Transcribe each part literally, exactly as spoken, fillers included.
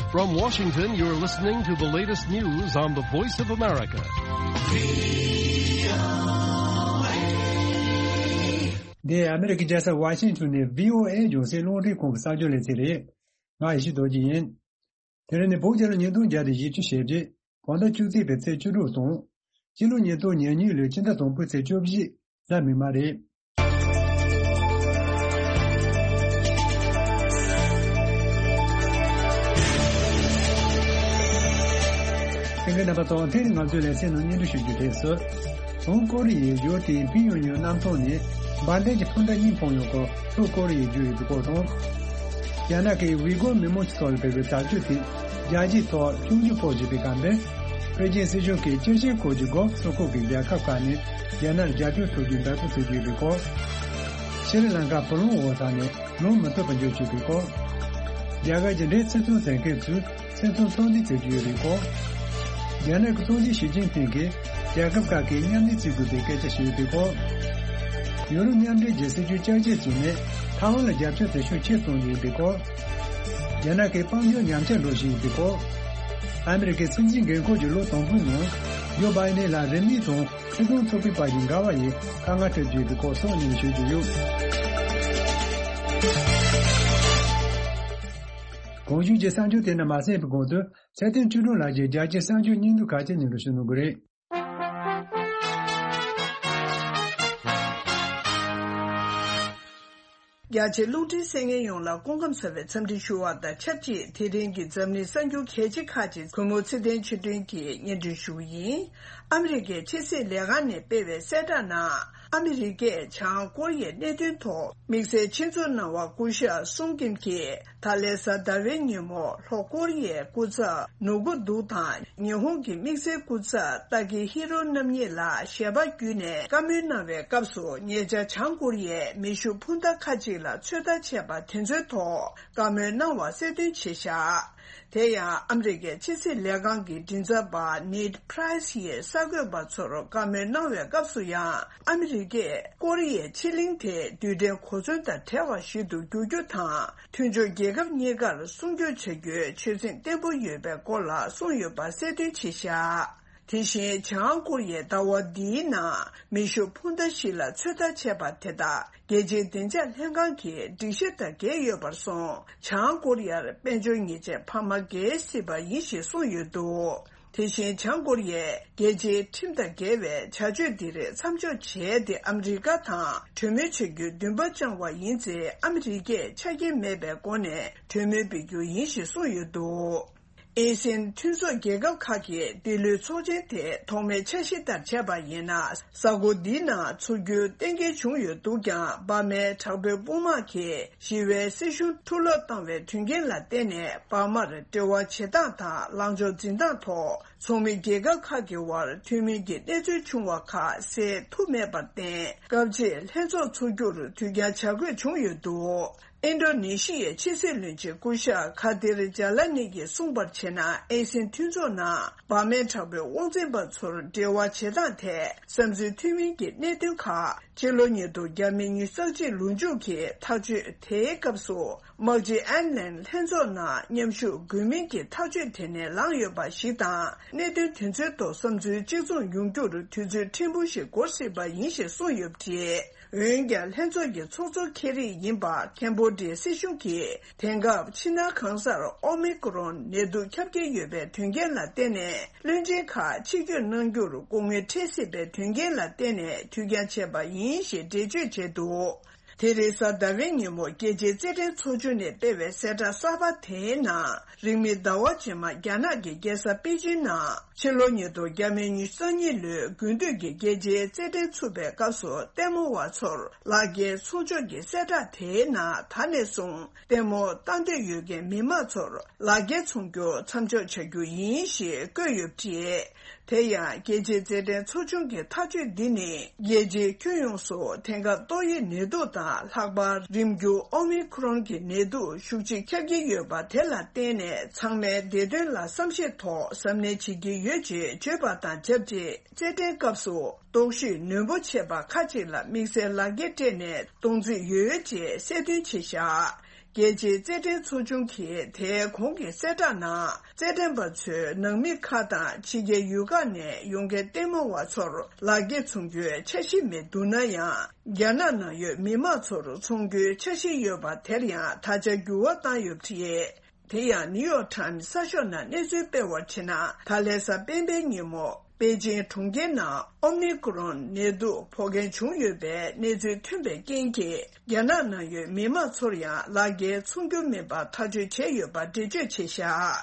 From Washington, you're listening to the latest news on the Voice of America. འདི་ཨ་མི་རི་ཀའི་རྒྱལ་ས་ཝ་ཤིང་ཊོན་ནས་བྷི་ཨོ་ཨེ་རྒྱང་སྲིང་རླུང་འཕྲིན་ཁང་གི་གསར་འགྱུར་ལེ་ཚན་རེད། ང་ཡེ་ཤེས་རྡོ་རྗེ་ཡིན། དེ་རིང་ནི་བོད་རྒྱལ་ལོ་ཉིས་སྟོང་བརྒྱ་དང་བཞི་བཅུ་ཞེ་བརྒྱད། བོད་ཟླ་བཅུ་གཅིག་པའི་ཚེས་བཅུ་དྲུག་དང་། སྤྱི་ལོ་ཉིས་སྟོང་ཉེར་གཉིས་ལོའི་ཕྱི་ཟླ་དང་པོའི་ཚེས་བཅུ་བཞི། གཟའ་མིག་དམར་རེད། ལྷན་རྒྱས་རྣམ་པ་ཚོ། དེ་རིང་ང་ཚོའི་ལེ་ཚན་ནང་སྙན་སྒྲོན་ཞུ་རྒྱུ་དེ་སོ། བྱང་ཀོ་རི་ཡའི་ཡུལ་དེའི་ཕིང་ཡོན་ཡུལ་གནམ་ཐང་ནས་འབར་མདེལ་གྱི་འཕུར་མདའ་གཉིས་འཕངས་ཡོང་སྐོར་ལྷོ་ཀོ་རི་ཡས་བརྗོད་ཡོད་པའི་སྐོར་དང་། རྒྱ་ནག་གིས་ཝི་གོར་མི་མང་ཚོའི་ཐོག་ལ་སྤེལ་བའི་དྲག་སྤྱོད་དེ་རྒྱལ་སྤྱིའི་ཐོག་ཆུང་རྒྱུ་ཕོག་བཞིན་པའི་སྐབས་འདིར། པེ་ཅིན་སྲིད་གཞུང་གིས་ཅི་ཆེན་ཁུལ་གྱི་གོ་ལྥ་སོ་ཁུག་གི་རྒྱལ་ཁབ་ཁག་ནས་རྒྱ་ནག་ལ་རྒྱབ་སྐྱོར་ཐོབ་རྒྱུའི་འབད་བརྩོན་བྱེད་ཀྱི་ཡོད་པའི་སྐོར། ཤྲི་ལང་ཀ་བུ་ལོན་འོག་ཐོག་ནས་ལོན་མི་ཐུབ་པར་འགྱུར་བཅུག་པའི་སྐོར། རྒྱ་གར་གྱི་འབྲེལ་ཚིག་མཚོན་མཛད་མཁན་ཚོས་ཚིག་མཚོན་ཚོགས་འདུ་བྱེད་ཀྱི་ཡོད་པའི་སྐོར། རྒྱ་ནག་གི་སྲིད་འཛིན་ཞི་ཅིན་ཕིང་གིས་རྒྱལ་ཁབ་ཁག་གིས་མཉམ་ལས་བྱེད་དགོས་པའི་སྐད་ཆ་བཤད་ཡོད་པའི་སྐོར། ཡུ་རོབ་མཉམ་འབྲེལ་གྱི་སྲིད་ཇུས་བསྐྱར་བཅོས་བྱས་ནས་ཐའེ་ཝན་ལ་རྒྱབ་སྐྱོར་དེ་ཤུགས་ཆེ་གཏོང་རྒྱུ་ཡིན་པའི་སྐོར། རྒྱ་ནག་གི་དཔལ་འབྱོར་ཉམས་ཆག་འགྲོ་བཞིན་ཡོད་པའི་སྐོར། ཨ་མི་རི་ཀའི་སྲིད་འཛིན་འགན་འཁུར་གྱི་ལོ་དང་པོའི་ནང་ཇོ་བྷའི་ནན་ལ་རིང་མིན་དང་སྲིད་དོན་ཚོགས་པའི་བར་གྱི་འགལ་བ་ཡིས་དཀའ་ངལ་འཕྲད་ཀྱི་ཡོད་པའི་སྐོར་སོགས་སྙན་ཞུ་རྒྱུ་ཡོད། གོང་ཞུས་ཀྱི་གསར་འགྱུར་དེ་རྣམས་མ་གསན་པའི་གོང་དུ་ཚེ་བརྟན་ཆོས་སྒྲོན་ལགས་ཀྱིས་རྒྱལ་སྤྱིའི་གསར་འགྱུར་སྙིང་བསྡུས་ཁག་ཅིག་སྙན་སྒྲོན་ཞུ་གནང་གི་རེད། རྒྱ་ཆེའི་རླུང་འཕྲིན་གསན་མཁན་ཡོངས་ལ་སྐུ་ཁམས་བཟང་བའི་འཚམས་འདྲི་ཞུ་བ་དང་ཆབས་ཅིག་དེ་རིང་གི་འཛམ་གླིང་གསར་འགྱུར་གལ་ཆེ་ཁག་ཅིག་གུས་མོ་ཚེ་བརྟན་ཆོས་སྒྲོན་གྱིས་སྙན་སྒྲོན་ཞུ་གི་ཡིན། ཨ་མི་རི་ཀའི་ཕྱི་སྲིད་ལས་ཁང་ནས་སྤེལ་བའི་གསལ་བསྒྲགས་ནང་། ཨ་མི་རི་ཀས་བྱང་ཀོ་རི་ཡའི་གནད་དོན་ཐོག་དམིགས་བསལ་ཆེད་འཛུགས་གནང་བ་སྐུ་ཞབས་སུང་ཀིམ་གྱིས། ད་ལན་གཟའ་ཟླ་བའི་ཉིན་མོ་ལྷོ་ཀོ་རི་ཡའི་སྐུ་ཚབ་ནོ་གུ་དུག་དང་ཉི་ཧོང་གི་དམིགས་བསལ་སྐུ་ཚབ་ཏཱ་ཀི་ཧི་རོ་རྣམ་གཉིས་ལ་ཞལ་པར་བརྒྱུད་ནས་བཀའ་མོལ་གནང་བའི་སྐབས་སུ། ཉེ་ཆར་བྱང་ཀོ་རི་ཡས་མེ་ཤུགས་འཕུར་མདའ་ཁག་ཅིག་ལ་ཚོད་ལྟ་བྱས་པ་དེ་ཚོའི་ཐོག་བཀའ་མོལ་གནང་བ་གསལ་སྟོན་བྱས་བཞག་དེ་ཡང་ཨ་མི་རི་ཀའི་ཕྱི་སྲིད་ལས་ཁང་གི་མགྲིན་ཚབ་པ་ནེད་པྲའི་སི་ཡིས་གསར་འགོད་པ་ཚོར་བཀའ་མོལ་གནང་བའི་སྐབས་སུ་ཡང་། ཨ་མི་རི་ཀས་ཀོ་རི་ཡའི་ཕྱེད་གླིང་དེ་རྡུལ་ཕྲན་གོ་མཚོན་དང་བྲལ་བ་ཞིག་ཏུ་འགྱུར་རྒྱུ་དང་། མཐུན་ཕྱོགས་རྒྱལ་ཁབ་གཉིས་ཀར་སྲུང་སྐྱོབ་བྱ་རྒྱུའི་ཆོད་སེམས་བརྟན་པོ་ཡོད་པའི་སྐོར་ལ་གསུངས་ཡོད་པ་གསལ་སྟོན་བྱས་བཞག་དེ་བཞིན་བྱང་ཀོ་རི་ཡས་ཟླ་བ་འདིའི་ནང་མེ་ཤུགས་འཕུར་མདའ་ཞིག་ལ་ཚོད་ལྟ་བྱས་པ་དེ་དག་རྒྱལ་སྤྱིའི་བདེ་འཇགས་ལྷན་ཁང་གིས་སྒྲིག་གཞི་དང་འགལ་ཡོད་པར་སོང་། བྱང་ཀོ་རི་ཡར་དཔལ་འབྱོར་ཉེས་ཆད་འཕར་མ་འགེལ་སྲིད་པ་ཡིན་ཞེས་གསུངས་ཡོད་འདུག་དེ་བཞིན་བྱང་ཀོ་རི་ཡས་རྒྱལ་སྤྱིའི་ཁྲིམས་དང་འགལ་བའི་བྱ་སྤྱོད་འདི་རིགས་མཚམས་འཇོག་བྱས་ཏེ། ཨ་མི་རི་ཀ་དང་གྲོས་མོལ་བྱ་རྒྱུའི་འདུན་པ་བཅངས་པ་ཡིན་ཚེ། ཨ་མི་རི་ཀས་ཆ་རྐྱེན་མེད་པའི་སྒོ་ནས་གྲོས་མོལ་སྤེལ་རྒྱུ་ཡིན་ཞེས་གསུངས་ཡོད་འདུག་ཨེ་སི་ཡན་མཐུན་ཚོགས་རྒྱལ་ཁབ་ཁག་གིས་འདི་ལོའི་ཚོགས་ཆེན་དེ་ཐོག་མའི་འཆར་གཞི་ལྟར་བྱས་པ་ཡིན་ན། གཟའ་འཁོར་འདིའི་ནང་ཚོགས་རྒྱུ་གཏན་འཁེལ་བྱུང་ཡོད་འདུག་ཀྱང་། འབར་མའི་དྲག་པོའི་དཔུང་དམག་གིས་ཞི་བའི་སྲིད་གཞུང་འཕྲོ་བརླག་བཏང་བའི་དོན་རྐྱེན་ལ་བརྟེན་ནས། འབར་མར་འབྲེལ་བ་བྱེད་སྟངས་དང་ལངས་ཕྱོགས་འཛིན་སྟངས་ཐོག་ཚོགས་མི་རྒྱལ་ཁབ་ཁག་གི་དབར་མཐུན་མིན་གྱི་གནས་ཚུལ་བྱུང་བ་ཁག་སེལ་ཐུབ་མེད་པར་བརྟེན། སྐབས་རྗེས་ལྷན་ཚོགས་ཚོགས་རྒྱུར་དུས་འགྱངས་བྱ་དགོས་བྱུང་ཡོད་འདུག་ཨིན་ཌོ་ནེ་ཤི་ཡའི་ཕྱི་སྲིད་བློན་ཆེན་སྐུ་ཞབས་ཁ་དིར་ཇཱ་ལ་ནི་གིས་གསུངས་པར་བྱས་ན། ཨེ་སི་ཡན་མཐུན་ཚོགས་ནང་འབར་མའི་དྲག་པོའི་དབང་འཛིན་པ་ཚོར་འབྲེལ་བ་བྱེད་སྟངས་ཐད་བསམ་ཚུལ་མཐུན་མིན་གྱི་གནད་དོན་ཁག་ཕྱི་ལོ་ཉིས་སྟོང་ཉེར་གཅིག་ལོ་མཇུག་གི་ཐག་གཅོད་དེའི་སྐབས་སུ། དམག་སྤྱི་ཨན་ལན་ལྷན་ཚོགས་ནང་མཉམ་ཞུགས་དགོས་མིན་གྱི་ཐག་གཅོད་དེ་ནས་ལངས་ཡོད་པ་ཞིག་དང་། གནད་དོན་དེ་ཚོའི་ཐོག་བསམ་ཚུལ་གཅིག་མཚུངས་ཡོང་རྒྱུར་དུས་ཚོད་ཕྲན་བུ་ཞིག་འགོར་སྲིད་པ་ཡིན་ཞེས་གསུངས་ཡོད་པ་རེད། འོན་ཀྱང་། ལྷན་ཚོགས་ཀྱི་ཚོགས་གཙོ་ཁེ་རི་ཡིན་པ་ཁེམ་བྷོ་ཌི་ཡའི་སྲིད་གཞུང་གིས། དེང་སྐབས་ཕྱི་ནང་གང་སར་ཨོ་མི་ཀོ་རོན་ནད་དུག་ཁྱབ་ཀྱིན་ཡོད་པའི་དོན་རྐྱེན་ལ་བརྟེན་ནས། བློན་ཆེན་ཁག་ཕྱིར་སྐྱོད་གནང་རྒྱུར་སྐུ་ངལ་འཕྲད་སྲིད་པའི་དོན་རྐྱེན་ལ་བརྟེན་ནས། དུས་འགྱངས་བྱས་པ་ཡིན་ཞེས་འགྲེལ་བརྗོད་བྱས་འདུག་དེ་རིང་གཟའ་ཟླ་བའི་ཉིན་མོ། རྒྱལ་སྤྱིའི་རྩེད་འགྲན་ཚོགས་ཆུང་ནས་སྤེལ་བའི་གསལ་བསྒྲགས་གསར་པ་དེའི་ནང་། རིང་མིན་ཟླ་བ་རྗེས་མ། རྒྱ་ནག་གི་རྒྱལ་ས་པེ་ཅིན་ནང་། ཕྱི་ལོ་ཉིས་སྟོང་ཉི་ཤུ་རྩ་གཉིས་ལོའི་དགུན་དུས་ཀྱི་རྒྱལ་སྤྱིའི་རྩེད་འགྲན་ཚུགས་པའི་སྐབས་སུ། ལྟད་མོ་བ་ཚོར་ལག་འཁྱེར་ཚོང་ཆོག་གི་གསལ་བསྒྲགས་དེའི་ནང་། ད་ནས་བཟུང་ལྟད་མོ་ལྟ་འདོད་ཡོད་མཁན་མི་མང་ཚོར་ལག་འཁྱེར་འཚོང་རྒྱུ་མཚམས་འཇོག་བྱ་རྒྱུ་ཡིན་ཞེས་བཀོད་ཡོད་པ་རེད། དེ་ཡང་། རྒྱལ་སྤྱིའི་རྩེད་འགྲན་ཚོགས་ཆུང་གི་ཐག་གཅོད་འདི་ནི། རྒྱལ་སྤྱིའི་ཁྱོན་ཡོངས་སུ་དེང་སྐབས་ཏོག་དབྱིབས་ནད་དུག་དང་། ལྷག་པར་རིམས་འགྱུར་ཨོ་མི་ཀོ་རོན་གྱི་ནད་དུག་ཤུགས་ཆེ་ཁྱབ་ཀྱིན་ཡོད་པ་དེ་ལ་བརྟེན་ནས། ཚང་མས་བདེ་དོན་ལ་བསམ་ཤེས་ཐོག་གཟབ་ནན་བྱེད་ཀྱི་ཡོད་ཅེས་བརྗོད་པ་དང་ཆབས་ཅིག་རྩེད་འགྲན་སྐབས་སུ་ལྟོགས་ཤི་ནན་པོ་བྱས་པ་ཁག་ཅིག་ལ་དམིགས་བསལ་ལག་འཁྱེར་སྤྲད་ནས་གཏོང་རྩིས་ཡོད་ཅེས་གསལ་སྟོན་བྱས་བཞག་རྒྱལ་སྤྱིའི་རྩེད་འགྲན་ཚོགས་ཆུང་གིས་དེའི་གོང་གི་གསལ་བསྒྲགས་ནང་། རྩེད་འགྲན་པ་ཚོས་ནང་མི་ཁག་དང་ཕྱི་རྒྱལ་ཡུལ་ཁག་ནས་ཡོང་མཁན་ལྟད་མོ་བ་ཚོར་ལག་འཁྱེར་འཚོང་རྒྱུའི་འཆར་གཞི་མི་འདུག་ན་ཡང་། རྒྱ་ནག་ནང་ཡོད་མི་མང་ཚོར་འཚོང་རྒྱུའི་འཆར་གཞི་ཡོད་པ་དེར་ཡང་ད་ཆ་འགྱུར་བ་བཏང་ཡོད་པ་རེད། དེ་ཡང་ནིའུ་ཡོག་ཊའིམ་གསར་ཤོག་ནང་གནས་ཚུལ་སྤེལ་བར་བྱས་ན། ད་ལན་གཟའ་སྤེན་པའི་ཉིན་མོ་པེ་ཅིང་གྲོང་ཁྱེར་ནང་ཨོ་མི་ཀོ་རོན་ནད་དུག་ཕོག་མཁན་བྱུང་ཡོད་པའི་གནས་ཚུལ་ཐོན་པའི་རྐྱེན་གྱིས། རྒྱ་ནག་ནང་ཡོད་མི་མང་ཚོར་ཡང་ལག་འཁྱེར་འཚོང་རྒྱུ་མིན་པ་ཐག་གཅོད་བྱས་ཡོད་པ་འགྲེལ་བརྗོད་བྱས་བཞག་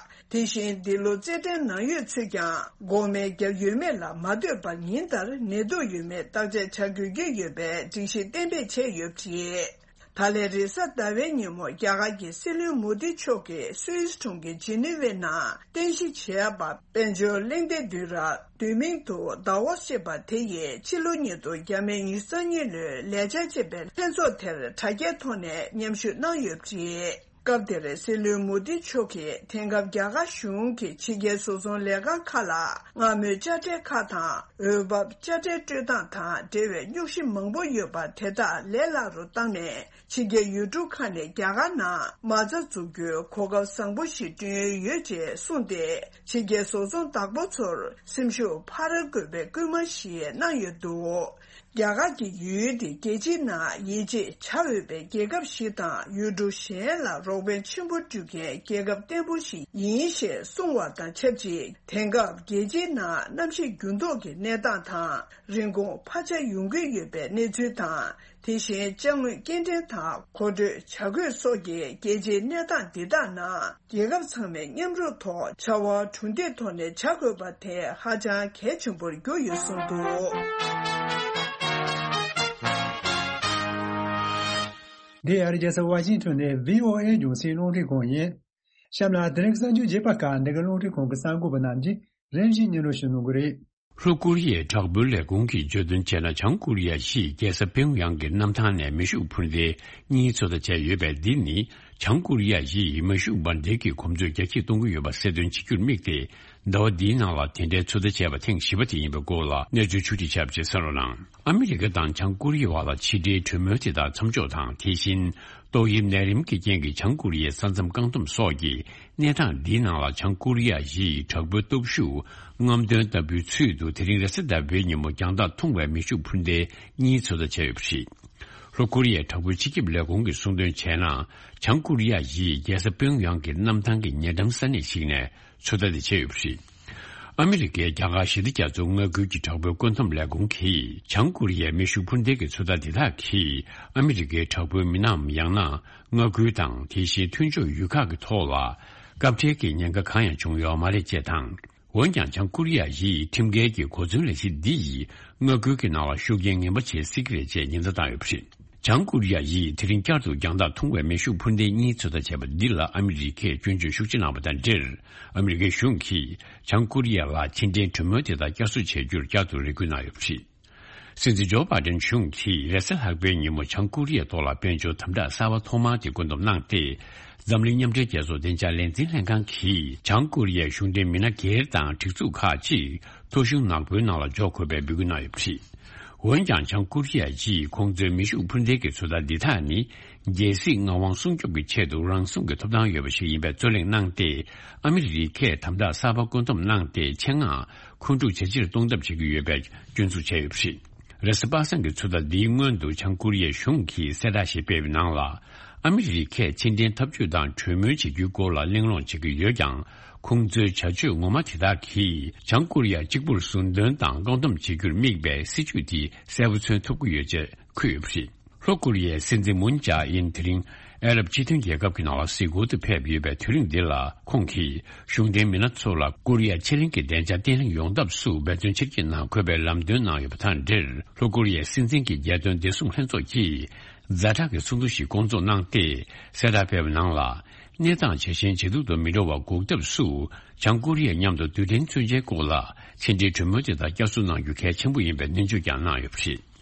དེ་བཞིན་འདི་ལོ་རྩེད་འགྲན་ནང་ཡོད་ཚོས་ཀྱང་འགོག་སྨན་བརྒྱབ་ཡོད་མེད་ལ་མ་ལྟོས་པར་ཉིན་ལྟར་ནད་དུག་ཡོད་མེད་བརྟག་དཔྱད་བྱ་དགོས་ཀྱི་ཡོད་པའི་སྒྲིག་གཞི་གཏན་འབེབས་བྱས་ཡོད་པ་རེད། ད་ལན་རེས་གཟའ་ཟླ་བའི་ཉིན་མོ་རྒྱ་གར་གྱི་སྲིད་བློན་མོ་དི་མཆོག་གིས་སུད་སི་གྲོང་ཁྱེར་ཇི་ནི་ཝའི་ནང་རྟེན་གཞི་བྱས་པ་དཔལ་འབྱོར་གླེང་སྟེགས་འདུས་ར་བསྡུས་མིང་དུ་ཟླ་བ་ཞེས་པ་དེ་ཡིས་ཕྱི་ལོ་ཉིས་སྟོང་ཉི་ཤུ་རྩ་གཉིས་ལོའི་ལས་འཆར་ཅེས་པའི་ལྷན་ཚོགས་དེར་དྲ་རྒྱའི་ཐོག་ནས་མཉམ་ཞུགས་གནང་ཡོད་པ་རེད། སྐབས་དེར་སྲིད་བློན་མོ་དི་མཆོག་གིས་དེང་སྐབས་རྒྱ་གར་གཞུང་གིས་ཕྱི་རྒྱལ་བཟོ་ཚོང་ལས་ཁང་ཁག་ལ་སྔ་མོའི་དཔྱ་ཁྲལ་ཁག་དང་འོས་འབབ་དཔྱ་ཁྲལ་སྤྲོད་སྟངས་དང་འབྲེལ་བའི་རྙོག་གཞི་མང་པོ་ཡོད་པ་དེ་དག་ལས་སླ་རུ་བཏང་ནས། ཕྱི་རྒྱལ་ཡུལ་གྲུ་ཁག་ནས་རྒྱ་གར་ནང་མ་རྩ་འཛུགས་རྒྱུའི་གོ་སྐབས་བཟང་པོ་ཞིག་བསྐྲུན་ཡོད་ཅེས་གསུངས་ཏེ། ཕྱི་རྒྱལ་བཟོ་ཚོང་བདག་པོ་ཚོར་སེམས་ཤུགས་འཕར་དགོས་པའི་སྐུལ་མ་ཞིག་གནང་ཡོད་འདུག་རྒྱ་གར་གྱི་ཡུལ་དེ་རྒྱལ་སྤྱིའི་ནང་ཡིད་ཆེས་བྱ་འོས་པའི་རྒྱལ་ཁབ་ཞིག་དང་ཡུལ་གྲུ་གཞན་ལ་རོགས་ཕན་ཆེན་པོ་སྤྲོད་མཁན་རྒྱལ་ཁབ་བརྟན་པོ་ཞིག་ཡིན་ཞེས་གསུངས་བ་དང་ཆབས་ཅིག་དེང་སྐབས་རྒྱལ་སྤྱིའི་ནང་གནམ་གཤིས་འགྱུར་ལྡོག་གི་གནས་སྟངས་དང་། རིན་གོང་འཕར་ཆ་ཡོང་གི་ཡོད་པའི་གནས་ཚུལ་དང་། དེ་བཞིན་ཅ་དངོས་སྐྱེལ་འདྲེན་དང་མཁོ་སྤྲོད་བྱ་དགོས་སོགས་ཀྱི་རྒྱལ་སྤྱིའི་གནས་སྟངས་འདི་དག་ནང་རྒྱལ་ཁབ་ཚང་མས་མཉམ་རུབ་ཐོག་བྱ་བ་གྲུ་འདེགས་ཐོག་ནས་བྱ་དགོས་པ་དེ་ཧ་ཅང་གལ་ཆེན་པོར་གྱུར་ཡོད་གསུངས་འདུག་འདི་ཨ་རི་རྒྱལ་ས་ཝ་ཤིང་ཐོན་ནས་བྷི་ཨོ་ཨེ་རྒྱང་སྲིང་རླུང་འཕྲིན་ཁང་ཡིན། གཤམ་ལ་དེ་རིང་གསར་འགྱུར་རྒྱས་པ་ཁག་འདི་ག་རླུང་འཕྲིན་ཁང་གི་གསར་འགོད་པ་རྣམས་ཀྱིས་རིམ་བཞིན་སྙན་སྒྲོན་ཞུ་གནང་གི་རེད། ལྷོ་ཀོ་རི་ཡའི་དྲག་པོའི་ལས་ཁུངས་ཀྱིས་བརྗོད་དོན་བྱས་ན། བྱང་ཀོ་རི་ཡ་གཞིས་རྒྱལ་ས་པེའུ་ཡང་གི་གནམ་ཐང་ནས་མེ་ཤུགས་འཕུར་མདེལ་གཉིས་ཚོད་ལྟ་བྱས་ཡོད་པས། འདི་ནི་བྱང་ཀོ་རི་ཡ་གཞིས་མེ་ཤུགས་འབར་མདེལ་གྱི་གོམས་སྲོལ་རྒྱ་སྐྱེད་གཏོང་གི་ཡོད་པ་གསལ་སྟོན་བྱེད་རྒྱུར་དམིགས་ཏེ། ཟླ་བ་འདིའི་ནང་ལ་དེ་འདྲའི་ཚོད་ལྟ་བྱས་པ་ཐེངས་བཞི་པ་དེ་ཡིན་པའི་སྐོར་ལ་གནས་ཚུལ་ཕྱོགས་སྒྲིག་བྱས་པ་ཞིག་གསན་རོགས་གནང་། ཨ་མི་རི་ཀ་དང་བྱང་ཀོ་རི་ཡའི་བར་ལ་ཕྱི་འབྲེལ་གྲོས་མོལ་དེ་དག་མཚམས་འཇོག་དང་། དེ་བཞིན་ཏོག་དབྱིབས་ནད་རིམས་ཀྱི་རྐྱེན་གྱིས་བྱང་ཀོ་རི་ཡའི་ས་མཚམས་བཀག་སྡོམ་སོགས་ཀྱི་གནས་སྟངས་འདིའི་ནང་ལ། བྱང་ཀོ་རི་ཡ་གཞིས་དྲག་པོའི་སྟོབས་ཤུགས་རྔམ་སྟོན་ལྟ་བུའི་ཚུལ་དུ་དེ་རིང་རེས་གཟའ་ཟླ་བའི་ཉིན་མོ་རྒྱང་ཐག་ཐུང་བའི་མེ་ཤུགས་འཕུར་མདེལ་གཉིས་ཚོད་ལྟ་བྱས་ཡོད་པ་རེད། ལྷོ་ཀོ་རི་ཡའི་དྲག་པོའི་སྤྱི་ཁྱབ་ལས་ཁུངས་ཀྱིས་གསུངས་དོན་བྱས་ན། བྱང་ཀོ་རི་ཡ་གཞིས་རྒྱལ་ས་པེའུ་ཡང་གི་གནམ་ཐང་གི་ཉེ་འགྲམ་ས་གནས་ཤིག་ནས་ཚོད་ལྟ་དེ་བྱས་ཡོད་པ་རེད། ཨ་མི་རི་ཀའི་རྒྱ་གར་ཞི་བདེ་རྒྱ་མཚོའི་མངའ་ཁུལ་གྱི་དྲག་པོའི་བཀོད་འདོམས་ལས་ཁུངས་ཀྱིས། བྱང་ཀོ་རི་ཡའི་མེ་ཤུགས་འཕུར་མདེལ་གྱི་ཚོད་ལྟ་འདི་དག་གིས་ཨ་མི་རི་ཀའི་དྲག་པོའི་མི་སྣའམ་ཡང་ན་མངའ་ཁུལ་དང་། དེ་བཞིན་མཐུན་ཕྱོགས་ཡུལ་ཁག་གི་ཐོག་ལ་སྐབས་འཕྲལ་གྱི་ཉེན་ཁ་གང་ཡང་བྱུང་ཡོད་མ་རེད་ཅེས་དང་། འོན་ཀྱང་། བྱང་ཀོ་རི་ཡ་གཞིས་ཁྲིམས་འགལ་གྱི་གོ་མཚོན་ལས་གཞི་འདི་ཡིས་མངའ་ཁུལ་གྱི་ནང་ལ་ཤུགས་རྐྱེན་ངན་པ་བྱེད་སྲིད་ཀྱི་རེད་ཅེས་ཉེན་བརྡ་བཏང་ཡོད་པ་རེད། བྱང་ཀོ་རི་ཡ་ཡིས་དེ་རིང་བསྐྱར་དུ་རྒྱང་ཐག་ཐུང་བའི་མེ་ཤུགས་འཕུར་མདེལ་གཉིས་ཚོད་ལྟ་བྱས་པ་འདི་ལ་ཨ་མི་རི་ཀས་སྐྱོན་བརྗོད་ཤུགས་ཆེ་གནང་བ་དང་འབྲེལ། ཨ་མི་རི་ཀའི་གཞུང་གིས་བྱང་ཀོ་རི་ཡ་ལ་ཕྱི་འབྲེལ་གྲོས་མོལ་དེ་དག་བསྐྱར་གསོ་བྱེད་རྒྱུར་བསྐྱར་དུ་རེ་སྐུལ་གནང་ཡོད་པ་རེད། སྲིད་འཛིན་ཇོ་བྷའི་ཌེན་གཞུང་གིས་རེས་གཟའ་ལྷག་པའི་ཉིན་མོ་བྱང་ཀོ་རི་ཡའི་ཐོག་ལ་དཔལ་འབྱོར་དམ་དྲག་གསར་པ་ཐོག་མ་དེ་བཀོད་འདོམས་གནང་སྟེ། འཛམ་གླིང་མཉམ་འབྲེལ་རྒྱལ་ཚོགས་བདེ་འཇགས་ལས་འཛིན་ལྷན་ཁང་གིས་བྱང་ཀོ་རི་ཡའི་གཞུང་འབྲེལ་མི་སྣ་སྒེར་དང་སྒྲིག་འཛུགས་ཁག་ཅིག་ཐོ་གཞུང་ནག་པོའི་ནང་ལ་འཇོག་དགོས་པའི་འབོད་སྐུལ་གནང་ཡོད་པ་རེད། འོན་ཀྱང་། བྱང་ཀོ་རི་ཡ་གྱིས་ཁོང་ཚོའི་མེ་ཤུགས་འཕུར་མདེལ་གྱི་ཚོད་ལྟ་འདི་དག་ནི། རྒྱལ་སྲིད་མངའ་དབང་སྲུང་སྐྱོབ་ཀྱི་ཆེད་དུ་རང་སྲུང་གི་ཐོབ་ཐང་ཡོད་པ་ཞིག་ཡིན་པའི་རྩོད་གླེང་གནང་སྟེ། ཨ་མི་རི་ཀས་དམ་དྲག་གསར་པ་བཀོད་འདོམས་གནང་སྟེ། ཆེད་མངགས་འཁོན་འཁྲུག་ཇེ་ཆེར་གཏོང་ཐབས་བྱེད་ཀྱི་ཡོད་པའི་སྐྱོན་འཛུགས་བྱས་ཡོད་པ་རེད། རེས་གཟའ་པ་སངས་ཀྱི་ཚོད་ལྟ་འདིའི་སྔོན་དུ། བྱང་ཀོ་རི་ཡའི་གཞུང་གིས་གསལ་བསྒྲགས་ཤིག་སྤེལ་བའི་ནང་ལ། ཨ་མི་རི་ཀས་ཕྱི་འབྲེལ་འཐབ་ཇུས་དང་གྲོས་མོལ་བྱེད་རྒྱུའི་སྐོར་ལ་གླེང་སློང་བྱེད་ཀྱི་ཡོད་ཀྱང་། ཁོང་ཚོའི་བྱ་སྤྱོད་ངོ་མ་དེ་དག་གིས་བྱང་ཀོ་རི་ཡ་གཅིག་པུར་ཟུར་འདོན་དང་བཀག་སྡོམ་བྱེད་རྒྱུར་དམིགས་པའི་སྲིད་ཇུས་དེ་གསལ་པོ་མཚོན་ཐུབ་ཀྱི་ཡོད་ཅེས་འཁོད་ཡོད་པ་རེད། ལྷོ་ཀོ་རི་ཡའི་སྲིད་འཛིན་མུན་ཇཱ་ཨིན་དེ་རིང་ཨ་རབ་སྤྱི་མཐུན་རྒྱལ་ཁབ་ཀྱི་ནང་ལ་གཟིགས་སྐོར་དུ་ཕེབས་ཡོད་པའི་དུས་རིང་འདི་ལ། ཁོང་གིས་གཞུང་འབྲེལ་མི་སྣ་ཚོ་ལ་ཀོ་རི་ཡ་ཕྱེད་གླིང་གི་བདེ་འཇགས་བརྟན་ལྷིང་ཡོང་ཐབས་སུ་འབད་བརྩོན་ཆེར་བསྐྱེད་གནང་དགོས་པའི་ལམ་སྟོན་གནང་ཡོད་པ་དང་འབྲེལ། ལྷོ་ཀོ་རི་ཡའི་སྲིད་འཛིན་གྱི་རྒྱལ་དོན་བདེ་སྲུང་ལྷན་ཚོགས་ཀྱིས་ཛ་དྲག་གི་ཚོགས་འདུ་ཞིག་བསྐོང་ཚོགས་གནང་སྟེ། གསལ་བསྒྲགས་སྤེལ་བའི་ནང་ལ། གནས་སྟངས་ཇེ་ཞན་ཇེ་སྡུག་ཏུ་མི་འགྲོ་བ་འགོག་ཐབས་སུ། བྱང་ཀོ་རི་ཡ་མཉམ་དུ་རྡུལ་ཕྲན་མཚོན་ཆའི་སྐོར་ལ་ཕྱི་འབྲེལ་གྲོས་མོལ་དེ་དག་བསྐྱར་གསོ་གནང་རྒྱུ་གལ་ཆེན་པོ་ཡིན་པའི་སྣོན་བརྗོད་ཀྱང་གནང་ཡོད་པ་རེད།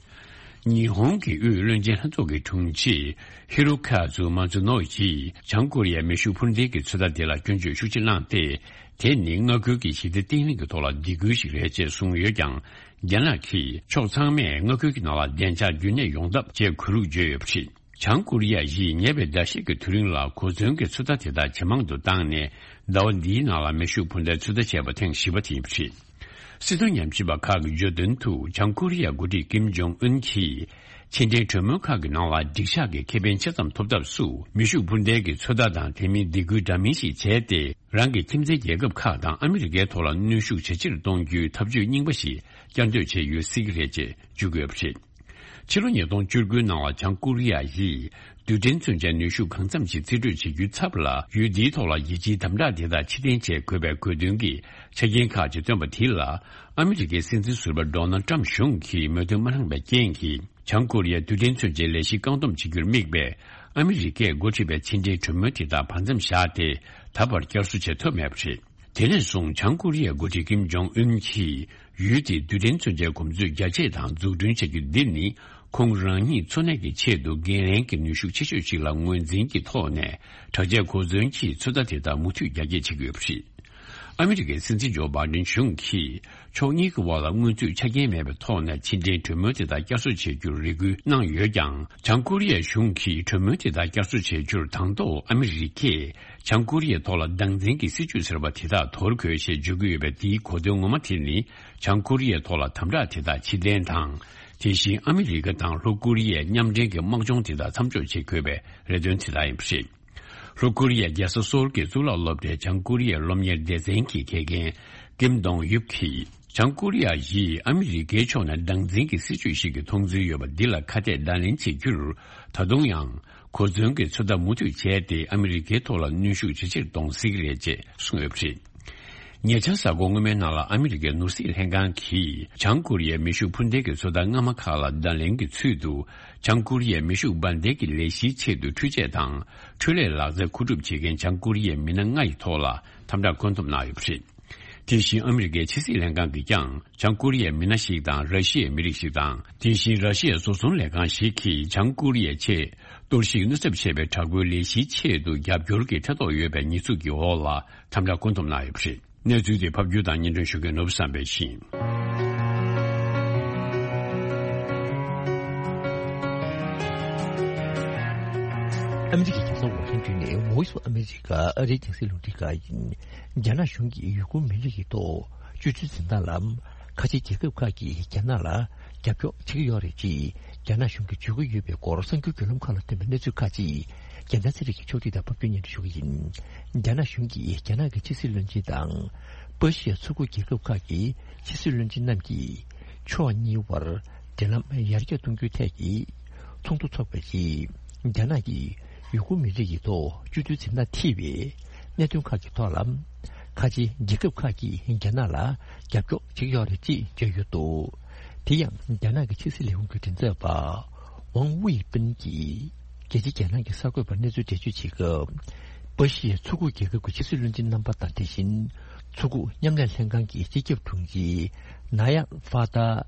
ཉི་ཧོང་གི་དབུས་བློན་ཆེན་ལྷན་ཚོགས་ཀྱི་དྲུང་ཆེ་ཧི་རོ་ཁ་ཛུ་མ་ཛུ་ནོ་ཡིས་བྱང་ཀོ་རི་ཡའི་མེ་ཤུགས་འཕུར་མདེལ་གྱི་ཚོད་ལྟ་དེ་ལ་སྐྱོན་བརྗོད་ཤུགས་ཆེ་གནང་སྟེ། དེ་ནི་མངའ་ཁུལ་གྱི་ཞི་བདེ་བརྟན་ལྷིང་གི་ཐོག་ལ་སྡིགས་སྐུལ་ཞིག་རེད་ཅེས་གསུངས་ཡོད་ཀྱང་། རྒྱ་ནག་གིས་ཕྱོགས་ཚང་མས་མངའ་ཁུལ་གྱི་ནང་ལ་བདེ་འཇགས་རྒྱུན་གནས་ཡོང་ཐབས་བྱེད་དགོས་ལུགས་བརྗོད་ཡོད་པ་རེད། བྱང་ཀོ་རི་ཡ་ཡིས་ཉེ་བའི་ཟླ་ཤས་ཀྱི་དུས་རིང་ལ་གོ་མཚོན་གྱི་ཚོད་ལྟ་དེ་དག་ཇེ་མང་དུ་བཏང་ནས། ཟླ་བ་འདིའི་ནང་ལ་མེ་ཤུགས་འཕུར་མདའི་ཚོད་ལྟ་བྱས་པ་ཐེངས་བཞི་པ་དེ་ཡིན་པ་རེད། སྲིད་དོན་ཉམས་ཞིབ་པ་ཁག་གིས་བརྗོད་དོན་དུ། བྱང་ཀོ་རི་ཡའི་འགོ་ཁྲིད་ཀིམ་ཇོང་ཨུན་གྱིས་ཕྱི་འབྲེལ་གྲོས་མོལ་ཁག་གི་ནང་ལ་འགྲིག་ཆགས་ཀྱི་ཁེ་ཕན་ཆེ་ཙམ་ཐོབ་ཐབས་སུ། མེ་ཤུགས་འཕུར་མདའི་གི་ཚོད་ལྟ་དང་དེ་མིན་སྡིགས་སྐུལ་འདྲ་མིན་ཞིག་བྱས་ཏེ། རང་གི་ཁྱིམ་མཚེས་རྒྱལ་ཁབ་ཁག་དང་ཨ་མི་རི་ཀའི་ཐོག་ལ་གནོན་ཤུགས་ཇེ་ཆེར་གཏོང་རྒྱུའི་ཐབས་ཇུས་རྙིང་པ་ཞིག་བསྐྱར་ཟློས་བྱས་ཡོད་སྲིད་ཀྱི་རེད་ཅེས་བརྗོད་ཀྱི་ཡོད་པ་རེད། ཕྱི་ལོ་ཉིས་སྟོང་བཅུ་དགུའི་ནང་ལ་བྱང་ཀོ་རི་ཡ་ཡིས་རྡུལ་ཕྲན་མཚོན་ཆའི་ནུས་ཤུགས་གང་འཚམ་ཞིག་རྩིས་སྤྲོད་བྱེད་རྒྱུའི་ཚབ་ལ། ཡུལ་འདིའི་ཐོག་ལ་རྒྱལ་སྤྱིའི་དམ་དྲག་དེ་དག་ཕྱིར་འཐེན་བྱེད་དགོས་པའི་དགོས་འདུན་གྱི་ཆ་རྐྱེན་ཁག་ཅིག་བཏོན་པ་དེ་ལ། ཨ་མི་རི་ཀའི་སྲིད་འཛིན་ཟུར་པ་ཌོ་ནལ་ཊམ་གཞུང་གིས་མོས་མཐུན་མ་གནང་བའི་རྐྱེན་གྱིས། བྱང་ཀོ་རི་ཡའི་རྡུལ་ཕྲན་མཚོན་ཆའི་ལས་གཞི་བཀག་སྡོམ་བྱེད་རྒྱུར་དམིགས་པའི་ཨ་མི་རི་ཀས་འགོ་ཁྲིད་པའི་ཕྱི་འབྲེལ་གྲོས་མོལ་དེ་དག་བར་མཚམས་བཞག་སྟེ། ད་བར་བསྐྱར་གསོ་བྱེད་ཐུབ་མེད་པ་རེད། དེ་ནས་བཟུང་བྱང་ཀོ་རི་ཡའི་འགོ་ཁྲིད་ཀིམ་ཇོང་ཨུན་གྱིས་ཡུལ་དེའི་རྡུལ་ཕྲན་མཚོན་ཆའི་གོམས་སྲོལ་རྒྱ་སྐྱེད་དང་འཛུགས་སྐྲུན་བྱ་རྒྱུ་འདི་ནི། ཁོང་རང་ཉིད་འཚོ་གནས་ཀྱི་ཆེད་དུ་འགན་ལེན་གྱི་ནུས་ཤུགས་ཆེ་ཤོས་ཤིག་ལ་ངོས་འཛིན་གྱི་ཐོག་ནས། དྲག་ཆས་གོ་མཚོན་གྱི་ཚོད་ལྟ་དེ་དག་མུ་མཐུད་རྒྱ་སྐྱེད་བྱེད་ཀྱི་ཡོད་པ་རེད། ཨ་མི་རི་ཀའི་སྲིད་འཛིན་ཇོ་བྷའི་ཌེན་གཞུང་གིས་ཕྱོགས་གཉིས་ཀྱི་དབར་ལ་སྔོན་ཚུད་ཆ་རྐྱེན་མེད་པའི་ཐོག་ནས་ཕྱི་འབྲེལ་གྲོས་མོལ་དེ་དག་བསྐྱར་གསོ་བྱེད་རྒྱུར་རེ་སྐུལ་གནང་ཡོད་ཀྱང་། བྱང་ཀོ་རི་ཡའི་གཞུང་གིས་གྲོས་མོལ་དེ་དག་བསྐྱར་གསོ་བྱེད་རྒྱུར་དང་ཐོག་ཨ་མི་རི་ཀས་བྱང་ཀོ་རི་ཡའི་ཐོག་ལ་སྡང་འཛིན་གྱི་སྲིད་ཇུས་ཟེར་བ་དེ་དག་དོར་དགོས་ཞེས་བརྗོད་ཀྱི་ཡོད་པའི། དེའི་གོ་དོན་ངོ་མ་དེ་ནི། བྱང་ཀོ་རི་ཡའི་ཐོག་ལ་དམ་དྲག་དེ་དག་ཕྱིར་འཐེན་དང་། དེ་བཞིན་ཨ་མི་རི་ཀ་དང་ལྷོ་ཀོ་རི་ཡའི་མཉམ་འབྲེལ་གྱི་དམག་སྦྱོང་དེ་དག་མཚམས་འཇོག་བྱེད་དགོས་པའི་རེ་འདུན་དེ་དག་ཡིན་པ་རེད། ལྷོ་ཀོ་རི་ཡའི་རྒྱལ་ས་སོལ་གྱི་གཙུག་ལག་སློབ་གྲྭའི་བྱང་ཀོ་རི་ཡའི་སློབ་གཉེར་སྡེ་ཚན་གྱི་དགེ་རྒན་ཀིམ་དོང་ཡུབ་ཀྱིས། བྱང་ཀོ་རི་ཡ་ཡིས་ཨ་མི་རི་ཀའི་ཕྱོགས་ནས་སྡང་འཛིན་གྱི་སྲིད་ཇུས་ཤིག་གི་མཐོང་ཚུལ་ཡོད་པ་འདི་ལ་ཁ་གཏད་བརྡ་ལན་བྱེད་རྒྱུར། ད་དུང་ཡང་གོ་མཚོན་གྱི་ཚོད་ལྟ་མུ་མཐུད་བྱས་ཏེ། ཨ་མི་རི་ཀའི་ཐོག་ལ་གནོན་ཤུགས་ཇེ་ཆེར་གཏོང་སྲིད་ཀྱི་རེད་ཅེས་གསུངས་ཡོད་པ་རེད། ཉེ་ཆར་གཟའ་འཁོར་སྔོན་མའི་ནང་ལ་ཨ་མི་རི་ཀའི་ནོར་སྲིད་ལྷན་ཁང་གིས་བྱང་ཀོ་རི་ཡའི་མེ་ཤུགས་འཕུར་མདེལ་གྱི་ཚོད་ལྟ་སྔ་མ་ཁག་ལ་བརྡ་ལན་གྱི་ཚུལ་དུ། བྱང་ཀོ་རི་ཡའི་མེ་ཤུགས་འབར་མདེལ་གྱི་ལས་གཞིའི་ཆེད་དུ་འཕྲུལ་ཆས་དང་འཕྲུལ་ལས་ལག་རྩལ་མཁོ་སྒྲུབ་བྱེད་མཁན་བྱང་ཀོ་རི་ཡའི་མི་སྣ་ལྔ་ཡི་ཐོག་ལ་དམ་དྲག་བཀོད་འདོམས་གནང་ཡོད་པ་རེད། དེ་བཞིན་ཨ་མི་རི་ཀའི་ཕྱི་སྲིད་ལྷན་ཁང་གིས་ཀྱང་། བྱང་ཀོ་རི་ཡའི་མི་སྣ་ཞིག་དང་། ར་ཤི་ཡའི་མི་རིགས་ཤིག་དང་། དེ་བཞིན་ར་ཤི་ཡའི་བཟོ་ཚོང་ལས་ཁང་ཞིག་གིས་བྱང་ཀོ་རི་ཡའི་ཆེད་གཏོར་བཤིག་གནོད་ཚབས་ཆེ་བའི་དྲག་པོའི་ལས་གཞིའི་ཆེད་དུ་རྒྱབ་སྐྱོར་གྱི་ཐེ་གཏོགས་ཡོད་པའི་ཉེས་འཛུགས་ཀྱི་འོག་ལ་དམ་དྲག་བཀོད་འདོམས་གནང་ཡོད་པ་རེད། གནས་ཚུལ་དེ་ཕབ་སྒྱུར་དང་སྙན་སྒྲོན་ཞུ་མཁན་ནོར་བུ་བསམ་འཕེལ་ཡིན། ཨ་མི་རི་ཀའི་རྒྱལ་ས་ཝ་ཤིང་ཏོན་ནས་Voice of America ཨ་རིའི་རྒྱང་སྲིང་རླུང་འཕྲིན་ཁང་ཡིན། རྒྱ་ནག་གཞུང་གིས་ཡུ་གུར་མི་རིགས་ཀྱི་ཐོག་སྤྱོད་ཚུལ་འཛིན་སྟངས་ལ། ཁ་ཆེའི་རྒྱལ་ཁབ་ཁག་གིས་རྒྱ་ནག་ལ་རྒྱབ་སྐྱོར་བྱེད་ཀྱི་ཡོད་རེད་ཅེས་རྒྱ་ནག་གཞུང་གིས་བརྗོད་ཀྱི་ཡོད་པའི་སྐོར་གསར་འགྱུར་བརྒྱུད་ལམ་ཁག་ལ་ཐོན་པའི་གནས་ཚུལ་ཁག་ཅིག་རྒྱལ་མཚན་ཚེ་རིང་གིས་ཕྱོགས་སྒྲིག་དང་ཕབ་སྒྱུར་སྙན་སྒྲོན་ཞུ་གི་ཡིན། རྒྱ་ནག་གཞུང་གིས་རྒྱ་ནག་གི་ཕྱི་སྲིད་བློན་ཆེན་དང་། པ་ཤི་ཡའི་མཚོ་ཁུག་རྒྱལ་ཁབ་ཁག་གི་ཕྱི་སྲིད་བློན་ཆེན་རྣམས་ཀྱིས་ཕྱོགས་གཉིས་དབར་འབྲེལ་ལམ་ཡར་རྒྱས་གཏོང་རྒྱུའི་ཐད་ཀྱི་ཚོགས་འདུ་འཚོགས་པའི་རྗེས། རྒྱ་ནག་གིས་ཡུ་གུར་མི་རིགས་ཀྱི་ཐོག་སྤྱོད་ཚུལ་འཛིན་སྟངས་ཐེ་བའི་གནད་དོན་ཁག་གི་ཐོག་ལ། ཁ་ཆེའི་རྒྱལ་ཁབ་ཁག་གིས་རྒྱ་ནག་ལ་རྒྱབ་སྐྱོར་བྱེད་ཀྱི་ཡོད་རེད་ཅེས་བརྗོད་ཡོད་འདུག་དེ་ཡང་རྒྱ་ནག་གི་ཕྱི་སྲིད་ལས་ཁུངས་ཀྱི་མགྲིན་ཚབ་པ་ཝང་ཝུའེ་ཕིན་གྱིས་རྒྱལ་སྤྱིའི་རྒྱལ་ནང་གི་གསར་འགོད་པར་གནས་ཚུལ་འགྲེལ་བརྗོད་བྱེད་སྐབས། པ་ཤི་ཡའི་མཚོ་ཁུག་རྒྱལ་ཁབ་ཀྱི་ཕྱི་སྲིད་བློན་ཆེན་རྣམ་པ་དང་། དེ་བཞིན་མཚོ་ཁུག་མཉམ་ལས་ལྷན་ཁང་གི་སྤྱི་ཁྱབ་དྲུང་ཆེ་ནཱ་ཡ་ཧྥ་ཏཱ་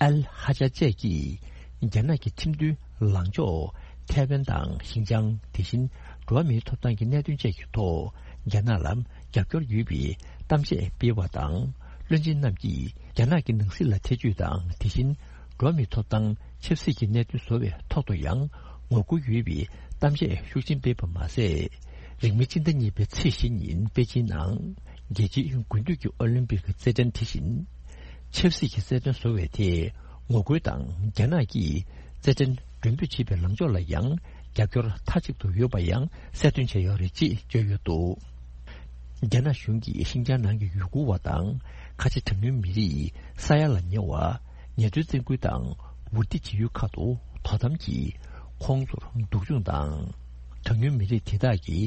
ཨལ་ཧ་ཅཱ་བཅས་ཀྱིས་རྒྱ་ནག་གི་ཁྲིམས་མཐུན་ལངས་ཕྱོགས་ཐའེ་ཝན་དང་ཞིན་ཅང་། དེ་བཞིན་འགྲོ་བ་མིའི་ཐོབ་ཐང་གི་གནད་དོན་བཅས་ཀྱི་ཐོག་རྒྱ་ནག་ལ་རྒྱབ་སྐྱོར་ཡོད་པའི་གཏམ་བཤད་སྤེལ་བ་དང་། བློན་ཆེན་རྣམས་ཀྱིས་རྒྱ་ནག་གི་ནང་སྲིད་ལ་ཐེ་བྱུས་དང་། དེ་བཞིན་འགྲོ་བ་མིའི་ཐོབ་ཐང་ཆབ་སྲིད་ཀྱི་གནད་དོན་བཟོ་བའི་ཐོག་ཏུ་ཡང་ངོ་རྒོལ་ཡོད་པའི་གཏམ་བཤད་ཤུགས་ཆེན་སྤེལ་བ་མ་ཟད། རིང་མིན་སྤྱི་ཟླ་གཉིས་པའི་ཚེས་བཞི་ཉིན་པེ་ཅིན་ནང་རྒྱལ་སྤྱིའི་དགུན་དུས་ཀྱི་ཨོ་ལིམ་པིག་རྩེད་འགྲན། དེ་བཞིན་ཆབ་སྲིད་ཀྱི་རྩེད་འགྲན་བཟོ་བའི་ཐད་ངོ་རྒོལ་དང་། རྒྱ་ནག་གིས་རྩེད་འགྲན་མགྲོན་འབོད་བྱེད་པའི་ལངས་ཕྱོགས་ལ་ཡང་རྒྱབ་སྐྱོར་མཐའ་གཅིག་ཏུ་ཡོད་པ་ཡང་གསལ་སྟོན་བྱས་ཡོད་རེད་ཅེས་བརྗོད་ཡོད་འདུག་རྒྱ་ནག་གཞུང་གིས་ཤིན་ཅང་ནང་གི་ཡུ་གུར་བ་དང་ཁ་ཆེ་གྲངས་ཉུང་མི་རིགས་ས་ཡ་ལ་ཉེ་བ་ངལ་རྩོལ་བཙན་སྐུལ་དང་འུར་སྡེ་བྱེད་ཡུལ་ཁག་ཏུ་དོ་དམ་གྱིས་ཁོང་ཚོར་སྡུག་སྦྱོང་དང་། གྲངས་ཉུང་མི་རིགས་དེ་དག་གི་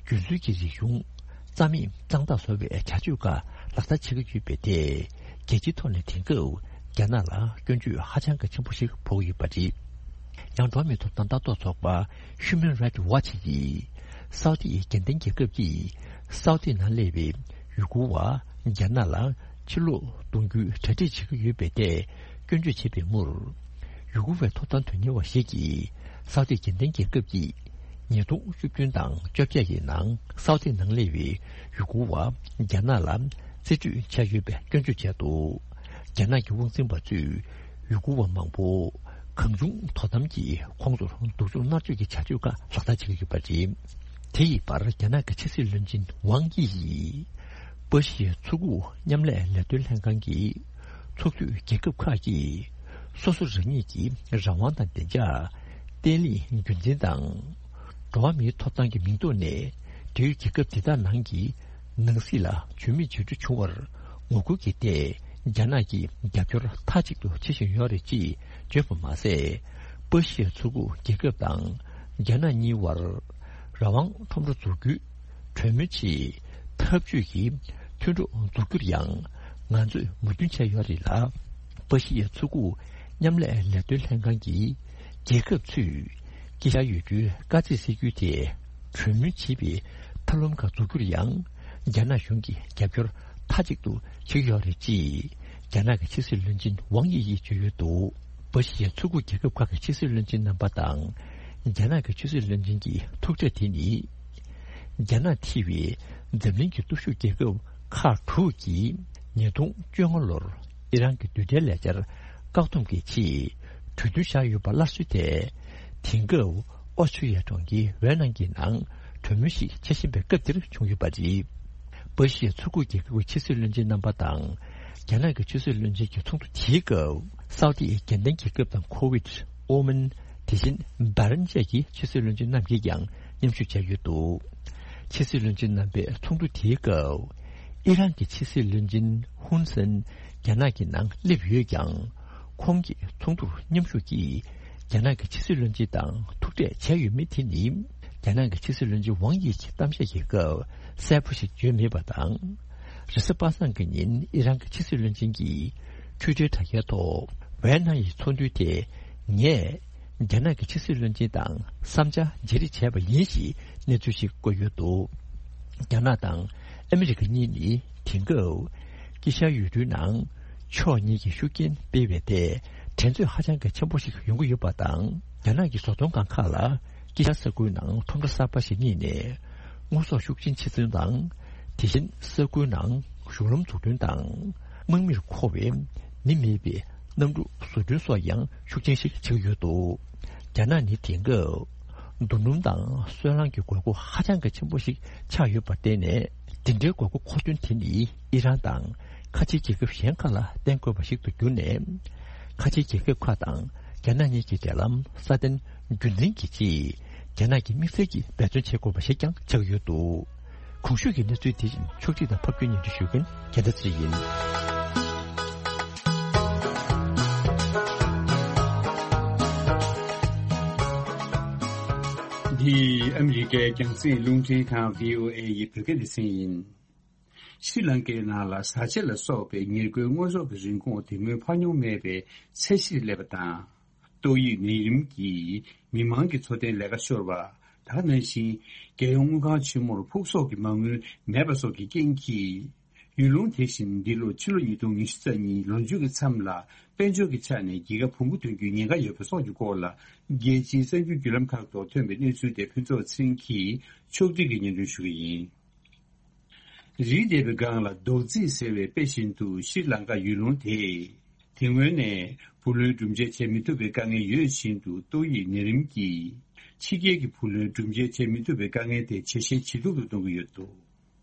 རྒྱུད་འཛིན་གྱི་རིག་གཞུང་རྩ་མེད་གཙང་དག་བཟོ་བའི་བྱ་སྤྱོད་ཁག་ལག་བསྟར་བྱེད་ཀྱི་ཡོད་པའི་ཐད། རྒྱལ་སྤྱིའི་ཐོག་ནས་དེང་སྐབས་རྒྱ་ནག་ལ་སྐྱོན་བརྗོད་ཧ་ཅང་གི་ཆེན་པོ་ཞིག་ཕོག་ཡོད་པ་རེད། ཡང་འགྲོ་བ་མིའི་ཐོབ་ཐང་ལྟ་རྟོག་ཚོགས་པ་Human Rights Watch ཡིས་སའུ་ཏི་ཡི་དགེ་ལྡན་རྒྱལ་ཁབ་ཀྱིས་སའུ་ཏི་ནང་སླེབས་པའི་ཡུ་གུར་བ་རྒྱ་ནག་ལ་ཕྱིར་ལོག་གཏོང་རྒྱུའི་གྲ་སྒྲིག་བྱེད་ཀྱི་ཡོད་པའི་ཐད་སྐྱོན་བརྗོད་བྱས་པའི་མུར། ཡུ་གུར་བའི་ཐོབ་ཐང་དོན་གཉེར་བ་ཞིག་གིས་སའུ་ཏི་དགེ་ལྡན་རྒྱལ་ཁབ་ཀྱིས་ཉིས་སྟོང་བཅུ་བདུན་དང་བཅོ་བརྒྱད་ཀྱི་ནང་སའུ་ཏི་ནང་སླེབས་པའི་ཡུ་གུར་བ་རྒྱ་ནག་ལ་རྩིས་སྤྲོད་བྱས་ཡོད་པའི་སྐྱོན་བརྗོད་བྱས་འདུག་རྒྱ་ནག་གི་དབང་འཛིན་པ་ཚོས་ཡུ་གུར་བ་མང་པོ་ གང་བྱུང་དོ་དམ་གྱིས་ཁོང་ཚོར་སྡུག་སྦྱོང་མནར་གཅོད་ཀྱི་བྱ་སྤྱོད་ཁག་ལག་བསྟར་བྱེད་ཀྱི་ཡོད་པ་རེད། དེ་ཡི་བར་རྒྱ་ནག་གི་ཕྱི་སྲིད་བློན་ཆེན་ཝང་དབྱི་ཡིས་པ་ཤི་ཡའི་མཚོ་ཁུག་མཉམ་ལས་ལས་དོན་ལྷན་ཁང་གི་ཚོགས་འཐུས་རྒྱལ་ཁབ་ཁག་གིས་སོ་སོ་རང་ཉིད་ཀྱི་རང་དབང་དང་བདེ་འཇགས། བརྟན་ལྷིང་རྒྱུན་འཛིན་དང་། འགྲོ་བ་མིའི་ཐོབ་ཐང་གི་མིང་ཐོག་ནས་འབྲེལ་ཡོད་རྒྱལ་ཁབ་དེ་དག་ནང་གི་ནང་སྲིད་ལ་ཇུས་མེད་ཇུས་འགྲུལ་བྱུང་བར་ངོ་རྒོལ་གྱིས་ཏེ་རྒྱ་ནག་གིས་རྒྱབ་སྐྱོར་མཐའ་གཅིག་ཏུ་བྱེད་བཞིན་ཡོད་རེད་ཅེས་བརྗོད་པ་མ་ཟད། པ་ཤི་ཡ་མཚོ་ཁུག་རྒྱལ་ཁབ་དང་རྒྱ་ནག་གཉིས་བར་རང་དབང་ཁྲོམ་ར་འཛུགས་རྒྱུའི་གྲོས་མོལ་ཆེད་འཐབ་ཇུས་ཀྱི་མཐུན་གྲོགས་འཛུགས་རྒྱུར་ཡང་ང་ཚོས་མོས་མཐུན་བྱས་ཡོད་རེད་ལ། པ་ཤི་ཡའི་མཚོ་ཁུག་མཉམ་ལས་ལས་དོན་ལྷན་ཁང་གི་རྒྱལ་ཁབ་ཚོས་དཀྱིལ་ཤར་ཡུལ་གྲུའི་དཀའ་ཚེགས་སེལ་རྒྱུའི་ཐད་གྲོས་མོལ་བྱེད་པའི་ཐབས་ལམ་ཁག་འཛུགས་རྒྱུར་ཡང་རྒྱ་ནག་གཞུང་གིས་རྒྱབ་སྐྱོར་མཐའ་གཅིག་ཏུ་བྱེད་ཀྱི་ཡོད་རེད་ཅེས་རྒྱ་ནག་གི་ཕྱི་སྲིད་བློན་ཆེན་ཝང་དབྱི་ཡིས་བརྗོད་ཡོད་འདུག་པ་ཤི་ཡའི་མཚོ་ཁུག་རྒྱལ་ཁབ་ཁག་གི་ཕྱི་སྲིད་བློན་ཆེན་རྣམ་པ་དང་རྒྱ་ནག་གི་ཕྱི་སྲིད་བློན་ཆེན་གྱི་ཐུག་འཕྲད་དེ་ནི། རྒྱ་ནག་ཐེ་བའི་འཛམ་གླིང་གི་སྟོབས་ཤུགས་རྒྱལ་ཁབ་ཁག་དྲུག་གིས་ཉིས་སྟོང་བཅོ་ལྔ་ལོར་ཨི་རན་གྱི་རྡུལ་ཕྲན་ལས་འཆར་བཀག་སྡོམ་གྱི་ཆེད་གྲོས་མཐུན་བཞག་ཡོད་པ་སླར་གསོའི་ཐད། དེང་སྐབས་ཨོ་སི་ཀྲི་ཡ་གྲོང་ཁྱེར་ཝེ་ནང་གི་ནང་གྲོས་མོལ་ཞིག་བྱེད་བཞིན་པའི་སྐབས་འདིར་བྱུང་ཡོད་པ་རེད། པ་ཤི་ཡའི་མཚོ་ཁུག་རྒྱལ་ཁབ་ཀྱི་ཕྱི་སྲིད་བློན་ཆེན་རྣམ་པ་དང་རྒྱ་ནག་གི་ཕྱི་སྲིད་བློན་ཆེན་གྱི་ཚོགས་འདུ་དེའི་སྐབས་སའུ་ཏི་ཨི་རྒྱལ་ལྡན་རྒྱལ་ཁབ་དང་ཁོ་ཝེད། ཨོ་མན། དེ་བཞིན་སྦ་རན་བཅས་ཀྱི་ཕྱི་སྲིད་བློན་ཆེན་རྣམས་ཀྱིས་ཀྱང་མཉམ་ཞུགས་བྱས་ཡོད་འདུག་ཕྱི་སྲིད་བློན་ཆེན་རྣམ་པའི་ཚོགས་འདུ་དེའི་སྐབས། ཨི་རན་གྱི་ཕྱི་སྲིད་བློན་ཆེན་ཧུན་སན་རྒྱ་ནག་གི་ནང་སླེབས་ཡོད་ཀྱང་། ཁོང་གིས་ཚོགས་འདུར་མཉམ་ཞུགས་ཀྱིས་རྒྱ་ནག་གི་ཕྱི་སྲིད་བློན་ཆེན་དང་ཐུག་འཕྲད་བྱས་ཡོད་མེད་དེ་ནི། རྒྱ་ནག་གི་ཕྱི་སྲིད་བློན་ཆེན་ཝང་དབྱི་གྱི་གཏམ་བཤད་ཀྱི་སྐབས་གསལ་པོ་ཞིག་བརྗོད་མེད་པ་དང་། རེས་གཟའ་པ་སངས་ཀྱི་ཉིན་ཨི་རན་གྱི་ཕྱི་སྲིད་བློན་ཆེན་གྱིས་ཊུའི་ཊར་དྲ་རྒྱའི་ཐོག་ཝེ་ནང་ཡི་ཚོགས་འདུའི་ཐད་ངས་རྒྱ་ནག་གི་ཕྱི་སྲིད་བློན་ཆེན་དང་བསམ་འཆར་བརྗེ་རེས་བྱས་པ་ཡིན་ཞེས་གནས་ཚུལ་ཞིག་བཀོད་ཡོད་འདུག་རྒྱ་ནག་དང་ཨ་མི་རི་ཀ་གཉིས་ནི་དེང་སྐབས་དཀྱིལ་ཤར་ཡུལ་གྲུའི་ནང་ཕྱོགས་གཉིས་ཀྱིས་ཤུགས་རྐྱེན་སྤེལ་བའི་ཐད་འགྲན་རྩོད་ཧ་ཅང་གི་ཆེན་པོ་ཞིག་ཡོང་གི་ཡོད་པ་དང་། རྒྱ་ནག་གི་བཟོ་ཚོང་ཁང་ཁག་ལ་དཀྱིལ་ཤར་ས་ཁུལ་ནང་ཁྲོམ་ར་གསར་པ་ཞིག་རྙེད་ནས་དངོས་ཟོག་ཤུགས་རྐྱེན་ཆེ་ཚུན་དང་། དེ་བཞིན་ས་ཁུལ་ནང་གཞུང་ལམ་འཛུགས་སྐྲུན་དང་། དམག་མིར་མཁོ་བའི་མི་མེད་པའི་གནམ་གྲུ་བཟོ་སྐྲུན་སོགས་ཡང་ཤུགས་རྐྱེན་ཞིག་ཆགས་ཡོད་འདུག་རྒྱ་ནག་ནི་དེང་སྐབས་རྡོ་སྣུམ་དང་སོལ་རླངས་ཀྱི་དགོས་མཁོ་ཧ་ཅང་གི་ཆེན་པོ་ཞིག་ཆགས་ཡོད་པར་བརྟེན་ནས། དེ་འདྲའི་དགོས་མཁོ་མཁོ་འདོན་དེ་ནི་ཨི་རན་དང་ཁ་ཆེའི་རྒྱལ་ཁབ་གཞན་ཁག་ལ་བརྟེན་དགོས་པ་ཞིག་ཏུ་གྱུར་ནས། ཁ་ཆེའི་རྒྱལ་ཁབ་ཁག་དང་རྒྱ་ནག་གཉིས་ཀྱི་འབྲེལ་ལམ་སྲ་བརྟན་རྒྱུན་འཛིན་གྱི་ཆེད་རྒྱ་ནག་གིས་དམིགས་བསལ་གྱིས་འབད་བརྩོན་བྱེད་དགོས་པ་ཞིག་ཀྱང་ཆགས་ཡོད་འདུག་གོང་ཞུས་ཀྱི་གནས་ཚུལ་དེ་བཞིན་ཕྱོགས་སྒྲིག་དང་ཕབ་སྒྱུར་སྙན་སྒྲོན་ཞུ་མཁན་རྒྱལ་ལྡན་ཚེ་རིང་ཡིན། འདི་ཨ་མི་རི་ཀའི་རྒྱང་སྲིང་རླུང་འཕྲིན་ཁང་བྷི་ཨོ་ཨེ་ཡི་བོད་སྐད་སྡེ་ཚན་ཡིན། ཤྲི་ལང་ཀའི་ནང་ལ་བཟའ་ཆས་ལ་སོགས་པའི་ཉེར་མཁོའི་དངོས་ཟོག་གི་རིན་གོང་དེ་སྔོན་འཕར་མྱོང་མེད་པའི་ཚད་གཞིར་སླེབས་པ་དང་། ཏོག་དབྱིབས་ནད་རིམས་ཀྱིས་མི་མང་གི་འཚོ་རྟེན་ལས་ཀ་ཤོར་བ། ད་ག་ནང་བཞིན་རྒྱལ་ཡོངས་དངུལ་ཁང་ཆེན་མོར་ཕུགས་གསོག་གི་མ་དངུལ་མེད་པ་སོགས་ཀྱི་རྐྱེན་གྱིས། ཡུལ་ལུང་དེ་བཞིན་འདི་ལོ་ཕྱི་ལོ་ཉིས་སྟོང་ཉི་ཤུ་རྩ་གཉིས་ལོ་མཇུག་གི་མཚམས་ལ་དཔལ་འབྱོར་གྱི་ཆ་ནས་རྒྱལ་ཁ་བུ་མོ་ཐོན་རྒྱུའི་ཉེན་ཁ་ཡོད་པ་སོགས་ཀྱི་སྐོར་ལ། རྒྱལ་སྤྱིའི་གསར་འགྱུར་བརྒྱུད་ལམ་ཁག་ཐོག་ཐོན་པའི་གནས་ཚུལ་དེ་ཕུན་ཚོགས་ཚེ་རིང་གིས་ཕྱོགས་སྒྲིག་གིས་སྙན་སྒྲོན་ཞུ་གི་ཡིན། རི་འདེབས་པའི་སྒང་ལ་རྡོག་རྫིས་ཟེར་བའི་དཔེ་བཞིན་དུ་ཤྲི་ལང་ཀ་ཡུལ་ལུང་དེས། དེ་སྔོན་ནས་བུ་ལོན་སྒྲུབ་འཇལ་བྱེད་མི་ཐུབ་པའི་དཀའ་ངལ་ཡོད་བཞིན་དུ། ཏོག་དབྱིབས་ནད་རིམས་ཀྱིས་ཕྱི་རྒྱལ་གྱི་བུ་ལོན་སྒྲུབ་འཇལ་བྱེད་མི་ཐུབ་པའི་དཀའ་ངལ་དེ་ཇེ་ཞན་ཇེ་སྡུག་ཏུ་གཏོང་གི་ཡོད་འདུག་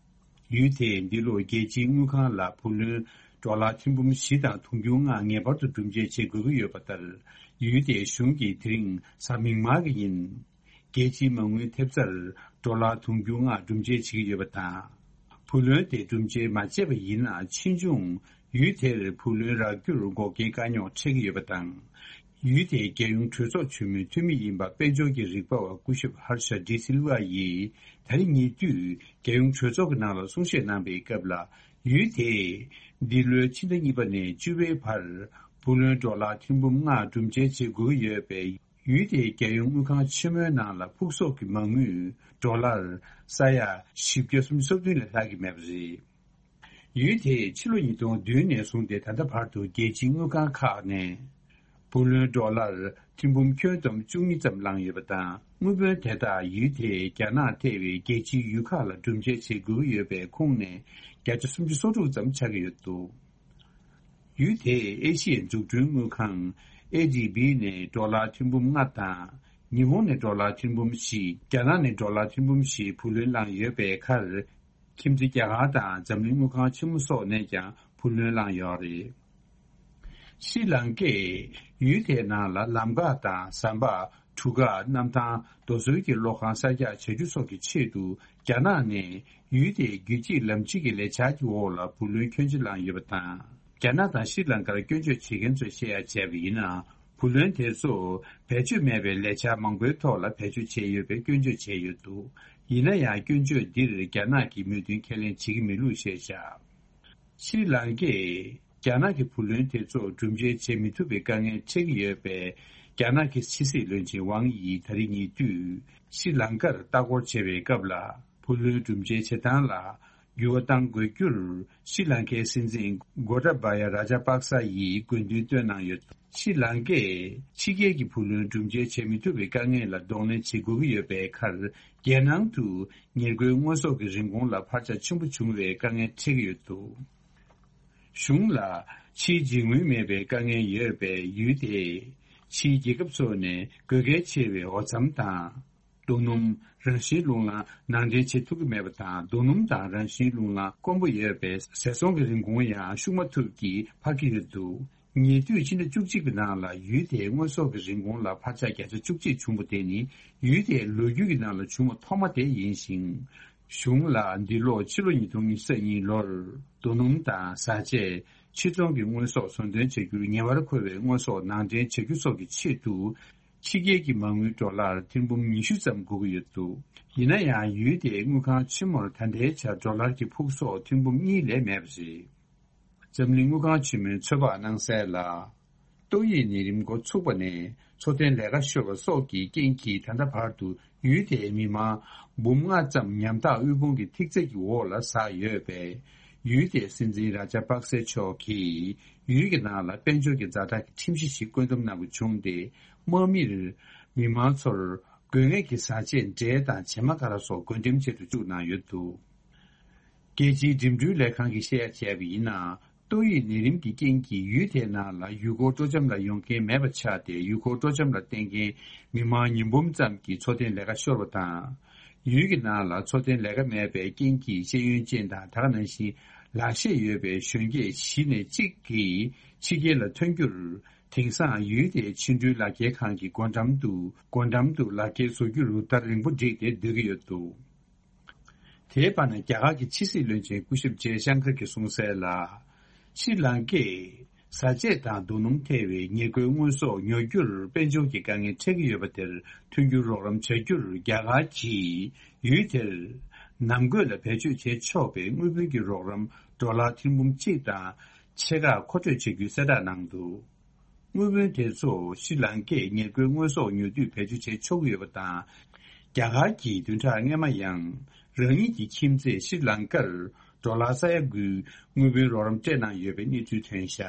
ཡུལ་དེས་འདི་ལོར་རྒྱལ་སྤྱིའི་དངུལ་ཁང་ལ་བུ་ལོན་ཌོ་ལར་ཐེར་འབུམ་བཞི་དང་དུང་ཕྱུར་ལྔ་ངེས་པར་དུ་སྒྲུབ་འཇལ་བྱེད་དགོས་ཀྱི་ཡོད་པ་ལྟར། ཡུལ་དེའི་གཞུང་གིས་དེ་རིང་གཟའ་མིག་དམར་གྱི་ཉིན། རྒྱལ་སྤྱིའི་མ་དངུལ་ཐེབས་རྩར་ཌོ་ལར་དུང་ཕྱུར་ལྔ་སྒྲུབ་འཇལ་བྱེད་ཀྱི་ཡོད་པ་དང་། བུ་ལོན་དེ་སྒྲུབ་འཇལ་མ་བྱས་པ་ཡིན་ན། ཕྱིས་འབྱུང་ཡུལ་དེར་བུ་ལོན་རག་རྒྱུར་འགོག་རྐྱེན་དཀའ་རྙོག་འཕྲད་ཀྱི་ཡོད་པ་དང་། ཡུལ་དེའི་རྒྱལ་ཡོངས་གྲོས་ཚོགས་ཆེན་མོའི་འཐུས་མི་ཡིན་པ་དཔལ་འབྱོར་གྱི་རིག་པ་བ་སྐུ་ཞབས་ཧར་ཤ་ཌི་སིལ་ཝ་ཡིས་ད་རེས་ཉེ་དུས་རྒྱལ་ཡོངས་གྲོས་ཚོགས་ཀྱི་ནང་ལ་གསུང་བཤད་གནང་པའི་སྐབས་ལ། ཡུལ་དེས་འདི་ལོའི་ཕྱི་ཟླ་གཉིས་པ་ནས་བཅུ་པའི་བར་བུ་ལོན་ཌོ་ལར་ཐེར་འབུམ་ལྔ་སྒྲུབ་འཇལ་བྱེད་དགོས་ཀྱི་ཡོད་པས། ཡུལ་དེའི་རྒྱལ་ཡོངས་དངུལ་ཁང་ཆེན་མོའི་ནང་ལ་ཕུགས་གསོག་གི་མ་དངུལ་ཌོ་ལར་ས་ཡ་བཞི་བརྒྱ་སུམ་ཅུ་སོ་བདུན་ལས་ལྷག་གི་མེད་པ་རེད། ཡུལ་དེས་ཕྱི་ལོ་ཉིས་སྟོང་བདུན་ནས་བཟུང་སྟེ་ད་ལྟ་བར་དུ་རྒྱལ་སྤྱིའི་དངུལ་ཁང་ཁག་ནས་བུ་ལོན་ཌོ་ལར་ཐེར་འབུམ་ཁྱོན་བསྡོམས་བཅུ་གཉིས་ཙམ་བླངས་ཡོད་པ་དང་། དངུལ་བུན་དེ་དག་ཡུལ་དེས་རྒྱ་ནག་ཐེ་བའི་རྒྱལ་སྤྱིའི་ཡུལ་ཁག་ལ་སྒྲུབ་འཇལ་བྱེད་དགོས་ཀྱི་ཡོད་པའི་ཁོངས་ནས་བརྒྱ་ཆ་སུམ་ཅུ་སོ་དྲུག་ཙམ་ཆགས་ཀྱི་ཡོད་འདུག་ཡུལ་དེས་ཨེ་ཤི་ཡའི་འཛུགས་སྐྲུན་དངུལ་ཁང་ ཨེ་ཌི་བི་ནས་ཌོ་ལར་ཐེར་འབུམ་ལྔ་དང་། ཉི་ཧོང་ནས་ཌོ་ལར་ཐེར་འབུམ་བཞི། རྒྱ་ནག་ནས་ཌོ་ལར་ཐེར་འབུམ་བཞི་བུ་ལོན་བླངས་ཡོད་པའི་ཁར། ཁྱིམ་མཚེས་རྒྱ་གར་དང་འཛམ་གླིང་དངུལ་ཁང་ཆེན་མོ་སོགས་ནས་ཀྱང་བུ་ལོན་བླངས་ཡོད་རེད། ཤྲི་ལང་ཀས་ཡུལ་དེའི་ནང་ལ་ལམ་འགག་དང་ཟམ་པ། གྲུ་ཁ། གནམ་ཐང་། རྡོ་སོལ་གྱི་གློག་ཁང་གསར་རྒྱག་བྱ་རྒྱུ་སོགས་ཀྱི་ཆེད་དུ། རྒྱ་ནག་ནས་ཡུལ་དེའི་རྒྱུད་གཅིག་ལམ་གཅིག་གི་ལས་འཆར་གྱི་འོག་ལ་བུ་ལོན་ཁྱོན་ཆེ་བླངས་ཡོད་པ་དང་། རྒྱ་ནག་དང་ཤྲི་ལང་ཀར་སྐྱོན་བརྗོད་བྱེད་མཁན་ཚོས་བཤད་ཡ་བྱས་པ་ཡིན་ན། བུ་ལོན་དེ་ཚོ་བེད་སྤྱོད་མེད་པའི་ལས་འཆར་མང་པོའི་ཐོག་ལ་བེད་སྤྱོད་བྱས་ཡོད་པའི་སྐྱོན་བརྗོད་བྱས་ཡོད་འདུག་ཡིན་ན་ཡང་། སྐྱོན་བརྗོད་འདིར་རྒྱ་ནག་གིས་མོས་མཐུན་ཁས་ལེན་བྱེད་ཀྱི་མེད་ལུགས་བཤད་བཞག་ཤྲི་ལང་ཀས་རྒྱ་ནག་གི་བུ་ལོན་དེ་ཚོ་སྒྲུབ་འཇལ་བྱེད་མི་ཐུབ་པའི་དཀའ་ངལ་འཕྲད་ཀྱི་ཡོད་པས། རྒྱ་ནག་གི་ཕྱི་སྲིད་བློན་ཆེན་ཝང་དབྱི་ད་རིང་ཉེ་དུས་ཤྲི་ལང་ཀར་ལྟ་སྐོར་བྱེད་པའི་སྐབས་ལ། བུ་ལོན་སྒྲུབ་འཇལ་བྱེད་སྟངས་ལ་འགྱུར་བ་གཏང་དགོས་རྒྱུར། ཤྲི་ལང་ཀའི་སྲིད་འཛིན་གོ་ཏ་བ་ཡ་ར་ཇ་པག་ས་ཡིས་དགོས་འདུན་བཏོན་གནང་ཡོད། ཤྲི་ལང་ཀས་ཕྱི་རྒྱལ་གྱི་བུ་ལོན་སྒྲུབ་འཇལ་བྱེད་མི་ཐུབ་པའི་དཀའ་ངལ་ལ་གདོང་ལེན་བྱེད་དགོས་ཀྱི་ཡོད་པའི་ཁར། རྒྱལ་ནང་དུ་ཉེར་མཁོའི་དངོས་ཟོག་གི་རིན་གོང་ལ་འཕར་ཆ་ཆེན་པོ་བྱུང་བའི་དཀའ་ངལ་འཕྲད་ཀྱི་ཡོད་འདུག་གཞུང་ལ་ཕྱིའི་འཇིགས་སྣང་མེད་པའི་དཀའ་ངལ་ཡོད་པས། ཡུལ་དེས་ཕྱིའི་རྒྱལ་ཁབ་ཚོ་ནས་དགོས་གལ་ཆེ་བའི་འོ་རྩམ་དང་། རྡོ་སྣུམ། རང་བཞིན་རླུང་ལངས་ནང་འདྲེན་བྱེད་ཐུབ་ཀྱི་མེད་པ་དང་། རྡོ་སྣུམ་དང་རང་བཞིན་རླུང་ལངས་དཀོན་པོ་ཡོད་པས། ཟས་ཚོང་གི་རིན་གོང་ཡང་ཤུགས་མ་ཐུབ་ཀྱིས་འཕར་གྱི་ཡོད་འདུག་ཉེ་དུས་ཕྱི་ཟླ་བཅུ་གཅིག་པའི་ནང་ལ་ཡུལ་དེའི་དངོས་ཟོག་གི་རིན་གོང་ལ་འཕར་ཆ་བརྒྱ་ཆ་བཅུ་གཅིག་བྱུང་བ་དེ་ནི་ཡུལ་དེའི་ལོ་རྒྱུས་ཀྱི་ནང་ལ་བྱུང་བ་ཐོག་མ་དེ་ཡིན་ཞིང་། གཞུང་ལ་འདི་ལོ་ཕྱི་ལོ་ཉིས་སྟོང་ཉི་ཤུ་རྩ་གཉིས་ལོར་རྡོ་སྣུམ་དང་བཟའ་ཆས། ཕྱིར་ཚོང་གི་དངོས་ཟོག་ཟུར་འདོན་བྱ་རྒྱུར་ཉེ་བར་མཁོ་བའི་དངོས་ཟོག་ནང་འདྲེན་བྱ་རྒྱུ་སོགས་ཀྱི་ཆེད་དུ། ཕྱི་རྒྱལ་གྱི་མ་དངུལ་ཌོ་ལར་ཐེར་འབུམ་ཉི་ཤུ་ཙམ་དགོས་ཀྱི་ཡོད་འདུག་ཡིན་ན་ཡང་ཡུལ་དེའི་དངུལ་ཁང་ཆེན་མོར་ད་ལྟའི་ཆར་ཌོ་ལར་གྱི་ཕུགས་གསོག་ཐེར་འབུམ་གཉིས་ལས་མེད་པ་རེད། འཛམ་གླིང་དངུལ་ཁང་ཆེན་མོས་ཚོད་དཔག་གནང་གསལ་ལ། ཏོག་དབྱིབས་ནད་རིམས་འགོ་ཚུགས་པ་ནས་འཚོ་རྟེན་ལས་ཀ་ཤོར་བ་སོགས་ཀྱི་རྐྱེན་གྱིས་ད་ལྟ་བར་དུ་ཡུལ་དེའི་མི་མང་འབུམ་ལྔ་ཙམ་ཉམ་ཐག་དབུལ་ཕོངས་ཀྱི་ཐིག་ཚད་ཀྱི་འོག་ལ་ཟགས་ཡོད་པས། ཡུལ་དེའི་སྲིད་འཛིན་ར་ཇ་པག་སེ་མཆོག་གིས་ཡུལ་གྱི་ནང་ལ་དཔལ་འབྱོར་གྱི་ཛ་དྲག་གི་ཁྲིམས་གཞི་ཞིག་བཀོད་འདོམས་གནང་དགོས་བྱུང་སྟེ། དམག་མིར་མི་མང་ཚོར་དགོས་ངེས་ཀྱི་བཟའ་ཆས། འབྲས་དང་བྱེ་མ་ཀ་ར་སོགས་བགོ་འགྲེམས་བྱེད་དུ་བཅུག་གནང་ཡོད་འདུག་རྒྱལ་སྤྱིའི་འགྲིམ་འགྲུལ་ལས་ཁང་གིས་བཤད་ཡ་བྱས་པ་ཡིན་ན། ཏོག་དབྱིབས་ནད་རིམས་ཀྱི་རྐྱེན་གྱིས་ཡུལ་དེའི་ནང་ལ་ཡུལ་སྐོར་སྤྲོ་འཆམ་ལ་ཡོང་མཁན་མེད་པ་ཆགས་ཏེ། ཡུལ་སྐོར་སྤྲོ་འཆམ་ལ་བརྟེན་མཁན་མི་མང་ཉིས་འབུམ་ཙམ་གྱི་འཚོ་རྟེན་ལས་ཀ་ཤོར་བ་དང་། ཡུལ་གྱི་ནང་ལ་འཚོ་རྟེན་ལས་ཀ་མེད་པའི་རྐྱེན་གྱིས་ཤེས་ཡོན་ཅན་དང་། ད་ག་ནང་བཞིན་ལག་ཤེས་ཡོད་པའི་གཞོན་སྐྱེས་བཞི་ནས་གཅིག་གིས་ཕྱི་རྒྱལ་ལ་ཐོན་རྒྱུར། དེང་སང་ཡུལ་དེའི་ཕྱི་འགྲུལ་ལག་འཁྱེར་ཁང་གི་སྒོ་འགྲམ་དུ། སྒོ་འགྲམ་དུ་ལག་འཁྱེར་བཟོ་རྒྱུར་ཟླ་རིང་པོ་བསྒྲིགས་ཏེ་སྡོད་ཀྱི་ཡོད་འདུག་དེའི་བར་ན། རྒྱ་གར་གྱི་ཕྱི་སྲིད་བློན་ཆེན་སྐུ་ཞབས་ཇེ་ཤང་ཀར་གྱིས་གསུངས་གསལ་ལ། ཤྲི་ལང་ཀས་བཟའ་ཆས་དང་རྡོ་སྣུམ་ཐེ་བའི་ཉེར་མཁོའི་དངོས་ཟོག་ཉོ་རྒྱུར་དཔལ་འབྱོར་གྱི་དཀའ་ངལ་འཕྲད་ཀྱི་ཡོད་པ་དེར་མཐུན་འགྱུར་རོགས་རམ་བྱ་རྒྱུར། རྒྱ་གར་གྱིས་ཡུལ་དེར་ནང་སྒོས་ལ་བེད་སྤྱོད་བྱེད་ཆོག་པའི་དངུལ་བུན་གྱི་རོགས་རམ་ཌོ་ལར་ཐེར་འབུམ་གཅིག་དང་ཕྱེད་ཀ་མཁོ་སྤྲོད་བྱ་རྒྱུའི་གསལ་བསྒྲགས་གནང་འདུག་དངུལ་བུན་དེ་ཚོ་ཤྲི་ལང་ཀས་ཉེར་མཁོའི་དངོས་ཟོག་ཉོ་དུས་བེད་སྤྱོད་བྱེད་ཆོག་གི་ཡོད་པ་དང་། རྒྱ་གར་གྱིས་བདུན་ཕྲག་སྔོན་མ་ཡང་རང་ཉིད་ཀྱི་ཁྱིམ་མཚེས་ཤྲི་ལང་ཀར་ཌོ་ལར་ས་ཡ་དགུའི་དངུལ་བུན་རོགས་རམ་སྤྲད་གནང་ཡོད་པའི་གནས་ཚུལ་ཐོན་བཞག་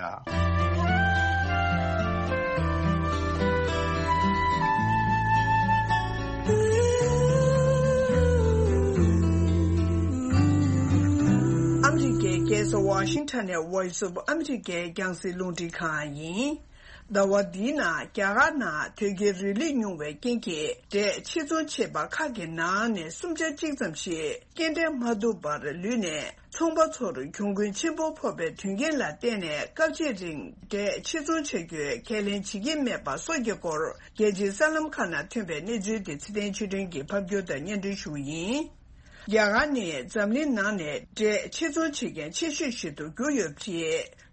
ཨ་མི་རི་ཀའི་རྒྱལ་ས་ཝ་ཤིང་ཊོན་ནས་Voice of America རྒྱང་སྲིང་རླུང་འཕྲིན་ཁང་ཡིན། ཟླ་བ་འདིའི་ནང་རྒྱ་གར་ནང་དོལ་རྒྱལ་རིང་ལུགས་ཉུང་བའི་རྐྱེན་གྱིས་འབྲས་ཕྱིར་ཚོང་བྱེད་པ་ཁག་གི་ནང་ནས་སུམ་ཆ་གཅིག་ཙམ་ཞིག་སྐྱེལ་འདྲེན་མ་ཐུབ་པར་ལུས་ནས། ཚོང་པ་ཚོར་གྱོང་གུན་ཆེན་པོ་ཕོག་པའི་དོན་རྐྱེན་ལ་བརྟེན་ནས། སྐབས་གཅིག་རིང་འབྲས་ཕྱིར་ཚོང་བྱ་རྒྱུའི་ཁས་ལེན་བྱེད་ཀྱི་མེད་པ་སོགས་ཀྱི་སྐོར། རྒྱལ་སྤྱིའི་གསར་ལམ་ཁག་ནང་ཐོན་པའི་གནས་ཚུལ་དེ་ཚེ་བརྟན་ཆོས་སྒྲོན་གྱིས་ཕབ་སྒྱུར་དང་སྙན་སྒྲོན་ཞུ་གི་ཡིན། རྒྱ་གར་ནི་འཛམ་གླིང་ནང་ནས་འབྲས་ཕྱིར་ཚོང་བྱེད་མཁན་ཆེ་ཤོས་ཤིག་ཏུ་གྱུར་ཡོད་པ་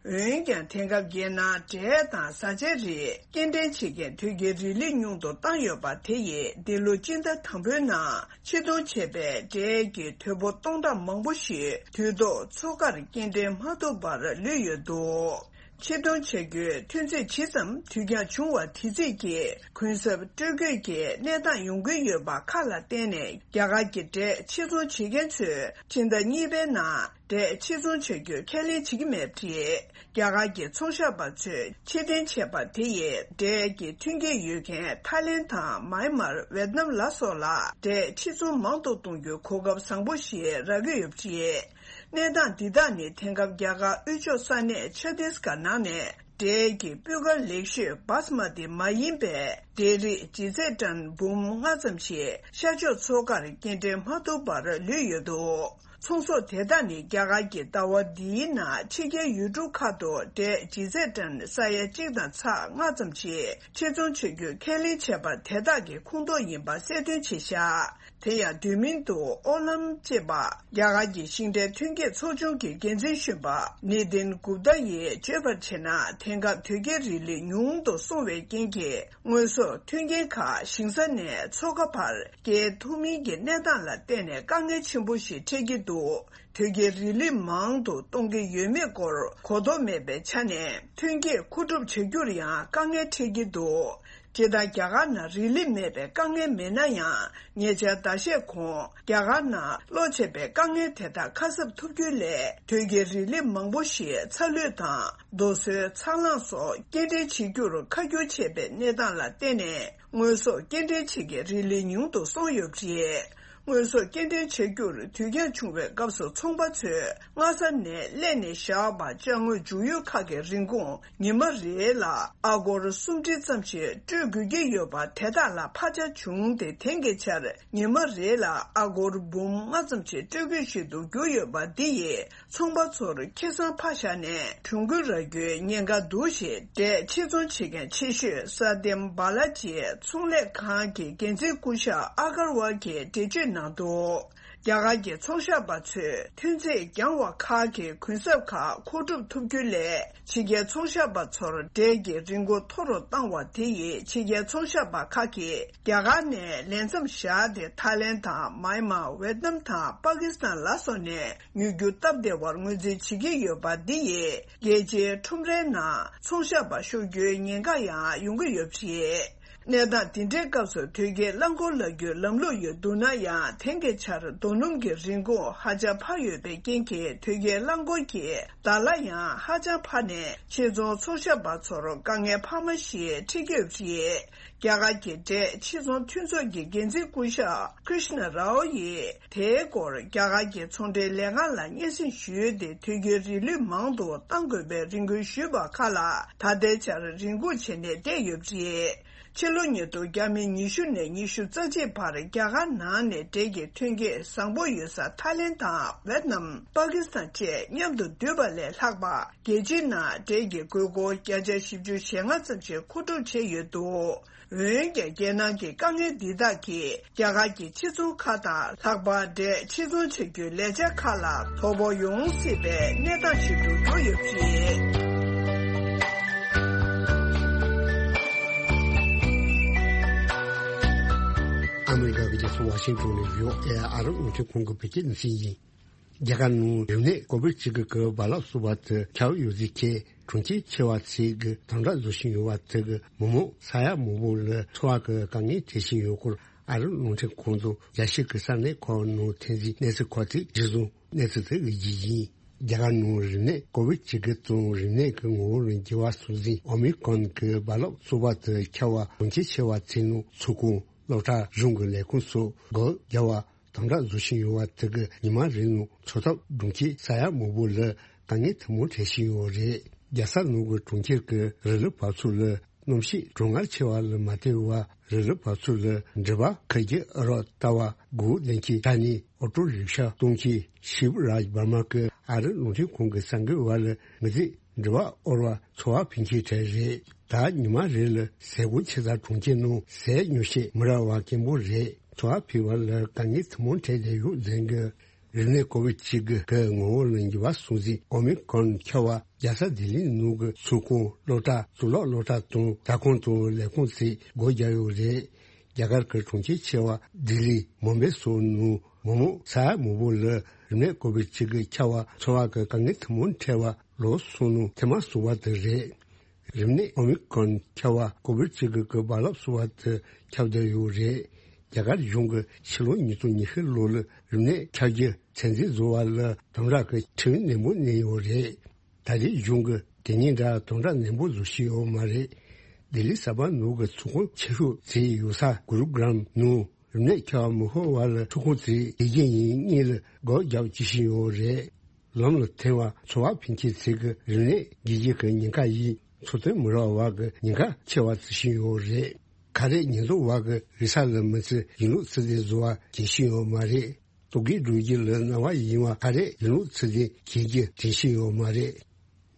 རེད། འོན་ཀྱང་། དེང་སྐབས་རྒྱལ་ནང་འབྲས་དང་བཟའ་བཅའ་རིགས་སྐྱེལ་འདྲེན་བྱེད་མཁན་དོལ་རྒྱལ་རིང་ལུགས་ཉུང་དུ་བཏང་ཡོད་པ་དེ་ཡིས་འདི་ལོ་སྤྱི་ཟླ་དང་པོའི་ནང་ཕྱིར་གཏོང་བྱས་པའི་འབྲས་ཀྱི་དོས་པོ་སྟོང་ཕྲག་མང་པོ་ཞིག་དུས་ཐོག་ཚོགས་ཁར་སྐྱེལ་འདྲེན་མ་ཐུབ་པར་ལུས་ཡོད་འདུག་ཕྱིར་གཏོང་བྱ་རྒྱུའི་ཐོན་རྫས་ཇི་ཙམ་དུས་འགྱངས་བྱུང་བ་དེ་རྩིས་ཀྱིས་གུན་གསབ་སྤྲོད་དགོས་ཀྱི་གནས་སྟངས་ཡོང་གི་ཡོད་པ་ཁག་ལ་བརྟེན་ནས། རྒྱ་གར་གྱི་འབྲས་ཕྱིར་ཚོང་བྱེད་མཁན་ཚོས་ཕྱི་ཟླ་གཉིས་པའི་ནང་འབྲས་ཕྱིར་ཚོང་བྱ་རྒྱུ་ཁས་ལེན་བྱེད་ཀྱི་མེད་པ་རེད། རྒྱ་གར་གྱི་ཚོང་ཞབས་པ་ཚོས་ཕྱིར་འཐེན་བྱས་པ་དེ་ཡིས་འབྲས་ཀྱི་ཐོན་སྐྱེད་ཡོད་མཁན་ཐའི་ལེན་དང་མཱན་མར། ཝེད་ནམ་ལ་སོགས་ལ་འབྲས་ཕྱིར་ཚོང་མང་དུ་གཏོང་རྒྱུའི་གོ་སྐབས་བཟང་པོ་ཞིག་རག་གི་ཡོད་པ་རེད། གནས་སྟངས་འདི་དག་ནི་དེང་སྐབས་རྒྱ་གར་དབུས་ཕྱོགས་ས་གནས་ཆ་ཏིས་གྷར་ནང་ནས་ འབྲས་ཀྱི་སྤུས་ཀ་ལེགས་ཤོས་བྷ་སི་མ་ཏི་མ་ཡིན་པའི་འབྲས་རིགས་ཇི་ཙེ་ཊན་འབུམ་ལྔ་ཙམ་ཞིག་ཤར་ཕྱོགས་མཚོ་ཁར་སྐྱེལ་འདྲེན་མ་ཐུབ་པར་ལུས་ཡོད་འདུག་ཚོང་ཟོག་དེ་དག་ནི་རྒྱ་གར་གྱི་ཟླ་བ་འདིའི་ནང་ཕྱི་རྒྱལ་ཡུལ་གྲུ་ཁག་ཏུ་འབྲས་ཇི་ཙེ་ཊན་ས་ཡ་གཅིག་དང་ཚེག་ལྔ་ཙམ་ཞིག་ཕྱིར་ཚོང་བྱེད་རྒྱུ་ཁས་ལེན་བྱས་པ་དེ་དག་གི་ཁོངས་གཏོགས་ཡིན་པ་གསལ་སྟོན་བྱས་བཞག་དེ་ཡང་དུས་མིན་དུ་ཨོ་ལམ་ཅེས་པ་རྒྱ་གར་གྱི་ཤིང་འབྲས་ཐོན་སྐྱེད་ཚོགས་ཆུང་གི་འགན་འཛིན་གཞོན་པ་ནི་དིན་གུབ་ཏཱ་ཡིས་བརྗོད་པར་བྱས་ན། དེང་སྐབས་དོལ་རྒྱལ་རི་ལི་ཉུང་དུ་སོང་བའི་རྐྱེན་གྱིས། དངོས་ཟོག་མཐུན་རྐྱེན་ཁག་ཞིང་ས་ནས་མཚོ་ཁ་བར་སྐྱེལ་ཐུབ་མིན་གྱི་གནས་སྟངས་ལ་བརྟེན་ནས་དཀའ་ངལ་ཆེན་པོ་ཞིག་འཕྲད་ཀྱི་འདུག་དོལ་རྒྱལ་རི་ལི་མང་དུ་གཏོང་གི་ཡོད་མེད་སྐོར་གོ་རྟོགས་མེད་པའི་ཆ་ནས། ཐོན་སྐྱེད་མཁོ་སྒྲུབ་བྱ་རྒྱུར་ཡང་དཀའ་ངལ་འཕྲད་ཀྱི་འདུག་སྤྱིར་བཏང་རྒྱ་གར་ནང་རི་ལི་མེད་པའི་དཀའ་ངལ་མེད་ན་ཡང་། ཉེ་ཆར་ཟླ་ཤས་གོང་རྒྱ་གར་ནང་གློ་ཆེ་བའི་དཀའ་ངལ་དེ་དག་ཁ་གསབ་ཐུབ་རྒྱུ་ལས། དོལ་རྒྱལ་རི་ལི་མང་པོ་ཞིག་ཚ་ལུད་དང་རྡོ་སོལ་ཚ་རླངས་སོགས་སྐྱེལ་འདྲེན་བྱེད་རྒྱུར་ཁ་སྐྱོར་ཆེ་བའི་གནས་སྟངས་ལ་བརྟེན་ནས། དངོས་ཟོག་སྐྱེལ་འདྲེན་བྱེད་མཁན་རི་ལི་ཉུང་དུ་སོང་ཡོད་པ་རེད། དངོས་ཟོག་སྐྱེལ་འདྲེན་བྱ་རྒྱུར་དུས་འགྱངས་བྱུང་བའི་སྐབས་སུ་ཚོང་པ་ཚོས་སྔ་ས་ནས་གླས་ནས་བཞག་པ་ཅ་དངོས་འཇུག་ཡུལ་ཁག་གི་རིན་གོང་ཉི་མ་རེ་ལ་ཨ་སྒོར་སུམ་ཁྲི་ཙམ་ཞིག་སྤྲོད་དགོས་ཀྱི་ཡོད་པ་དེ་དག་ལ་ཕར་ཆག་བྱུང་སྟེ། དེང་གི་ཆར་ཉི་མ་རེ་ལ་ཨ་སྒོར་འབུམ་ལྔ་ཙམ་ཞིག་སྤྲོད་དགོས་ཞིག་ཏུ་གྱུར་ཡོད་པ་འདི་ཡིས། ཚོང་པ་ཚོར་ཁེ་བཟང་ཕར་བཞག་ནས་གྱོང་གུན་རག་རྒྱུའི་ཉེན་ཁ་འདུག་ཞེས། འབྲས་ཕྱིར་ཚོང་བྱེད་མཁན་ཆེ་ཤོས་ས་དེམ་བྷ་ལ་ཇི་ཚོང་ལས་ཁང་གི་འགན་འཛིན་སྐུ་ཞབས་ཨ་གར་ཝལ་གྱིས་འགྲེལ་བརྗོད་གནང་འདུག་རྒྱ་གར་གྱི་ཚོང་ཤག་པ་ཚོས་ཐོན་རྫས་རྒྱང་བ་ཁག་གི་གུན་གསབ་ཁག་མཁོ་སྒྲུབ་ཐུབ་རྒྱུ་ལས། ཕྱི་རྒྱལ་ཚོང་ཤག་པ་ཚོར་འབྲས་ཀྱི་རིན་གོང་མཐོ་རུ་བཏང་བ་དེ་ཡིས། ཕྱི་རྒྱལ་ཚོང་ཤག་པ་ཁག་གིས་རྒྱ་གར་ནས་ལས་མཚམས་བཞག་སྟེ། ཐའི་ལེན་དང་། མཱ་ཡན་མར། ཝེད་ནམ་དང་པ་ཀི་སི་ཐན་ལ་སོགས་ནས། ཉོ་རྒྱུ་སྟབས་བདེ་བར་ངོས་འཛིན་བྱེད་ཀྱི་ཡོད་པ་འདི་ཡིས། རྒྱལ་སྤྱིའི་ཁྲོམ་རའི་ནང་ཚོང་ཤག་པ་ཤོར་རྒྱུའི་ཉེན་ཁ་ཡང་ཡོང་གི་ཡོད་པ་རེད། གནས་སྟངས་འདི་འདྲའི་སྐབས་སུ་དོལ་རྒྱལ་རླངས་འཁོར་ལ་བསྒྱུར་ལམ་ལུགས་ཡོད་འདུག་ན་ཡང་། དེང་གི་ཆར་རྡོ་སྣུམ་གྱི་རིན་གོང་ཧ་ཅང་འཕར་ཡོད་པའི་རྐྱེན་གྱིས། དོལ་རྒྱལ་རླངས་འཁོར་གྱི་བརྡ་ལ་ཡང་ཧ་ཅང་འཕར་ནས། ཕྱིར་ཚོང་ཚོང་ཤག་པ་ཚོར་དཀའ་ངལ་འཕར་མ་ཞིག་འཕྲད་ཀྱི་ཡོད་པ་རེད། རྒྱ་གར་གྱི་འབྲས་ཕྱིར་ཚོང་མཐུན་ཚོགས་ཀྱི་འགན་འཛིན་སྐུ་ཞབས་ཀྲིཤ་ན་རའོ་ཡིས། དེའི་སྐོར་རྒྱ་གར་གྱི་ཚོང་འབྲེལ་ལས་ཁང་ལ་སྙན་སེང་ཞུས་ཏེ། དོལ་རྒྱལ་རིལ་བུ་མང་དུ་གཏང་དགོས་པའི་རེ་སྐུལ་ཞུས་པ་ཁག་ལ། ད་ལྟའི་ཆར་རེ་སྒུག་བྱས་ནས་བསྡད་ཡོད་པ་རེད། ཕྱི་ལོ་ཉིས་སྟོང་ཉི་ཤུ་ནས་ཉི་ཤུ་རྩ་གཅིག་བར་རྒྱ་གར་ནང་ནས་འབྲས་ཀྱི་ཐོན་སྐྱེད་བཟང་པོ་ཡོད་ས་ཐའི་ལེན་དང་ཝེད་ནམ། པ་ཀི་སི་ཐན་བཅས་མཉམ་དུ་བསྡུས་པ་ལས་ལྷག་པ། རྒྱལ་སྤྱིའི་ནང་འབྲས་ཀྱི་དགོས་མཁོ་བརྒྱ་ཆ་བཞི་བཅུ་ཞེ་ལྔ་ཙམ་ཞིག་མཁོ་སྒྲུབ་བྱས་ཡོད་འདུག་འོན་ཀྱང་། རྒྱལ་ནང་གི་དཀའ་ངལ་འདི་དག་གིས་རྒྱ་གར་གྱི་ཕྱིར་ཚོང་ཁག་དང་། ལྷག་པར་འབྲས་ཕྱིར་ཚོང་བྱ་རྒྱུའི་ལས་འཆར་ཁག་ལ་དོ་ཕོག་ཡོང་སྲིད་པའི་གནས་སྟངས་ཤིག་ཏུ་གྱུར་ཡོད་པ་རེད། ཨ་མི་རི་ཀ་གི་རྒྱལ་ས་ཝ་ཤིང་ཏོན་ནས་ཡོད། ཨེ་ཨ་རི་རླུང་འཕྲིན་ཁང་གི་བོད་སྐད་སྡེ་ཚན་ཡིན། རྒྱ་གར་ནང་རིམས་ནད་ཀོ་བིད་བཅུ་དགུ་གི་རྦ་རླབས་གསུམ་པ་དེ་ཁྱབ་ཡོད་ཚུལ་གྱི་གྲོང་ཁྱེར་ཆེ་བ་ཚོས་ཀྱི་དམ་དྲག་བཟོ་བཞིན་ཡོད་པ་དེ་གིས་མི་མང་ས་ཡ་མང་པོ་ལ་འཚོ་བ་གི་དཀའ་ངལ་འཕྲད་བཞིན་ཡོད་སྐོར། ཨ་རིའི་རླུང་འཕྲིན་ཁང་དང་རྒྱལ་སྤྱི་གི་གསར་གནས་ཁང་ནང་ཐོན་རྗེས་གནས་ཚུལ་ཁག་ཅིག་གཞིར་བཟུང་གནས་ཚུལ་དེ་གི་རྒྱུ་ཡིན། རྒྱ་གར་ནང་རིམས་ནད་ཀོ་བིད་བཅུ་དགུ་དང་རིམས་ནད་ཀྱི་ངོ་བོ་ལ་འགྱུར་བ་སོང་ཟིན་ཨོ་མི་ཀོན་གྱི་རྦ་རླབས་གསུམ་པ་དེ་ཁྱབ་པ་གྲོང་ཁྱེར་ཆེ་བ་ཚོའི་ནང་ཚོང་ཁང་། སློབ་གྲྭ། གཞུང་གི་ལས་ཁུངས་སོགས་སྒོ་བརྒྱབ་པ། དམ་དྲག་བཟོ་བཞིན་ཡོད་པ་དེ་གིས་ཉི་མ་རེའི་ནང་འཚོ་ཐབས་སྒྲུབ་མཁན་ས་ཡ་མང་པོ་ལ་དཀའ་ངལ་ཐུན་མོང་འཕྲད་བཞིན་ཡོད་རེད། རྒྱལ་ས་ནང་གི་གྲོང་ཁྱེར་གྱི་རི་ལི་བབས་ཚུགས་ལ་གནམ་གཤིས་གྲང་ངར་ཆེ་བ་ལ་མ་བལྟས་པར། རི་ལི་བབས་ཚུགས་ལ་འགྲུལ་པ་ཁུར་གྱི་ཨ་རོགས་ལྟ་བུ། སྒོ་བསྡད་མཁན་དྲ་ནས་ཨོ་ཊོ་རིག་ཤ་གཏོང་མཁན་ཤིབ་རཱཇ་བར་མ་གིས་ཨ་རིའི་རླུང་འཕྲིན་ཁང་གི་གསར་འགོད་པ་ལ། ངེད་ཚོས་འགྲུལ་པ་དབོར་བར་འཚོ་བ་ཕུལ་མཁན་གྲས་རེད། ད་ཉི་མ་རེ་ལ་ཟས་གོས་ཆེ་ཙག་གྲོང་ཁྱེར་ནང་ཟས་ཉོ་བྱེད་མི་རག་པ་སྐྱེན་པོ་རེད། འཚོ་བ་ཕུལ་བ་ལ་དཀའ་ངལ་ཐུན་མོང་འཕྲད་བསྡད་ཡོད་ཟེར་གི། རིམས་ནད་ཀོ་བིད་བཅུ་དགུ་གི་ངོ་བོ་ལ་འགྱུར་བ་སོང་ཟིན་ཨོ་མི་ཀོན་ཁྱབ་པ་རྒྱལ་ས་ལྡི་ལི་ནང་གི་ཚོང་ཁང་། སློབ་གྲྭ། གཙུག་ལག་སློབ་གྲྭ་དང་ཟ་ཁང་དང་ལས་ཁུངས་ཚོས་སྒོ་བརྒྱབ་ཡོད་རེད། རྒྱ་གར་གྱི་གྲོང་ཁྱེར་ཆེ་བ་ལྡི་ལི། མུམ་བེ་སོགས་ནང་མི་མང་ས་ཡ་མང་པོ་ལ་རིམས་ནད་ཀོ་བིད་བཅུ་དགུ་ཁྱབ་པ་འཚོ་བ་གི་དཀའ་ངལ་ཐུན་མོང་འཕྲད་པ་ལོ་གསུམ་ནང་ཐེངས་མ་གསུམ་པ་དེ་རེད། རིམས་ནད་ཨོ་མི་ཀོན་ཁྱབ་པ་ཀོ་བིད་བཅུ་དགུ་གི་རྦ་རླབས་གསུམ་པ་དེ་ཁྱབ་བསྡད་ཡོད་རེད། རྒྱ་གར་གཞུང་གིས་ཕྱི་ལོ་ཉིས་སྟོང་ཉི་ཤུ་ལོ་ལ་རིམས་ནད་ཁྱབ་རྒྱུ་ཚད་འཛིན་བཟོ་བ་ལ་དམ་དྲག་གི་ཁྲིམས་ནན་པོ་བསྣན་ཡོད་རེད། ད་རེས་གཞུང་གིས་དེ་གཉིས་འདྲ་དམ་དྲག་ནན་པོ་བཟོ་བཞིན་ཡོད་མ་རེད། ལྡི་ལི་གསར་པ་ནང་གི་ཚོང་ཁང་ཆེ་ཤོས་ཚོས་ཡོད་ས་གུ་རུ་གྲམ་ནང་རིམས་ནད་ཁྱབ་པ་མི་ཤོར་བ་ལ་ཚོང་ཁང་ཚོས་དགེ་རྒན་ཡིན་གཉིས་ལ་སྒོ་རྒྱག་བྱེད་བཞིན་ཡོད་རེད། ལམ་ལ་ཐོན་པ་འཚོ་བ་ཕུལ་མཁན་ཚོས་ཀྱི་རིམས་ནད་འགོས་རྒྱུ་གི་ཉེན་ཁ་ཡིས་ འཚོ་རྟེན་མི་རག་བ་གི་ཉེན་ཁ་ཆེ་བ་བརྩི་བཞིན་ཡོད་རེད། ཁ་རས་ཉེན་རྟོག་བ་གི་རེ་ས་ལ་མི་ཚེ་ཡིན་ལུགས་ཚུལ་དེ་བཟོ་བ་རྒྱུན་ཤེས་ཡོད་མ་རེད། ལྟོ་གོས་འགྲོ་རྒྱུ་ལ་སྣང་བ་ཡིན་བ་ཁ་རས་ཡིན་ལུགས་ཚུལ་དེ་གྱེས་རྒྱུ་རྒྱུན་ཤེས་ཡོད་མ་རེད།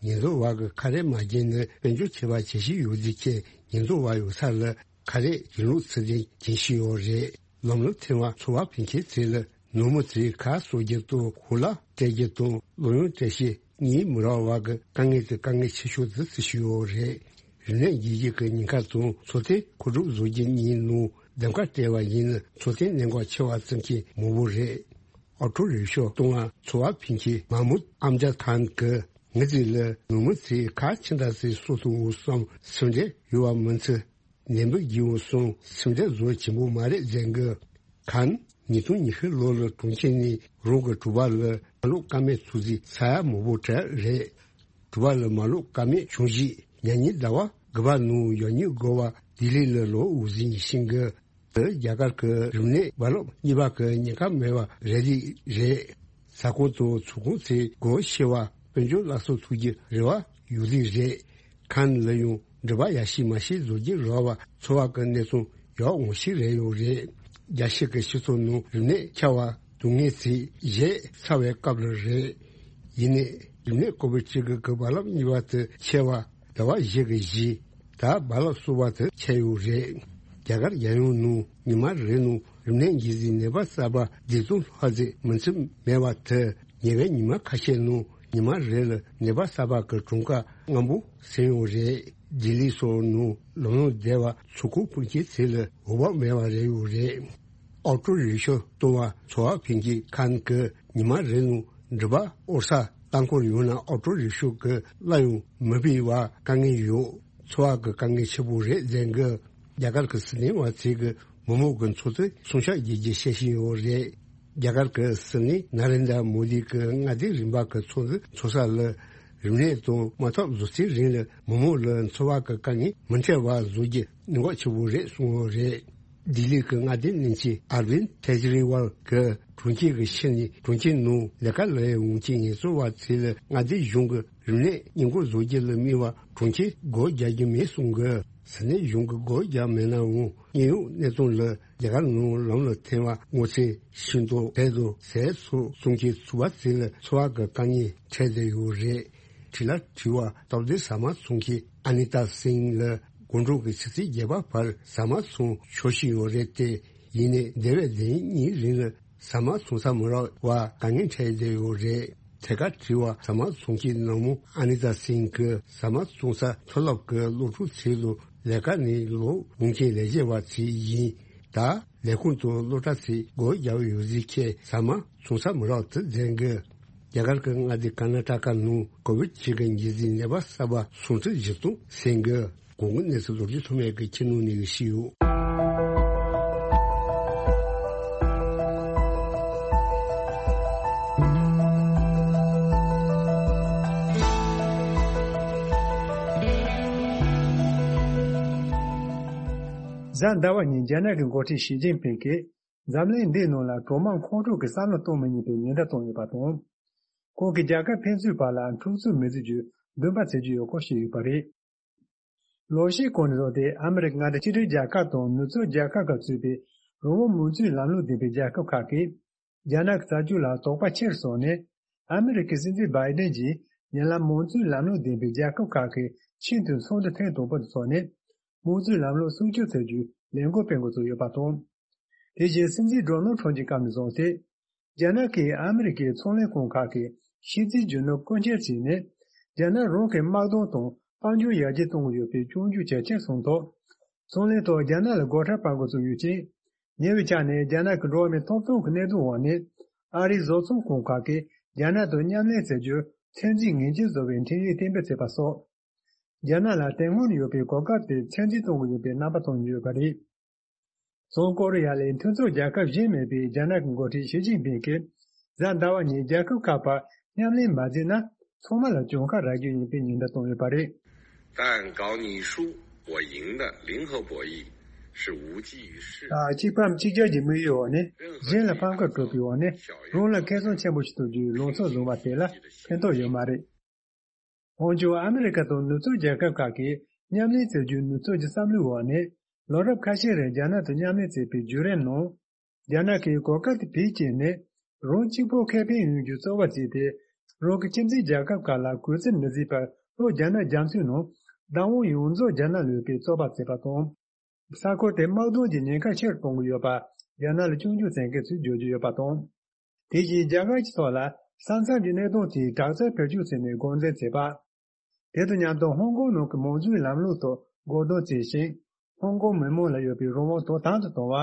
ཉེན་རྟོག་བ་གི་ཁ་རས་མ་གྱེས་ན་དཔལ་འབྱོར་ཆེ་བ་བྱེད་ཤེས་ཡོད་རྒྱུ་ཁྱེད་ཉེན་རྟོག་བ་ཡོད་ས་ལ་ཁ་རས་ཡིན་ལུགས་ཚུལ་དེ་རྒྱུན་ཤེས་ཡོད་རེད། ལམ་ལུགས་ཐེ་བ་འཚོ་བ་ཕན་ཁེ་ཚེ་ལ་ནོར་མི་ཚེ་ཁ་གསོ་རྒྱུ་དང་ཁོ་ལ་སྤྲད་རྒྱུ་དང་ལོ་ཡོང་སྤྲད་ཤེས་གཉིས་མི་རག་བ་གི་དཀའ་ངལ་དེ་དཀའ་ངལ་ཆེ་ཤོས་དེ་བརྩི་ཤེས་ཡོད་རེད། རིམས་ནད་འགོས་རྒྱུ་གི་ཉེན་ཁ་དང་འཚོ་རྟེན་མཁོ་སྒྲུབ་བཟོ་རྒྱུ་གཉིས་ནང་འདེམས་ཀ་སྤྲད་པ་ཡིན་ན་འཚོ་རྟེན་གནད་འགག་ཆེ་བ་ཙམ་གྱིས་མང་པོ་རེད། ཨོ་ཊོ་རིག་ཤོ་གཏོང་བ་འཚོ་བ་ཕན་ཁེ་མ་མུད་ཨམ་ཇ་ཐན་གི་ངི་ཙི་ལ་ནུ་མི་ཚེ་ཁ་ཆེ་འདྲ་ཚེ་སོ་ཐུང་འུ་སོང་སེམས་ཁྲལ་ཡོད་བ་མིན་ཚེ། ནན་པོ་བགྱིའོ་གསུངས། སེམས་ཁྲལ་བཟོ་ཆེན་པོ་མ་རེད་ཟེར་གི། ཁན། ཉིས་སྟོང་ཉི་ཤུ་ལོ་ལ་གྲོང་ཁྱེར་ནས་རང་གི་གྲོད་པ་ལ་མ་ལོག་ཀ་མེད་ཚོད་རྩིས་ས་ཡ་མང་པོ་གྲས་རེད། གྲོད་པ་ལ་མ་ལོག་ཀ་མེད་བྱུང་རྗེས་ཉ་ཉིན་ཟླ་བ་དགུ་པ་ནང་ཡང་སྙིང་དགོས་པ་ལྡི་ལི་ལ་ལོག་འུ་ཟིན་ཤིང་གི། དེ་རྒྱ་གར་གྱི་རིམས་ནད་རྦ་རླབས་གཉིས་པ་གི་ཉེན་ཁ་མེད་པ་རེད་ལི་རེད། ས་ཁོངས་དང་ཚོང་ཁང་ཚོས་སྒོ་ཕྱེ་བ་དཔལ་འབྱོར་སླར་གསོ་ཐུབ་རྒྱུ་རེ་བ་ཡོད་ལི་རེད། ཁན་ལ་ཡང་འགྲུལ་པ་ཡ་ཤི་མ་ཤི་བཟོ་རྒྱུ་རག་པ་འཚོ་བ་གི་གནས་ཚང་ཡག་འོང་ཤི་རེད་ཡོད་རེད། རྒྱ་ཤི་གི་སྤྱི་ཚོགས་ནང་རིམས་ནད་ཁྱབ་པ་སྡུག་བསྔལ་ཚིག་གཞས་ཚ་བའི་སྐབས་ལ་རེད། ཡིན་ནའི་རིམས་ནད་ཀོ་བིད་བཅུ་དགུ་གི་རྦ་རླབས་གཉིས་པ་དེ་ཁྱབ་པ་ཟླ་བ་བཞི་གི་གཞི་ད་རྦ་རླབས་གསུམ་པ་དེ་ཁྱབ་ཡོད་རེད། རྒྱ་གར་རྒྱལ་ཡོངས་ནང་ཉི་མ་རེ་ནང་རིམས་ནད་འགོས་ཟིན་ནད་པ་གསར་པ་བདུན་སྟོང་ལྷག་ཙམ་མི་ཚེ་མེད་པ་དེ་ཉེ་བའི་ཉི་མ་ཁ་ཤས་ནང་ཉི་མ་རེ་ལ་ནད་པ་གསར་པ་གི་གྲངས་ཀ་སྔ་མོ་ཟིན་ཡོད་རེད། ལྡི་ལི་སོགས་ནང་ལམ་ལྷོང་བསྡད་པ་ཚོ་ཁུག་ཕུན་སྐྱེད་ཚལ་ལ་འོ་བག་མེད་པ་རེད་ཡོད་རེད། ཨོ་ཊོ་རིག་ཤོ་གཏོང་བ་འཚོ་བ་ཕན་སྐྱེད་ཁན་གི་ཉི་མ་རེ་ནང་འགྲུལ་པ་ཨོ་ས་ལྟ་སྐོར་ཡོང་ན་ཨོ་ཊོ་རིག་ཤོ་གི་གླ་ཡང་མི་སྤེལ་བ་དཀའ་ངལ་ཡོད། འཚོ་བ་གི་དཀའ་ངལ་ཆེ་པོ་རེད་ཟེར་གི། རྒྱ་གར་གི་སྲིད་བློན་བ་ཚིག་གི་མི་མང་གི་འཚོ་ཚོད་སྲུང་སྐྱོབ་བྱེད་རྒྱུ་བཤད་བཞིན་ཡོད་རེད། རྒྱ་གར་གི་སྲིད་བློན་ན་རེན་དྲ་མོ་དི་གི་མངའ་སྡེ་རིམ་པ་གི་ཚོགས་འདུ་འཚོགས་ས་ལ་རིམས་ནད་དང་དམག་འཐབ་བཟོ་ཚེ་རིང་ལ་མི་མང་ལ་འཚོ་བ་གི་དཀའ་ངལ་མི་འཕྲད་པ་བཟོ་རྒྱུ་གནད་འགག་ཆེ་པོ་རེད་གསུངས་ཡོད་རེད། ལྡི་ལི་གི་མངའ་སྡེ་ནང་ཆེན་ཨར་བིན་ཁེ་ཇི་རི་ཝལ་གི་གྲོང་ཁྱེར་གི་ཕྱི་ནས་གྲོང་ཁྱེར་ནང་ལས་ཀ་ལས་འོང་མཁན་ངལ་རྩོལ་བ་ཚོ་ལ་མངའ་སྡེ་གཞུང་གི་རིམས་ནད་སྔོན་འགོག་བཟོ་རྒྱུ་ལ་དམིགས་པ་གྲོང་ཁྱེར་སྒོ་རྒྱག་རྒྱུ་མེད་གསུང་གི། ས་གནས་གཞུང་གི་སྒོ་རྒྱག་མེད་ནའང་དངོས་ཡོད་གནས་སྟངས་ལ་རྒྱ་གར་ནང་ལམ་ལ་ཐེ་བ་སྔོ་ཚལ་ཤིང་ཏོག་བལ་དང་ཟས་སོགས་བཙོང་མཁན་ཚོ་བ་ཚོ་ལ་འཚོ་བ་གི་དཀའ་ངལ་འཕྲད་བསྡད་ཡོད་རེད། དྲི་ལ་དྲི་བ་སྟབས་བདེ་ཟ་མ་འཚོང་མཁན་ཨ་ནི་ཏཱ་སིང་ལ་དགོང་དྲོ་གི་ཆུ་ཚོད་བརྒྱད་པ་བར་ཟ་མ་འཚོང་ཆོག་ཤི་ཡོད་རེད་དེ། ཡིན་ནའི་འདས་པའི་ཟླ་ཉིན་གཉིས་རིང་ལ་ཟ་མ་འཚོང་ས་མི་རག་པ་དཀའ་ངལ་འཕྲད་བསྡད་ཡོད་རེད། ཐད་ཀར་དྲི་བ་ཟ་མ་འཚོང་མཁན་ནང་མོ་ཨ་ནི་ཏཱ་སིང་གིས་ཟ་མ་འཚོང་ས་མཐོ་སློབ་ཀྱི་སློབ་ཕྲུག་ཚོ་ལ་ལས་ཀ་ནས་ལོག་འོང་མཁན་ལས་བྱེད་པ་ཚོ་ཡིན། ད་ལས་ཁུངས་དང་སློབ་གྲྭ་ཚོས་སྒོ་རྒྱག་ཡོད་ཟིག་ཁྱེད་ཟ་མ་འཚོང་ས་མི་རག་དུ་འཛིན་གི། རྒྱ་གར་གྱི་མངའ་སྡེ་ཀར་ན་ཊ་ཀ་ནང་ཀོ་བིད་བཅུ་དགུ་འགོས་ཟིན་ནད་པ་གསར་པ་སུམ་ཁྲི་བཞི་སྟོང་ཟིན་གི། གོང་གི་གནས་ཚུལ་ལོ་རྒྱུས་ཐོག་མའི་གི་ཁྱི་ནང་ནས་གི་ཤི་ཡོད། གཟའ་ཟླ་བ་ཉིན་རྒྱ་ནག་གི་འགོ་ཁྲིད་ཞི་ཅིན་ཕིང་གིས་འཛམ་གླིང་འདིའི་ནང་ལ་གྲོག་མ་ཁོང་ཁྲོ་གི་བསམ་བློ་གཏོང་མི་ཉན་པའི་ཉེན་བརྡ་བཏང་ཡོད་པ་དང་། ཁོང་གིས་རྒྱལ་ཁབ་ཕན་ཚུན་བར་ལ་འཁྲུག་རྩོད་མི་བཟོ་རྒྱུ་འདུན་པ་བྱེད་ཀྱི་ཡོད་སྐོར་བཤད་ཡོད་པ་རེད། ལོ་ཤས་གོང་ནས་བཟུང་སྟེ་ཨ་མི་རི་ཀ་མངའ་སྡེ་གཅིག་སྒྲིལ་རྒྱལ་ཁབ་དང་ནུབ་ཕྱོགས་རྒྱལ་ཁབ་ཁག་གཙོས་པའི་རང་དབང་མང་གཙོའི་ལམ་ལུགས་ལྡན་པའི་རྒྱལ་ཁབ་ཁག་གིས་རྒྱ་ནག་གི་རྩ་འཛུགས་ལ་དོགས་པ་ཆེ་རུ་སོང་ནས། ཨ་མི་རི་ཀའི་སྲིད་འཛིན་བྷའི་ཌེན་གྱིས་ཡིན་ལ་མང་གཙོའི་ལམ་ལུགས་ལྡན་པའི་རྒྱལ་ཁབ་ཁག་གི་ཆེས་མཐོའི་ཚོགས་འདུ་ཐེངས་དང་པོ་དེ་འཚོགས་ནས་མང་གཙོའི་ལམ་ལུགས་སྲུང་སྐྱོབ་ཐུབ་རྒྱུའི་ལས་འགུལ་སྤེལ་འགོ་བཙུགས་ཡོད་པ་དང་། དེ་བཞིན་སྲིད་འཛིན་ཌོ་ནལ་ཁྲམ་གྱི་སྐབས་ནས་བཟུང་སྟེ། རྒྱ་ནག་གིས་ཨ་མི་རི་ཀའི་ཚོང་ལས་ཁང་ཁག་གི་ཤེས་ཚད་རྒྱུ་ནོར་རྐུ་འཁྱེར་བྱས་ནས། རྒྱ་ནག་རང་གི་དམག་དོན་དང་དཔལ་འབྱོར་ཡར་རྒྱས་གཏོང་གི་ཡོད་པའི་སྐྱོན་བརྗོད་ཇེ་ཆེར་སོང་ཐོག་ཚོང་ལས་ཐོག་རྒྱ་ནག་ལ་སྒོ་ཁྲལ་སྤར་འགོ་བཙུགས་ཡོད་ཅིང་། ཉེ་བའི་ཆར་ནས་རྒྱ་ནག་གི་འགྲོ་བ་མིའི་ཐོབ་ཐང་གི་གནད་དོན་འོག་ནས་ཨ་རིའི་བཟོ་ཚོང་ཁང་ཁག་གིས་རྒྱ་ནག་དང་མཉམ་ལས་བྱ་རྒྱུར་ཚད་འཛིན་ངེས་ཅན་བཟོ་བའི་འཕྲིན་ཡིག་གཏན་འབེབས་བྱས་པ་སོགས། རྒྱ་ནག་ལ་དེ་སྔོན་ཡོད་པའི་གོ་སྐབས་དེ་ཚད་འཛིན་གཏོང་གི་ཡོད་པའི་རྣམ་པ་མཐོང་ཡོད་པ་རེད། བྱང་ཀོ་རི་ཡ་ལས་མཐུན་ཚོགས་རྒྱལ་ཁབ་གཞན་མིན་པའི་རྒྱ་ནག་གི་འགོ་ཁྲིད་ཞི་ཅིན་ཕིང་གིས་གཟའ་ཟླ་བ་ཉིན་རྒྱལ་ཁབ་ཁག་བར་མཉམ་ལས་མ་བྱས་ན་ཚང་མ་ལ་གྱོང་ཁ་རག་རྒྱུ་ཡིན་པའི་ཉེན་བརྡ་བཏང་ཡོད་པ་རེད། 但搞你输我赢的零和博弈是无济于事的。 གཅིག་ཕམ་གཅིག་རྒྱལ་གྱི་དམིགས་ཡུལ་འོག་ནས་གཞན་ལ་ཕམ་ཁ་སྤྲོད་པའི་འོག་ནས་རང་ལ་ཁེ་བཟང་ཆེན་པོ་ཞིག་ཐོབ་རྒྱུའི་ལངས་ཕྱོགས་བཟུང་བ་དེ་ལ་ཕན་ཐོགས་ཡོད་མ་རེད། འོན་ཀྱང་ཨ་མི་རི་ཀ་དང་ནུབ་ཕྱོགས་རྒྱལ་ཁབ་ཁག་གིས་མཉམ་ལས་བྱེད་རྒྱུའི་ནུབ་ཕྱོགས་ཀྱི་བསམ་བློའི་འོག་ནས། ལོ་རབས་ཁ་ཤས་རིང་རྒྱ་ནག་དང་མཉམ་ལས་བྱས་པའི་བརྒྱུད་རིམ་ནང་། རྒྱ་ནག་གིས་གོ་སྐབས་དེ་བེད་སྤྱད་ནས། རང་གཅིག་པུ་ཁེ་ཕན་ཡོང་རྒྱུའི་རྩོད་པ་བྱས་ཏེ། རང་གི་ཁྱིམ་མཚེས་རྒྱལ་ཁབ་ཁག་ལ་གུས་བརྩི་མི་བྱེད་པར་ལྷོ་རྒྱ་ནག་རྒྱ་མཚོའི་ནང་བདག་དབང་ཡོངས་རྫོགས་རྒྱ་ནག་ལ་ཡོད་པའི་རྩོད་པ་བྱས་པ་དང་། ས་ཁུལ་དེ་དམག་དོན་གྱི་ཉེན་ཁ་ཆེ་རུ་གཏོང་གི་ཡོད་པ་རྒྱ་ནག་ལ་སྐྱོན་བརྗོད་བྱེད་མཁན་ཚོས་བརྗོད་ཀྱི་ཡོད་པ་དང་། དེ་བཞིན་རྒྱ་གར་གྱི་ཐོག་ལ་ས་མཚམས་ཀྱི་གནད་དོན་དེའི་དྲག་རྩལ་བེད་སྤྱོད་བྱས་ནས་འགོག་འཛིན་བྱས་པ། དེ་དང་མཉམ་དུ་ཧོང་ཀོང་ནང་གི་མང་གཙོའི་ལམ་ལུགས་ཐོག་སྒོ་གདོང་བྱས་ཤིང་། ཧོང་ཀོང་མི་མང་ལ་ཡོད་པའི་རང་དབང་དོ་དམ་དུ་གཏོང་བ།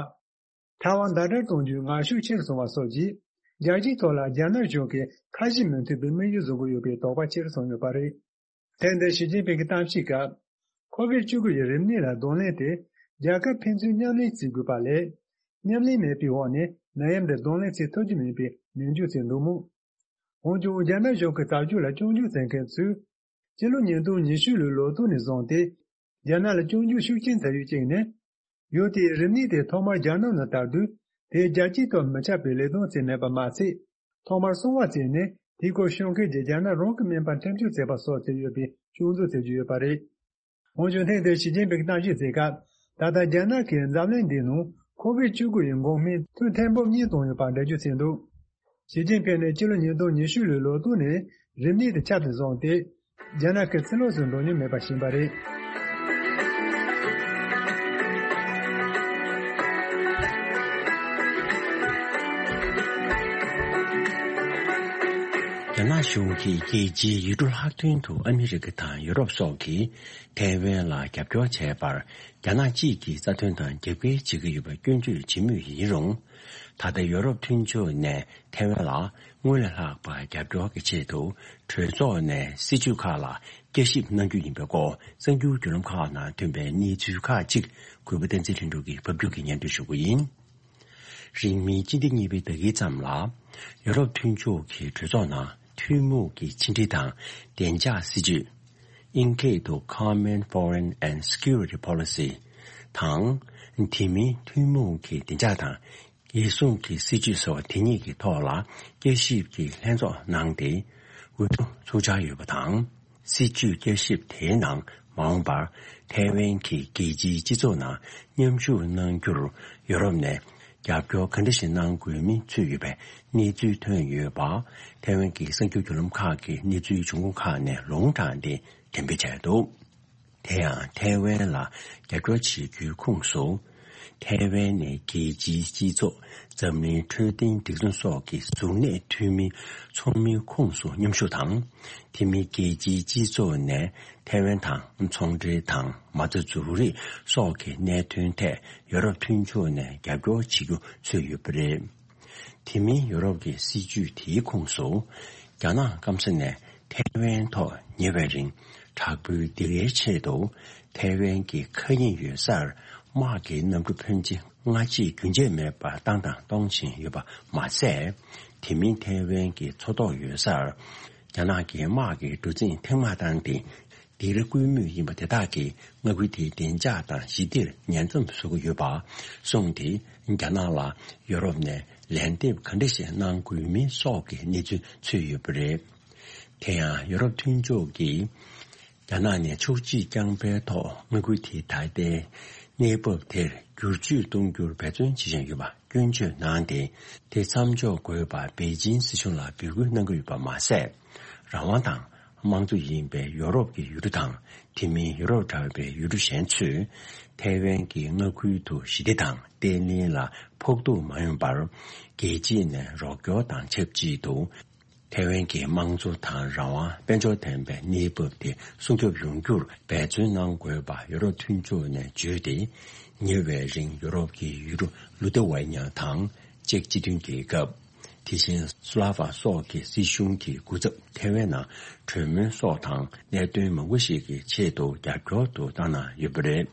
ཐའེ་ཝན་ཟླ་བསྒྲིལ་གཏོང་རྒྱུའི་ངར་ཤུགས་ཆེ་རུ་སོང་བ་སོགས་ཀྱིས། རྒྱལ་སྤྱིའི་ཐོག་ལ་རྒྱ་ནག་གཞུང་གིས་ཁ་ཞེ་མི་མཐུན་པའི་དམིགས་ཡུལ་བཟུང་གི་ཡོད་པའི་དོགས་པ་ཆེ་རུ་སོང་ཡོད་པ་རེད། ཐེངས་འདིར་ཞི་ཅིན་ཕིང་གི་གཏམ་བཤད་སྐབས། ཁོ་ཝིད་བཅུ་དགུ་ཡི་རིམས་ནད་ལ་གདོང་ལེན་དེ། རྒྱལ་ཁབ་ཕན་ཚུན་མཉམ་ལས་བྱེད་དགོས་པ་ལས། མཉམ་ལས་མེད་པའི་འོག་ནས་ནད་ཡམས་འདི་གདོང་ལེན་བྱེད་ཐུབ་ཀྱི་མིན་པའི་ནན་བརྗོད་བྱས་འདུག་མོད། འོན་ཀྱང་རྒྱ་ནག་གཞུང་གི་རྩ་ཆོས་ལ་སྐྱོན་བརྗོད་བྱེད་མཁན་ཚོས། སྤྱི་ལོ་ཉིས་སྟོང་ཉི་ཤུ་ལོའི་ལོ་ཐོ་ནས་བཟུང་སྟེ། རྒྱ་ནག་ལ་སྐྱོན་བརྗོད་ཤུགས་ཆེན་བྱ་ཡུལ་གཅིག་ནི། ཡུལ་དེའི་རིམས་ནད་དེ་ཐོག་མར་རྒྱ་ནག་ནང་དར་དུས། དེ་རྒྱལ་སྤྱིའི་ཐོག་མི་ཁྱབ་པའི་ལས་དོན་བྱས་མེད་པ་མ་ཟད། ཐོག་མར་གསང་བ་བྱས་ནས་དེའི་སྐོར་ཤོད་མཁན་གྱི་རྒྱ་ནག་རང་གི་སྨན་པ་འཐེན་འཁྱེར་བྱས་པ་སོགས་བྱས་ཡོད་པའི་སྐྱོན་བརྗོད་བྱེད་ཀྱི་ཡོད་པ་རེད། འོན་ཀྱང་ཐེངས་འདིར་ཞི་ཅིན་ཕིང་གིས་གཏམ་བཤད་བྱེད་སྐབས། ད་ལྟ་རྒྱ་ནག་གིས་འཛམ་གླིང་འདིའི་ནང་ཁོ་ཝིད་བཅུ་དགུ་ཡི་འགོག་སྨན་ཐུན་ཐེངས་འབུམ་གཉིས་བཏང་ཡོད་པར་འགྲེལ་བརྗོད་བྱས་འདུག་ཞི་ཅིན་ཕིང་ནས་སྤྱི་ལོ་ཉིས་སྟོང་ཉི་ཤུ་ལོའི་ལོ་ཐོ་ནས་རིམས་ནད་དེ་ཁྱབ་ནས་བཟུང་སྟེ། རྒྱ་ནག་གི་ཕྱི་ལོགས་སུ་འགྲོ་མྱོང་མེད་པ་ཞིག་ཡིན་པ་རེད། རྒྱ་ནག་གཞུང་གིས་རྒྱལ་སྤྱིའི་ཡུལ་གྲུ་ལྷག་དོན་དུ་ཨ་མི་རི་ཀ་དང་ཡུ་རོབ་སོགས་ཀྱིས་ཐའེ་ཝན་ལ་རྒྱབ་སྐྱོར་བྱས་པར། རྒྱ་ནག་གཅིག་གིས་རྩ་དོན་དང་རྒྱབ་འགལ་བྱེད་ཀྱི་ཡོད་པར་སྐྱོན་བརྗོད་བྱེད་མུས་ཡིན་རུང་། ད་ལྟ་ཡོ་རོབ་མཐུན་ཕྱོགས་ནས་ཐའེ་ཝན་ལ་སྔོན་ལས་ལྷག་པར་རྒྱབ་སྐྱོར་གྱི་ཆེད་དུ་གྲོས་ཚོགས་ནས་སྲིད་ཇུས་ཁག་ལ་བསྐྱར་ཞིབ་གནང་རྒྱུ་ཡིན་པའི་སྐོར་གསར་འགྱུར་བརྒྱུད་ལམ་ཁག་ནང་ཐོན་པའི་གནས་ཚུལ་ཁག་ཅིག་གུས་པ་བསྟན་འཛིན་ལྷུན་གྲུབ་ཀྱིས་ཕབ་སྒྱུར་གྱིས་སྙན་སྒྲོན་ཞུ་གི་ཡིན། རིང་མིན་སྤྱི་ཟླ་གཉིས་པའི་ཟླ་དཀྱིལ་ཙམ་ལ། ཡོ་རོབ་མཐུན་ཕྱོགས་ཀྱི་གྲོས་ཚོགས་ནང་ཐུན་མོང་གི་ཕྱི་འབྲེལ་དང་བདེ་འཇགས་སྲིད་ཇུས། ཨིན་སྐད་དུ་Common Foreign and Security Policy དང་། དེ་མིན་ཐུན་མོང་གི་བདེ་འཇགས་དང་རྒྱལ་སྲུང་གི་སྲིད་ཇུས་སོགས་དེ་གཉིས་ཀྱི་ཐོག་ལ་བསྐྱར་ཞིབ་ཀྱི་ལྷན་ཚོགས་གནང་སྟེ། འོས་བསྡུ་ཚུགས་འཆར་ཡོད་པ་དང་། སྲིད་ཇུས་བསྐྱར་ཞིབ་དེའི་ནང་མ་འོངས་པར་ཐའེ་ཝན་གྱིས་རྒྱལ་སྤྱིའི་སྤྱི་ཚོགས་ནང་མཉམ་ཞུགས་གནང་རྒྱུར་ཡོ་རོབ་ནས་རྒྱབ་སྐྱོར་ག་འདྲ་ཞིག་གནང་དགོས་མིན་ཚུད་ཡོད་པའི་གནས་ཚུལ་ཐོན་ཡོད་པ། ཐའེ་ཝན་གྱི་གསར་འགྱུར་བརྒྱུད་ལམ་ཁག་གིས་གནས་ཚུལ་འབྱུང་ཁུངས་ཁག་ནས་ལུང་དྲངས་ཏེ་འགྲེམས་སྤེལ་བྱས་འདུག་དེ་ཡང་ཐའེ་ཝན་ལ་རྒྱབ་སྐྱོར་བྱེད་རྒྱུའི་ཁོངས་སུ། ཐའེ་ཝན་ནས་རྒྱལ་སྤྱིའི་སྤྱི་ཚོགས། འཛམ་གླིང་འཕྲོད་བསྟེན་སྒྲིག་འཛུགས་སོགས་ཀྱི་གཟུགས་གནས་འཐུས་མིའི་ཚོགས་མིའི་ཁོངས་སུ་མཉམ་ཞུགས་དང་། དེ་མིན་རྒྱལ་སྤྱིའི་སྤྱི་ཚོགས་ནས་ཐའེ་ཝན་དང་ཚོང་འབྲེལ་དང་མ་རྩ་འཛུགས་རིགས་སོགས་ཀྱི་གནད་དོན་ཐད་ཡོ་རོབ་མཐུན་ཕྱོགས་ནས་རྒྱབ་སྐྱོར་བྱེད་རྒྱུ་ཚུད་ཡོད་པ་རེད། དེ་མིན་ཡོ་རོབ་ཀྱི་སྲིད་ཇུས་དེའི་ཁོངས་སུ། རྒྱ་ནག་སྐམ་ས་ནས་ཐའེ་ཝན་ཐོག་ཉེ་བའི་རིང་དྲག་པོའི་སྡིགས་རའི་ཆེད་དུ་ཐའེ་ཝན་གྱི་མཁའ་དབྱིངས་ཡོད་སར་དམག་གི་གནམ་གྲུ་ཕོན་ཆེ་སྔ་རྗེས་རྒྱུན་ཆད་མེད་པར་བཏང་དང་གཏོང་བཞིན་ཡོད་པ་མ་ཟད། དེ་མིན་ཐའེ་ཝན་གྱི་མཚོ་ཐོག་ཡོད་སར་རྒྱ་ནག་གི་དམག་གི་གྲུ་གཟིངས་ཐེངས་མང་བཏང་སྟེ། སྡིགས་ར་བསྐུལ་མུས་ཡིན་པ་དེ་དག་གིས་མངའ་ཁུལ་དེའི་བདེ་འཇགས་དང་ཞི་བདེར་ཉེན་མཚམས་བཟོ་གི་ཡོད་པ་གསུངས་ཏེ། རྒྱ་ནག་ལ་ཡོ་རོབ་ནས་ལན་འདེབས་ག་འདྲ་ཞིག་གནང་དགོས་མིན་སོགས་ཀྱི་གནས་ཚུལ་ཚུད་ཡོད་པ་རེད། དེ་ཡང་ཡོ་རོབ་མཐུན་ཕྱོགས་ཀྱིས་རྒྱ་ནག་ནས་ཕྱོགས་གཅིག་རྐྱང་པའི་ཐོག་མངའ་ཁུལ་དེའི་ད་ལྟའི་གནས་བབ་དེར་བསྒྱུར་བཅོས་གཏོང་རྒྱུར་འབད་བརྩོན་བྱེད་བཞིན་ཡོད་པ་སྐྱོན་བརྗོད་གནང་སྟེ། དེ་མཚམས་འཇོག་དགོས་པར་པེ་ཅིན་སྲིད་གཞུང་ལ་འབོད་སྐུལ་གནང་གི་ཡོད་པ་མ་ཟད། རང་དབང་དང་། དམངས་གཙོ་ཡིན་པའི་ཡོ་རོབ་ཀྱི་ཡུལ་གྲུ་དང་། དེ་མིན་ཡུ་རོབ་འདྲ་བའི་ཡུལ་གྲུ་གཞན་ཚོས་ཐའེ་ཝན་གྱི་མངའ་ཁུལ་དུ་ཞི་བདེ་དང་བརྟན་ལྷིང་ལ་ཕོག་ཐུག་མ་ཡོང་བར། རྒྱལ་སྤྱི་ནས་རོགས་སྐྱོར་དང་ཆབས་ཅིག་ཏུ། ཐའེ་ཝན་གྱི་དམངས་གཙོ་དང་རང་དབང་དཔལ་འབྱོར་ལྡན་པའི་གནས་བབ་དེ་སྲུང་སྐྱོབ་ཡོང་རྒྱུར་འབད་བརྩོན་གནང་དགོས་པ་ཡུ་རོབ་མཐུན་ཕྱོགས་ནས་བརྗོད་དེ། ཉེ་བའི་རིང་ཡུ་རོབ་ཀྱི་ཡུལ་གྲུ་ལུ་ཐེ་ཝེ་ཉ་དང་། ཅེཀ་སྤྱི་མཐུན་རྒྱལ་ཁབ། དེ་བཞིན་སུ་ལ་ཝ་སོགས་ཀྱི་སྲིད་གཞུང་གི་སྐུ་ཚབ་ཐའེ་ཝན་ནང་གྲོས་མོལ་སོགས་དང་གནད་དོན་མང་པོ་ཞིག་གི་ཆེད་དུ་རྒྱབ་སྐྱོར་དུ་བཏང་གནང་ཡོད་པ་རེད།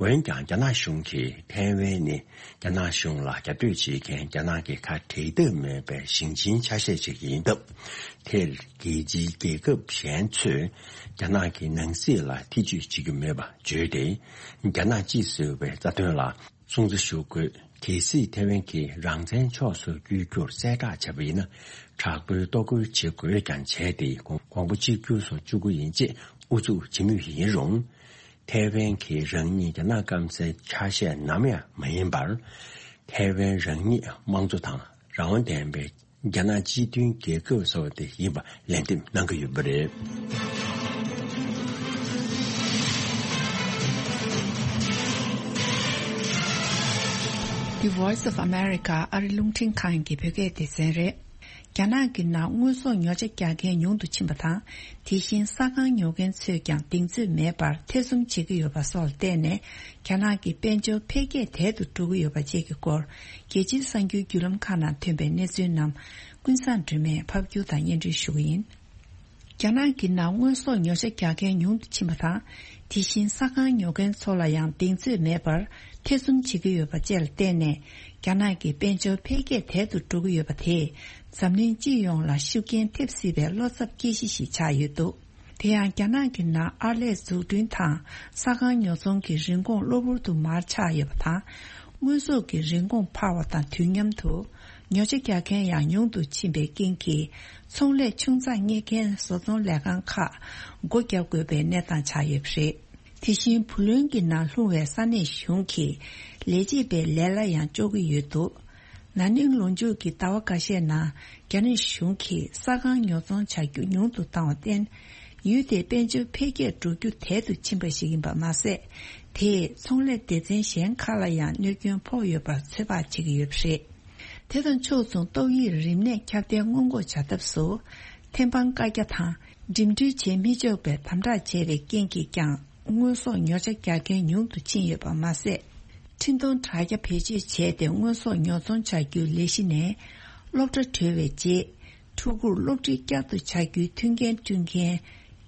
འོན་ཀྱང་རྒྱ་ནག་གཞུང་གིས་ཐའེ་ཝན་ནི་རྒྱ་ནག་གཞུང་ལ་རྒྱབ་གཏོད་བྱེད་མཁན་རྒྱ་ནག་གི་ཁ་བྲལ་ཐབས་མེད་པའི་ཞིང་ཆེན་ཆ་ཤས་ཤིག་ཡིན་སྟབས། དེར་རྒྱལ་སྤྱིའི་རྒྱལ་ཁབ་གཞན་ཚོས་རྒྱ་ནག་གི་ནང་སྲིད་ལ་ཐེ་ཇུས་བྱེད་རྒྱུ་མེད་པ་བརྗོད་དེ། རྒྱ་ནག་གཅིག་ཟེར་བའི་རྩ་དོན་ལ་སྲུང་བརྩི་ཞུ་དགོས། གལ་སྲིད་ཐེ་ཝན་གྱིས་རང་བཙན་ཕྱོགས་སུ་བསྐྱོད་རྒྱུར་གསལ་བསྒྲགས་བྱས་པ་ཡིན་ན། དྲག་པོའི་གཏོར་རྒོལ་བྱེད་དགོས་ཀྱང་བྱས་ཏེ། དགོངས་པ་གཅིག་གྱུར་སུ་བཅུག་གི་ཡིན་ཅེས་ཨུ་ཚུགས་བྱེད་མུས་ཡིན་རུང་། ཐེ་ཝན་གྱིས་རང་ཉིད་རྒྱ་ནག་སྐམ་སའི་ཆ་ཤས་ནམ་ཡང་མ་ཡིན་པར། ཐེ་ཝན་རང་ཉིད་དམངས་གཙོ་དང་རང་དབང་ལྡན་པའི་རྒྱ་ནག་སྤྱི་མཐུན་རྒྱལ་ཁབ་ཟེར་བ་དེ་ཡིན་པ་ལན་འདེབས་གནང་གི་ཡོད་པ་རེད། The Voice of America ཨ་རི་རླུང་འཕྲིན་ཁང་གི་བོད་སྐད་སྡེ་ཚན་རེད། རྒྱ་ནག་གི་ནང་དངོས་ཟོག་ཉོ་ཆ་རྒྱག་མཁན་ཉུང་དུ་ཕྱིན་པ་དང་། དེ་བཞིན་ས་ཁང་ཉོ་མཁན་ཚོས་ཀྱང་གདེང་ཚོད་མེད་པར་ཐེ་ཚོམ་བྱེད་ཀྱི་ཡོད་པ་སོགས་ལ་བརྟེན་ནས། རྒྱ་ནག་གི་དཔལ་འབྱོར་འཕེལ་རྒྱས་དལ་དུ་འགྲོ་གི་ཡོད་པ་བཅས་ཀྱི་སྐོར། རྒྱལ་སྤྱིའི་གསར་འགྱུར་བརྒྱུད་ལམ་ཁག་ནང་ཐོན་པའི་གནས་ཚུལ་རྣམས། ཀུན་བཟང་སྒྲོལ་མས་ཕབ་སྒྱུར་དང་སྙན་སྒྲོན་ཞུ་གི་ཡིན། རྒྱ་ནག་གི་ནང་དངོས་ཟོག་ཉོ་ཆ་རྒྱག་མཁན་ཉུང་དུ་ཕྱིན་པ་དང་། དེ་བཞིན་ས་ཁང་ཉོ་མཁན་ཚོ་ལ་ཡང་གདེང་ཚོད་མེད་པར་ཐེ་ཚོམ་བྱེད་ཀྱི་ཡོད་པ་བཅས་ལ་བརྟེན་ནས། རྒྱ་ནག་གི་དཔལ་འབྱོར་འཕེལ་རྒྱས་དལ་དུ་འགྲོ་གི་ཡོད་པ་དེས། འཛམ་གླིང་སྤྱི་ཡོངས་ལ་ཤུགས་རྐྱེན་ཐེབས་སྲིད་པའི་བློ་འཚབ་སྐྱེ་གཞི་ཞིག་ཆགས་ཡོད་འདུག་དེ་ཡང་རྒྱ་ནག་གི་ནང་ཨར་ལས་འཛུགས་སྐྲུན་དང་ས་ཁང་ཉོ་ཚོང་གི་རིན་གོང་གློ་བུར་དུ་མར་ཆག་ཡོད་པ་དང་། དངོས་ཟོག་གི་རིན་གོང་འཕར་བ་དང་དུས་མཉམ་དུ། ཉོ་ཆ་རྒྱག་མཁན་ཡང་ཉུང་དུ་ཕྱིན་པའི་རྐྱེན་གྱིས། ཚོང་ལས་ཆུང་ཙག་གཉེར་མཁན་བཟོ་ཚོང་ལས་ཁང་ཁག་སྒོ་བརྒྱབ་དགོས་པའི་གནས་སྟངས་ཆགས་ཡོད་པ་རེད། དེ་བཞིན་བུ་ལོན་གྱི་ནང་ལྷུང་བའི་ས་གནས་གཞུང་གིས་ལས་བྱེད་པའི་ལས་གླ་ཡང་གཅོག་གི་ཡོད་འདུག་ན་ནིང་ལོ་མཇུག་གི་ཟླ་བ་འགའ་ཤས་ནང་རྒྱ་ནག་གཞུང་གིས་ས་ཁང་ཉོ་ཚོང་བྱ་རྒྱུ་ཉུང་དུ་བཏང་བར་བརྟེན། ཡུལ་དེའི་དཔལ་འབྱོར་འཕེལ་རྒྱས་འགྲོ་རྒྱུ་དལ་དུ་ཕྱིན་པ་ཞིག་ཡིན་པ་མ་ཟད། དེས་ཚོང་ལས་སྡེ་ཚན་གཞན་ཁག་ལ་ཡང་གནོད་སྐྱོན་ཕོག་ཡོད་པར་ཚོད་དཔག་བྱེད་ཀྱི་ཡོད་པ་རེད། དེ་དང་ཕྱོགས་མཚུངས་ཏོག་དབྱིབས་རིམས་ནད་ཁྱབ་གདལ་སྔོན་འགོག་བྱ་ཐབས་སུ། ཐེམ་སྤང་བཀའ་རྒྱ་དང་འགྲིམ་འགྲུལ་བྱེད་མི་ཆོག་པའི་དམ་དྲག་བྱས་པའི་རྐྱེན་གྱིས་ཀྱང་། དངོས་ཟོག་ཉོ་ཆ་རྒྱག་མཁན་ཉུང་དུ་ཕྱིན་ཡོད་པ་མ་ཟད། འཕྲིན་གཏོང་དྲ་རྒྱ་བེད་སྤྱོད་བྱས་ཏེ་དངོས་ཟོག་ཉོ་ཚོང་བྱ་རྒྱུའི་ལས་གཞི་ནས། སློབ་གྲྭ་གྲོལ་བའི་རྗེས། ཕྲུ་གུར་སློབ་ཁྲིད་བསྐྱར་དུ་བྱ་རྒྱུའི་མཐུན་རྐྱེན་བསྐྲུན་མཁན།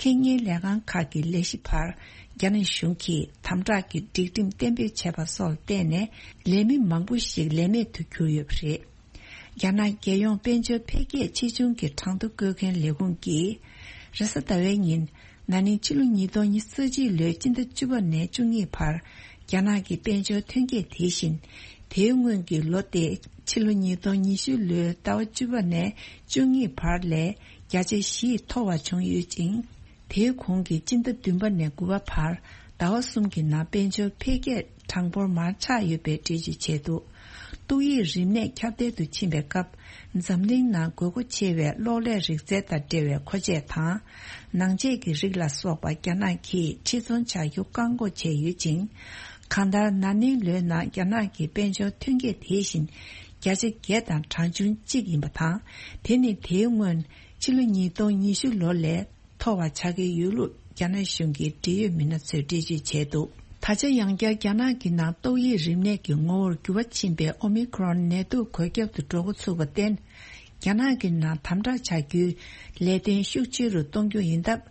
ཁེ་གཉེར་ལས་ཁང་ཁག་གི་ལས་གཞི་བར། རྒྱ་ནག་གཞུང་གིས་དམ་དྲག་གི་སྒྲིག་ཁྲིམས་གཏན་འབེབས་བྱས་པ་སོགས་ལ་བརྟེན་ནས། ལས་མི་མང་པོ་ཞིག་ལས་མེད་དུ་གྱུར་ཡོད་པ་རེད། རྒྱ་ནག་རྒྱལ་ཡོངས་དཔལ་འབྱོར་འཕེལ་རྒྱས་ཆེ་ཆུང་གི་གྲངས་ཐོ་འགོད་མཁན་ལས་ཁུངས་ཀྱིས། རེས་གཟའ་ཟླ་བའི་ཉིན། ན་ནིང་ཕྱི་ལོ་ཉིས་སྟོང་ཉི་ཤུ་རྩ་གཅིག་ལོའི་སྤྱི་ཟླ་བཅུ་པ་ནས་བཅུ་གཉིས་བར། རྒྱ་ནག་གི་དཔལ་འབྱོར་ཐོན་སྐྱེད་དེ་བཞིན། དེའི་སྔོན་གྱི་ལོ་སྟེ། ཕྱི་ལོ་ཉིས་སྟོང་ཉི་ཤུ་ལོའི་ཟླ་བ་བཅུ་པ་ནས་བཅུ་གཉིས་བར་ལས། བརྒྱ་ཆ་བཞི་མཐོ་བ་བྱུང་ཡོད་ཅིང་། དེའི་གོང་གི་སྤྱི་ཟླ་བདུན་པ་ནས་དགུ་པ་བར། ཟླ་བ་གསུམ་གྱི་ནང་དཔལ་འབྱོར་འཕེལ་རྒྱས་གྲངས་འབོར་མར་ཆག་ཡོད་པའི་འགྲེལ་བརྗོད་བྱས་འདུག་ཏོག་དབྱིབས་རིམས་ནད་ཁྱབ་གདལ་དུ་ཕྱིན་པའི་སྐབས། འཛམ་གླིང་ནང་དགོས་མཁོ་ཆེ་བའི་གློག་ཀླད་རིག་རྩལ་དང་འབྲེལ་བའི་མཁོ་ཆས་དང་། ནང་ཆས་ཀྱི་རིགས་ལ་སོགས་པ་རྒྱ་ནག་གིས་ཕྱིར་ཚོང་བྱ་རྒྱུ་བཀག་འགོག་བྱས་ཡོད་ཅིང་། གང་ལྟར། ན་ནིང་ལོའི་ནང་རྒྱ་ནག་གི་དཔལ་འབྱོར་ཐོན་སྐྱེད་དེ་བཞིན། བརྒྱ་ཆ་བརྒྱད་དང་གྲངས་ཆུང་གཅིག་ཡིན་པ་དང་། དེ་ནི་དེའི་སྔོན། ཕྱི་ལོ་ཉིས་སྟོང་ཉི་ཤུ་ལོ་ལས། མཐོ་བ་ཆགས་ཀྱི་ཡོད་ལུགས་རྒྱ་ནག་གཞུང་གི་འབྲེལ་ཡོད་མི་སྣ་ཚོས་འགྲེལ་བརྗོད་བྱས་འདུག་ད་ཆ་ཡང་བསྐྱར་རྒྱ་ནག་གི་ནང་ཏོག་དབྱིབས་རིམས་ནད་ཀྱི་ངོ་བོར་འགྱུར་བ་ཕྱིན་པའི་ཨོ་མི་ཁྲོན་ནད་དུག་འགོས་ཁྱབ་ཏུ་འགྲོ་འགོ་ཚུགས་པར་བརྟེན། རྒྱ་ནག་གི་ནང་དམ་དྲག་བྱ་རྒྱུའི་ལས་དོན་ཤུགས་ཆེ་རུ་གཏོང་རྒྱུ་ཡིན་སྟབས།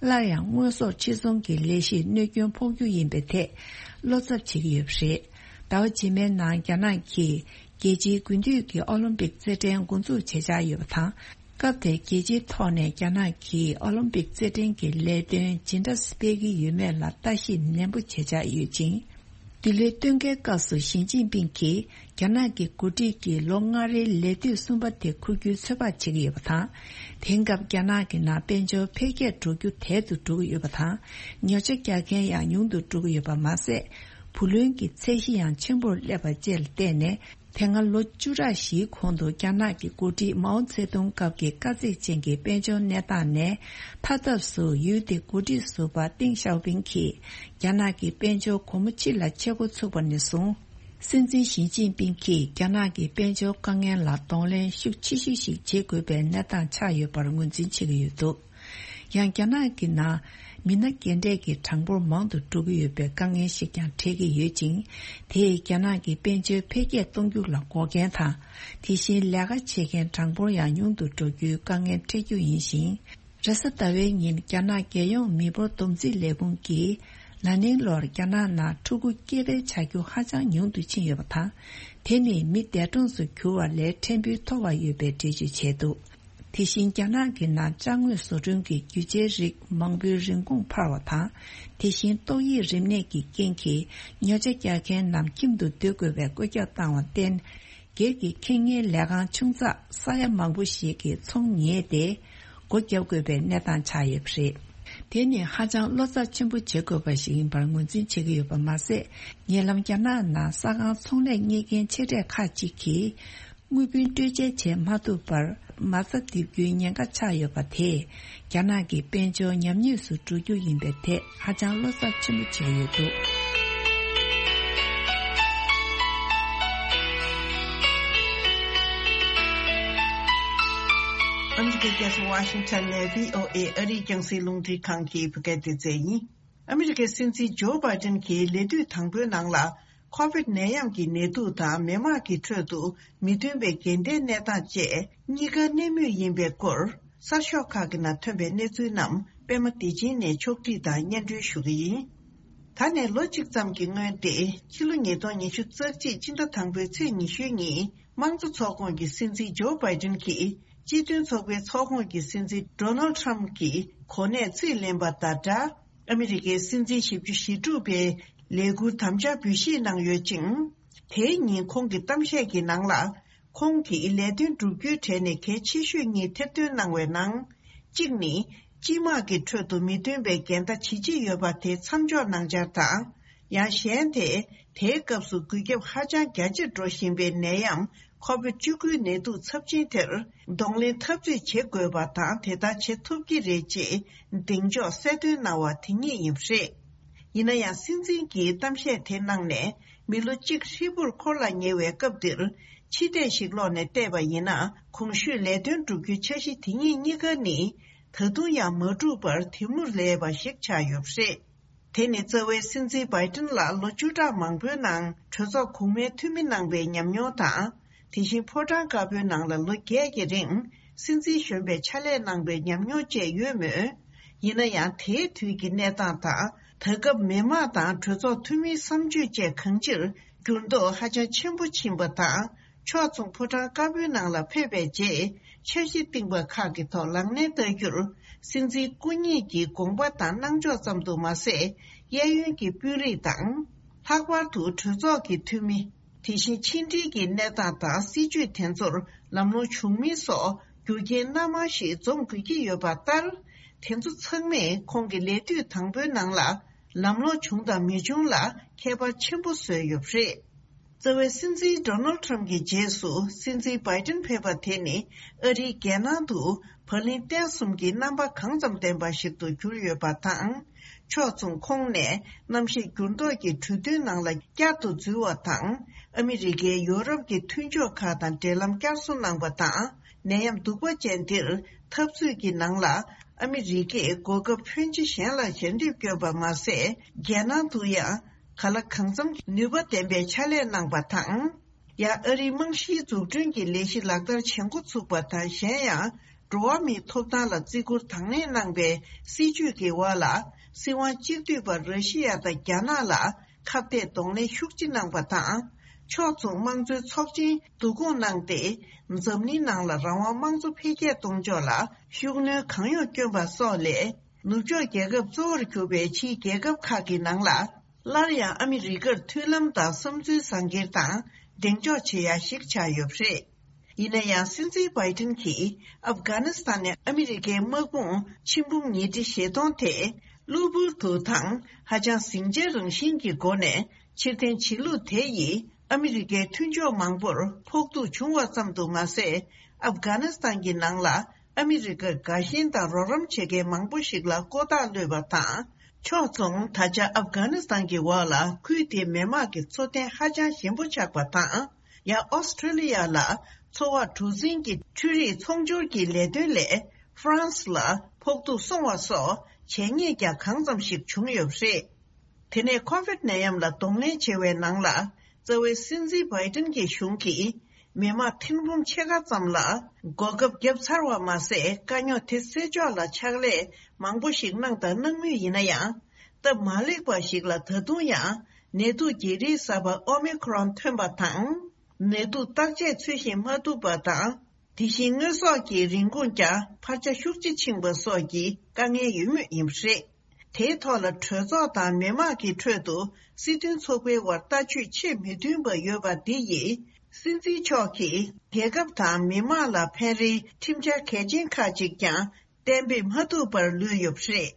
སླར་ཡང་དངོས་ཟོག་ཕྱིར་ཚོང་གི་ལས་གཞིར་གནོད་སྐྱོན་ཕོག་རྒྱུ་ཡིན་པའི་ཐད་བློ་འཚབ་བྱེད་ཀྱི་ཡོད་པ་རེད། ཟླ་བ་རྗེས་མའི་ནང་རྒྱ་ནག་གིས་རྒྱལ་སྤྱིའི་དགུན་དུས་ཀྱི་ཨོ་ལིམ་པིག་རྩེད་འགྲན་འགོ་འཛུགས་བྱེད་འཆར་ཡོད་པ་དང་། སྐབས་དེར་རྒྱལ་སྤྱིའི་ཐོག་ནས་རྒྱ་ནག་གིས་ཨོ་ལིམ་པིག་རྩེད་འགྲན་གྱི་ལས་དོན་ཇི་འདྲ་སྤེལ་གྱི་ཡོད་མེད་ལ་ལྟ་ཞིབ་ནན་པོ་བྱེད་འཆར་ཡོད་ཅིང་། འདི་ལོའི་སྟོན་ཁའི་སྐབས་སུ་ཞི་ཅིན་ཕིང་གིས་རྒྱ་ནག་གི་འགོ་ཁྲིད་ཀྱི་ལོ་ལྔ་རེའི་ལས་དུས་གསུམ་པ་དེ་འཁུར་རྒྱུའི་ཚོད་དཔག་བྱེད་ཀྱི་ཡོད་པ་དང་། དེང་སྐབས་རྒྱ་ནག་གི་ནང་དཔལ་འབྱོར་འཕེལ་རྒྱས་འགྲོ་རྒྱུ་དལ་དུ་འགྲོ་གི་ཡོད་པ་དང་། ཉོ་ཆ་རྒྱག་མཁན་ཡང་ཉུང་དུ་འགྲོ་གི་ཡོད་པ་མ་ཟད། བུ་ལོན་གྱི་ཚད་གཞི་ཡང་ཆེན་པོར་སླེབས་པ་བཅས་ལ་བརྟེན་ནས། དེ་སྔ་ལོ་བཅུ་ཕྲག་བཞིའི་གོང་དུ་རྒྱ་ནག་གི་འགོ་ཁྲིད་མའོ་ཙེ་ཏུང་སྐབས་ཀྱི་དཀའ་ཚེགས་ཅན་གྱི་དཔལ་འབྱོར་གནས་སྟངས་ནས་ཐར་ཐབས་སུ། ཡུལ་དེའི་འགོ་ཁྲིད་ཟུར་པ་ཏེང་ཞའོ་ཕིང་གིས་རྒྱ་ནག་གི་དཔལ་འབྱོར་སྒོ་མོ་ཕྱི་ལ་ཕྱེ་འགོ་ཚུགས་པ་ནས་བཟུང་། སྲིད་འཛིན་ཞི་ཅིན་ཕིང་གིས་རྒྱ་ནག་གི་དཔལ་འབྱོར་དཀའ་ངལ་ལ་གདོང་ལེན་ཤུགས་ཆེ་ཤོས་ཤིག་བྱེད་དགོས་པའི་གནས་སྟངས་ཆགས་ཡོད་པར་ངོས་འཛིན་བྱེད་ཀྱི་ཡོད་འདུག་ཡང་རྒྱ་ནག་གི་ནང་མི་སྣ་རྒན་གྲས་ཀྱི་གྲངས་འབོར་མང་དུ་འགྲོ་གི་ཡོད་པའི་དཀའ་ངལ་ཞིག་ཀྱང་འཕྲད་ཀྱི་ཡོད་ཅིང་། དེས་རྒྱ་ནག་གི་དཔལ་འབྱོར་འཕེལ་རྒྱས་གཏོང་རྒྱུ་ལ་འགོག་རྐྱེན་དང་། དེ་བཞིན་ལས་ཀ་བྱེད་མཁན་གྲངས་འབོར་ཡང་ཉུང་དུ་འགྲོ་རྒྱུའི་དཀའ་ངལ་འཕྲད་རྒྱུ་ཡིན་ཞིང་། རེས་གཟའ་ཟླ་བའི་ཉིན་རྒྱ་ནག་རྒྱལ་ཡོངས་མི་འབོར་བསྡོམས་རྩིས་ལས་ཁུངས་ཀྱིས། ན་ནིང་ལོར་རྒྱ་ནག་ནང་ཕྲུ་གུ་སྐྱེ་འཕེལ་བྱ་རྒྱུ་ཧ་ཅང་ཉུང་དུ་ཕྱིན་ཡོད་པ་དང་། དེ་ནི་མི་འདས་གྲོངས་སུ་གྱུར་བ་ལས་ཕྲན་བུ་མཐོ་བ་ཡོད་པའི་འགྲེལ་བརྗོད་བྱས་འདུག་དེ་བཞིན་རྒྱ་ནག་གི་ནང་ཅ་དངོས་བཟོ་སྐྲུན་གྱི་རྒྱུ་ཆའི་རིགས་མང་པོའི་རིན་གོང་འཕར་བ་དང་། དེ་བཞིན་ཏོག་དབྱིབས་རིམས་ནད་ཀྱི་རྐྱེན་གྱིས་ཉོ་ཆ་རྒྱག་མཁན་རྣམས་ཁྱིམ་དུ་སྡོད་དགོས་པའི་བཀོད་ཁྱབ་བཏང་བར་བརྟེན། སྒེར་གྱི་ཁེ་གཉེར་ལས་ཁང་ཆུང་ཙག་ས་ཡ་མང་པོ་ཞིག་གིས་ཚོང་ཉེས་ཏེ། སྒོ་བརྒྱབ་དགོས་པའི་གནས་སྟངས་ཆགས་ཡོད་པ་རེད། དེ་ནི་ཧ་ཅང་བློ་འཚབ་ཆེན་པོ་བྱེད་དགོས་པ་ཞིག་ཡིན་པར་ངོས་འཛིན་བྱེད་ཀྱི་ཡོད་པ་མ་ཟད། ཉེ་ལམ་རྒྱ་ནག་ནང་ས་ཁང་ཚོང་ལས་གཉེར་མཁན་ཆེ་གྲས་ཁག་ཅིག་གིས། དངུལ་བུན་སྤྲོད་འཇལ་བྱེད་མ་ཐུབ་པར་མ་རྩ་རྡིབ་རྒྱུའི་ཉེན་ཁ་ཆགས་ཡོད་པ་དེས། རྒྱ་ནག་གི་དཔལ་འབྱོར་ཉམས་ཉེས་སུ་འགྲོ་རྒྱུ་ཡིན་པའི་ཐད་ཧ་ཅང་བློ་འཚབ་ཆེན་པོ་བྱས་ཡོད་འདུག་ཨ་མི་རི་ཀའི་རྒྱལ་ས་ཝ་ཤིང་ཊོན་ནས་བྷི་ཨོ་ཨེ་ཨ་རིའི་རྒྱང་སྲིང་རླུང་འཕྲིན་ཁང་གི་བོད་སྐད་སྡེ་ཚན་ཡིན། ཨ་མི་རི་ཀའི་སྲིད་འཛིན་ཇོ་བྷའི་ཏིན་གྱིས་ལས་དུས་དང་པོའི་ནང་ལ། ཁོ་བིད་ནད་ཡམས་ཀྱི་ནད་དུག་དང་མི་དམངས་ཀྱི་ཁྲོད་དུ་མི་མཐུན་པའི་འགལ་ཟླའི་གནས་སྟངས་བཅས་གཉིས་ཀ་གནས་མུས་ཡིན་པའི་སྐོར། གསར་ཤོག་ཁག་གི་ནང་ཐོན་པའི་གནས་ཚུལ་རྣམས་པད་མ་བདེ་ཆེན་ནས་ཕྱོགས་བསྒྲིགས་དང་སྙན་སྒྲོན་ཞུ་གི་ཡིན། ད་ནས་ལོ་གཅིག་ཙམ་གྱི་སྔོན་ཏེ་ཕྱི་ལོ་ཉིས་སྟོང་ཉི་ཤུ་རྩ་གཅིག་སྤྱི་ཟླ་དང་པོའི་ཚེས་ཉི་ཤུ་ཉིན་དམངས་གཙོ་ཚོགས་ཁོངས་ཀྱི་སྲིད་འཛིན་ཇོ་བྷའི་ཏིན་གྱིས་སྤྱི་མཐུན་ཚོགས་པའི་ཚོགས་ཁོངས་ཀྱི་སྲིད་འཛིན་ཌོ་ནལ་ཊམ་གྱི་གོ་གནས་རྩིས་ལེན་པ་དང་སྦྲགས། ཨ་མི་རི་ཀའི་སྲིད་འཛིན་བཞི་བཅུ་ཞེ་དྲུག་པའི་ལས་འཁུར་དམ་བཅའ་འབུལ་བཞེས་གནང་ཡོད་ཅིང་། དེའི་ཉིན་ཁོང་གི་གཏམ་བཤད་ཀྱི་ནང་ལ། ཁོང་གིས་ལས་དོན་བསྒྲུབ་རྒྱུའི་གྲས་ནས་གལ་ཆེ་ཤོས་གཉིས་ཐེར་འདོན་གནང་བའི་ནང་། གཅིག་ནི། སྤྱི་དམངས་ཀྱི་ཁྲོད་དུ་མི་མཐུན་པའི་འགལ་ཟླ་ཇི་ཆེ་ཡོད་པ་དེ་མཚམས་འཇོག་གནང་འཆར་དང་། ཡང་གཞན་དེ། དེའི་སྐབས་སུ་འགུལ་སྐྱོད་ཧ་ཅང་རྒྱ་ཆེར་འགྲོ་བཞིན་པའི་ནད་ཡམས་ཁོ་བིད་བཅུ་དགུའི་ནད་དུག་ཚབས་ཆེན་དེར་གདོང་ལེན་འཐབ་རྩོད་བྱེད་དགོས་པ་དང་དེ་ལྟར་བྱེད་ཐུབ་ཀྱི་རེད་ཅེས་གདེང་འཇོག་གསལ་སྟོན་གནང་བ་དེ་ཉིད་ཡིན་པ་རེད། ཡིན་ན་ཡང་སྲིད་འཛིན་གྱིས་གཏམ་བཤད་དེ་གནང་ནས་མི་ལོ་གཅིག་ཧྲིལ་པོར་འཁོར་ལ་ཉེ་བའི་སྐབས་འདིར་ཕྱི་བལྟས་ཤིག་ལོག་ནས་བལྟས་པ་ཡིན་ན་གོང་ཞུས་ལས་དོན་བསྒྲུབ་རྒྱུའི་འཆར་གཞི་དེ་ཉིད་གཉིས་ཀ་ནི་ད་དུང་ཡང་མ་གྲུབ་པར་དེ་མུར་ལས་པ་ཞིག་ཆགས་ཡོད་པ་རེད། དེ་ནི་རྩ་བའི་སྲིད་འཛིན་བྷའི་ཏིན་ལ་ལོ་བཅུ་ཕྲག་མང་པོའི་ནང་གྲོས་ཚོགས་གོང་མའི་འཐུས་མི་གནང་བའི་ཉམས་མྱོང་དང་། དེ་བཞིན་ཕོ་བྲང་དཀར་པོའི་ནང་ལ་ལོ་བརྒྱད་ཀྱི་རིང་སྲིད་འཛིན་གཞོན་པའི་ཕྱག་ལས་གནང་བའི་ཉམས་མྱོང་བཅས་ཡོད་མོད། ཡིན་ན་ཡང་དེའི་དུས་ཀྱི་གནས་སྟངས་དང་ད་སྐབས་མི་དམངས་དང་གྲོས་ཚོགས་འཐུས་མིའི་བསམ་སྤྱོད་བཅས་གང་ཅིར་འགྱུར་ལྡོག་ཧ་ཅང་ཆེན་པོ་ཕྱིན་པ་དང་། ཕྱོགས་མཚུངས་ཕོ་བྲང་དཀར་པོའི་ནང་ལ་ཕེབས་པའི་རྗེས་འཆར་གཞི་བཏིང་པ་ཁག་གི་ཐོག་ལག་ལེན་བསྟར་རྒྱུར། སྲིད་འཛིན་སྐུ་ཉིད་ཀྱི་དགོངས་པ་དང་གནང་ཕྱོགས་ཙམ་དུ་མ་ཟད། གཡས་གཡོན་གྱི་དཔོན་རིགས་དང་། ལྷག་པར་དུ་གྲོས་ཚོགས་ཀྱི་འཐུས་མི། དེ་བཞིན་ཕྱི་འབྲེལ་གྱི་གནས་སྟངས་དང་སྲིད་ཇུས་དེ་ཚོར་ལམ་ལྷོང་བྱུང་མིན་སོགས་རྒྱུ་རྐྱེན་སྣ་མང་ཞིག་འཛོམས་དགོས་ཀྱི་ཡོད་པ་ལྟར། དེ་ཚོ་ཚང་མས་ཁོང་གི་ལས་དུས་དང་པོའི་ནང་ལ་ལམ་ལྷོང་བྱུང་དང་མི་བྱུང་ལ་ཁྱད་པར་ཆེན་པོ་བཟོས་ཡོད་པ་རེད། རྩ་བའི་སྲིད་འཛིན་ཌོ་ནལ་ཊམ་གྱི་རྗེས་སུ་སྲིད་འཛིན་བྷའི་ཏིན་ཕེབས་པ་དེ་ནི་ཨ་རིའི་རྒྱལ་ནང་དུ་བག་ལེབ་སྟན་གསུམ་གྱི་རྣམ་པ་གང་ཙམ་ལྡན་པ་ཞིག་ཏུ་གྱུར་ཡོད་པ་དང་། ཕྱོགས་མཚུངས་ཁོང་ནས་གནམ་གཤིས་འགྱུར་ལྡོག་གི་གྲོས་མཐུན་ནང་ལ་བསྐྱར་དུ་འཛུལ་བ་དང་། ཨ་མི་རི་ཀས་ཡོ་རོབ་ཀྱི་མཐུན་ཕྱོགས་ཁག་དང་འབྲེལ་ལམ་བསྐྱར་གསོ་གནང་བ་དང་། ནད་ཡམས་གདུག་པ་ཅན་འདིར་འཐབ་རྩོད་ཀྱི་ནང་ལ་ཨ་མི་རི་ཀས་གོ་སྐབས་ཕོན་ཆེ་གཞན་ལ་ཞལ་འདེབས་བསྐྱོན་པ་མ་ཟད། རྒྱལ་ནང་དུ་ཡང་གང་ལ་གང་འཚམ་གྱི་ནུས་པ་ལྡན་པའི་ཕྱག་ལས་གནང་བ་དང་། ཡང་ཨ་རིའི་རྨང་གཞིའི་འཛུགས་སྐྲུན་གྱི་ལས་གཞི་ལག་བསྟར་བྱེད་འགོ་ཚུགས་པ་དང་། གཞན་ཡང་འགྲོ་བ་མིའི་ཐོབ་ཐང་ལ་བརྩི་བཀུར་དང་ལེན་གནང་བའི་སྲིད་བྱུས་ཀྱི་འོག་ལ་སྲིད་དབང་གཅིག་སྡུད་པ་ར་ཤི་ཡ་དང་རྒྱ་ནག་ལ་ཁ་གཏད་གདོང་ལེན་ཤུགས་ཆེ་གནང་བ་དང་། ཕྱོགས་མཚུངས་དམངས་གཙོའི་ཚོགས་ཆེན་བསྡུ་སྐོང་གནང་སྟེ། འཛམ་གླིང་ནང་ལ་རང་དབང་དམངས་གཙོ་འཕེལ་རྒྱས་གཏོང་ཕྱོགས་ལ་ཤུགས་སྣོན་གང་ཡོང་བསྐྱོན་པ་སོགས་ལས། ནུབ་ཕྱོགས་རྒྱལ་ཁབ་གཙོ་བོར་གྱུར་པའི་ཕྱིའི་རྒྱལ་ཁབ་ཁག་གི་ནང་ལ། སླར་ཡང་ཨ་མི་རི་ཀར་མཐུན་ལམ་དང་བསམ་ཚུལ་བཟང་འགེལ་དང་གདེང་འཇོག་བྱེད་ཡ་ཞིག་ཆགས་ཡོད་པ་རེད། ཡིན་ན་ཡང་སྲིད་འཛིན་བྷའི་ཏིན་གྱིས་ཨབ་གྷ་ནི་སི་ཐན་ནས་ཨ་མི་རི་ཀའི་དམག་དཔུང་ཆིག་འབུམ་ཉིས་ཁྲི་བཞི་སྟོང་དེ་གློ་བུར་དུ་དང་ཧ་ཅང་ཟིང་ཆའི་རང་བཞིན་གྱི་སྒོ་ནས་ཕྱིར་འཐེན་བྱེད་ལུགས་དེ་ཡིས་ཨ་མི་རི་ཀའི་མཐུན་ཕྱོགས་མང་པོར་ཕོག་ཐུག་བྱུང་བ་ཙམ་དུ་མ་ཟད། ཨབ་གྷ་ནི་སི་ཐན་གྱི་ནང་ལ་ཨ་མི་རི་ཀར་དགའ་ཞེན་དང་རོགས་རམ་བྱེད་མཁན་མང་པོ་ཞིག་ལ་ལྐོག་རྟགས་གློད་པ་དང་། ཕྱོགས་མཚུངས་ད་ཆ་ཨབ་གྷ་ནི་སི་ཐན་གྱི་འོག་ལ་ཁུལ་དེའི་མི་དམངས་ཀྱི་འཚོ་རྟེན་ཧ་ཅང་ཞན་པོ་ཆགས་པ་དང་། ཡང་ཨོ་སི་ཁྲེ་ལི་ཡ་ལ་འཚོ་བ་གྲུ་གཟིངས་ཀྱི་འཕྲུལ་རིག་ཚོང་སྦྱོར་གྱི་ལས་དོན་ལས་ཧྥ་རན་སི་ལ་ཕོག་ཐུག་སོང་བ་སོགས་བྱས་ཉེས་ཀྱང་གང་ཙམ་ཞིག་བྱུང་ཡོད་པ་རེད། དེ་ནས་ཁོ་བིད་ནད་ཡམས་ལ་གདོང་ལེན་བྱེད་པའི་ནང་ལ་རྩ་བའི་སྲིད་འཛིན་བྷའི་ཏིན་གྱི་གཞུང་གིས་མི་དམངས་ཐེར་འབུམ་ཕྱེད་ཀ་ཙམ་ལ་གོ་སྐབས་བརྒྱབ་ཚར་བ་མ་ཟད། དཀའ་རྙོག་དེ་སེལ་ཕྱོགས་ལ་ཕྱག་ལས་མང་པོ་ཞིག་གནང་དང་གནང་མུས་ཡིན་ན་ཡང་། སྟབས་མ་ལེགས་པ་ཞིག་ལ་ད་དུང་ཡང་ནད་དུག་གི་རིགས་གསར་པ་ཨོ་མི་ཁོ་རོན་ཐོན་པ་དང་། ནད་དུག་བརྟག་དཔྱད་ཚུལ་བཞིན་མ་ཐུབ་པ་དང་། དེ་བཞིན་དངོས་ཟོག་གི་རིན་གོང་ཀྱང་འཕར་ཆ་ཤུགས་ཆེ་ཕྱིན་པ་སོགས་ཀྱི་དཀའ་ངལ་ཡོད་མུས་ཡིན་པ་རེད། དེའི་ཐོག་ལ་གྲོས་ཚོགས་དང་མི་མང་གི་ཁྲོད་དུ་སྲིད་དོན་ཚོགས་པའི་དབར་ལྟ་སྤྱོད་ཆེས་མི་མཐུན་པ་ཡོད་པ་འདི་ཡིས་སྲིད་འཛིན་མཆོག་གིས་རྒྱལ་ཁབ་དང་མི་མང་ལ་ཕན་རེའི་ཁྲིམས་འཆར་གལ་ཆེན་ཁག་ཅིག་ཀྱང་གཏན་འབེབས་མ་ཐུབ་པར་ལུས་ཡོད་པ་རེད།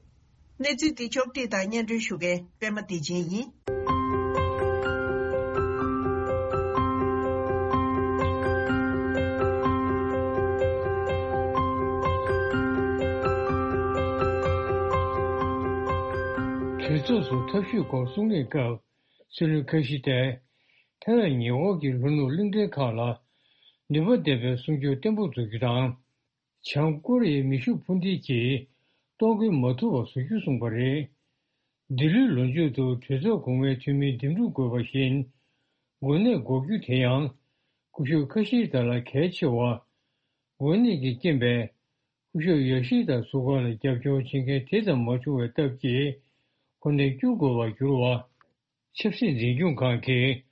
གནས་ཚུལ་འདི་ཕྱོགས་བསྒྲིགས་དང་སྙན་སྒྲོན་ཞུ་མཁན་པད་མ་བདེ་ཆེན་ཡིན། གྲོས་ཚོགས་སུ་ཐབས་ཇུས་སྐོར་གསུང་གླེང་སྐབས། སྲིད་བློན་ཁ་ཤི་ཏས་ཐའེ་ཝན་ཉེ་འཁོར་གྱི་ལྷོ་ནུབ་གླིང་ཕྲན་ཁག་ལ་ནུས་པ་ལྡན་པའི་སྲུང་སྐྱོབ་བརྟན་པོ་བཟོ་རྒྱུ་དང་། བྱང་ཀོ་རི་ཡའི་མེ་ཤུགས་འཕུར་མདེལ་གྱིས་གཏོར་རྒོལ་མ་ཐུབ་པ་བཟོ་རྒྱུ་གསུངས་པ་རེད། འདི་ལོའི་ལོ་མཇུག་ཏུ་གྲོས་ཚོགས་གོང་མའི་འཐུས་མིའི་འདེམས་སྒྲུག་དགོས་པ་བཞིན། འགོ་ནད་འགོག་རྒྱུ་དེ་ཡང་སྐུ་ཞབས་ཁ་ཤི་ཏ་ལ་གལ་ཆེ་བ། འགོ་ནད་ཀྱི་རྐྱེན་པས་སྐུ་ཞབས་ཡོ་ཤི་ད་སུ་ག་ལ་རྒྱབ་སྐྱོར་བྱེད་མཁན་དེ་ཙམ་མ་བྱུང་བའི་སྟབས་ཀྱིས་ཁོ་ནས་བསྐྱུར་དགོས་པར་གྱུར་བ། ཆབ་སྲིད་འཛིན་སྐྱོང་ཁང་གིས་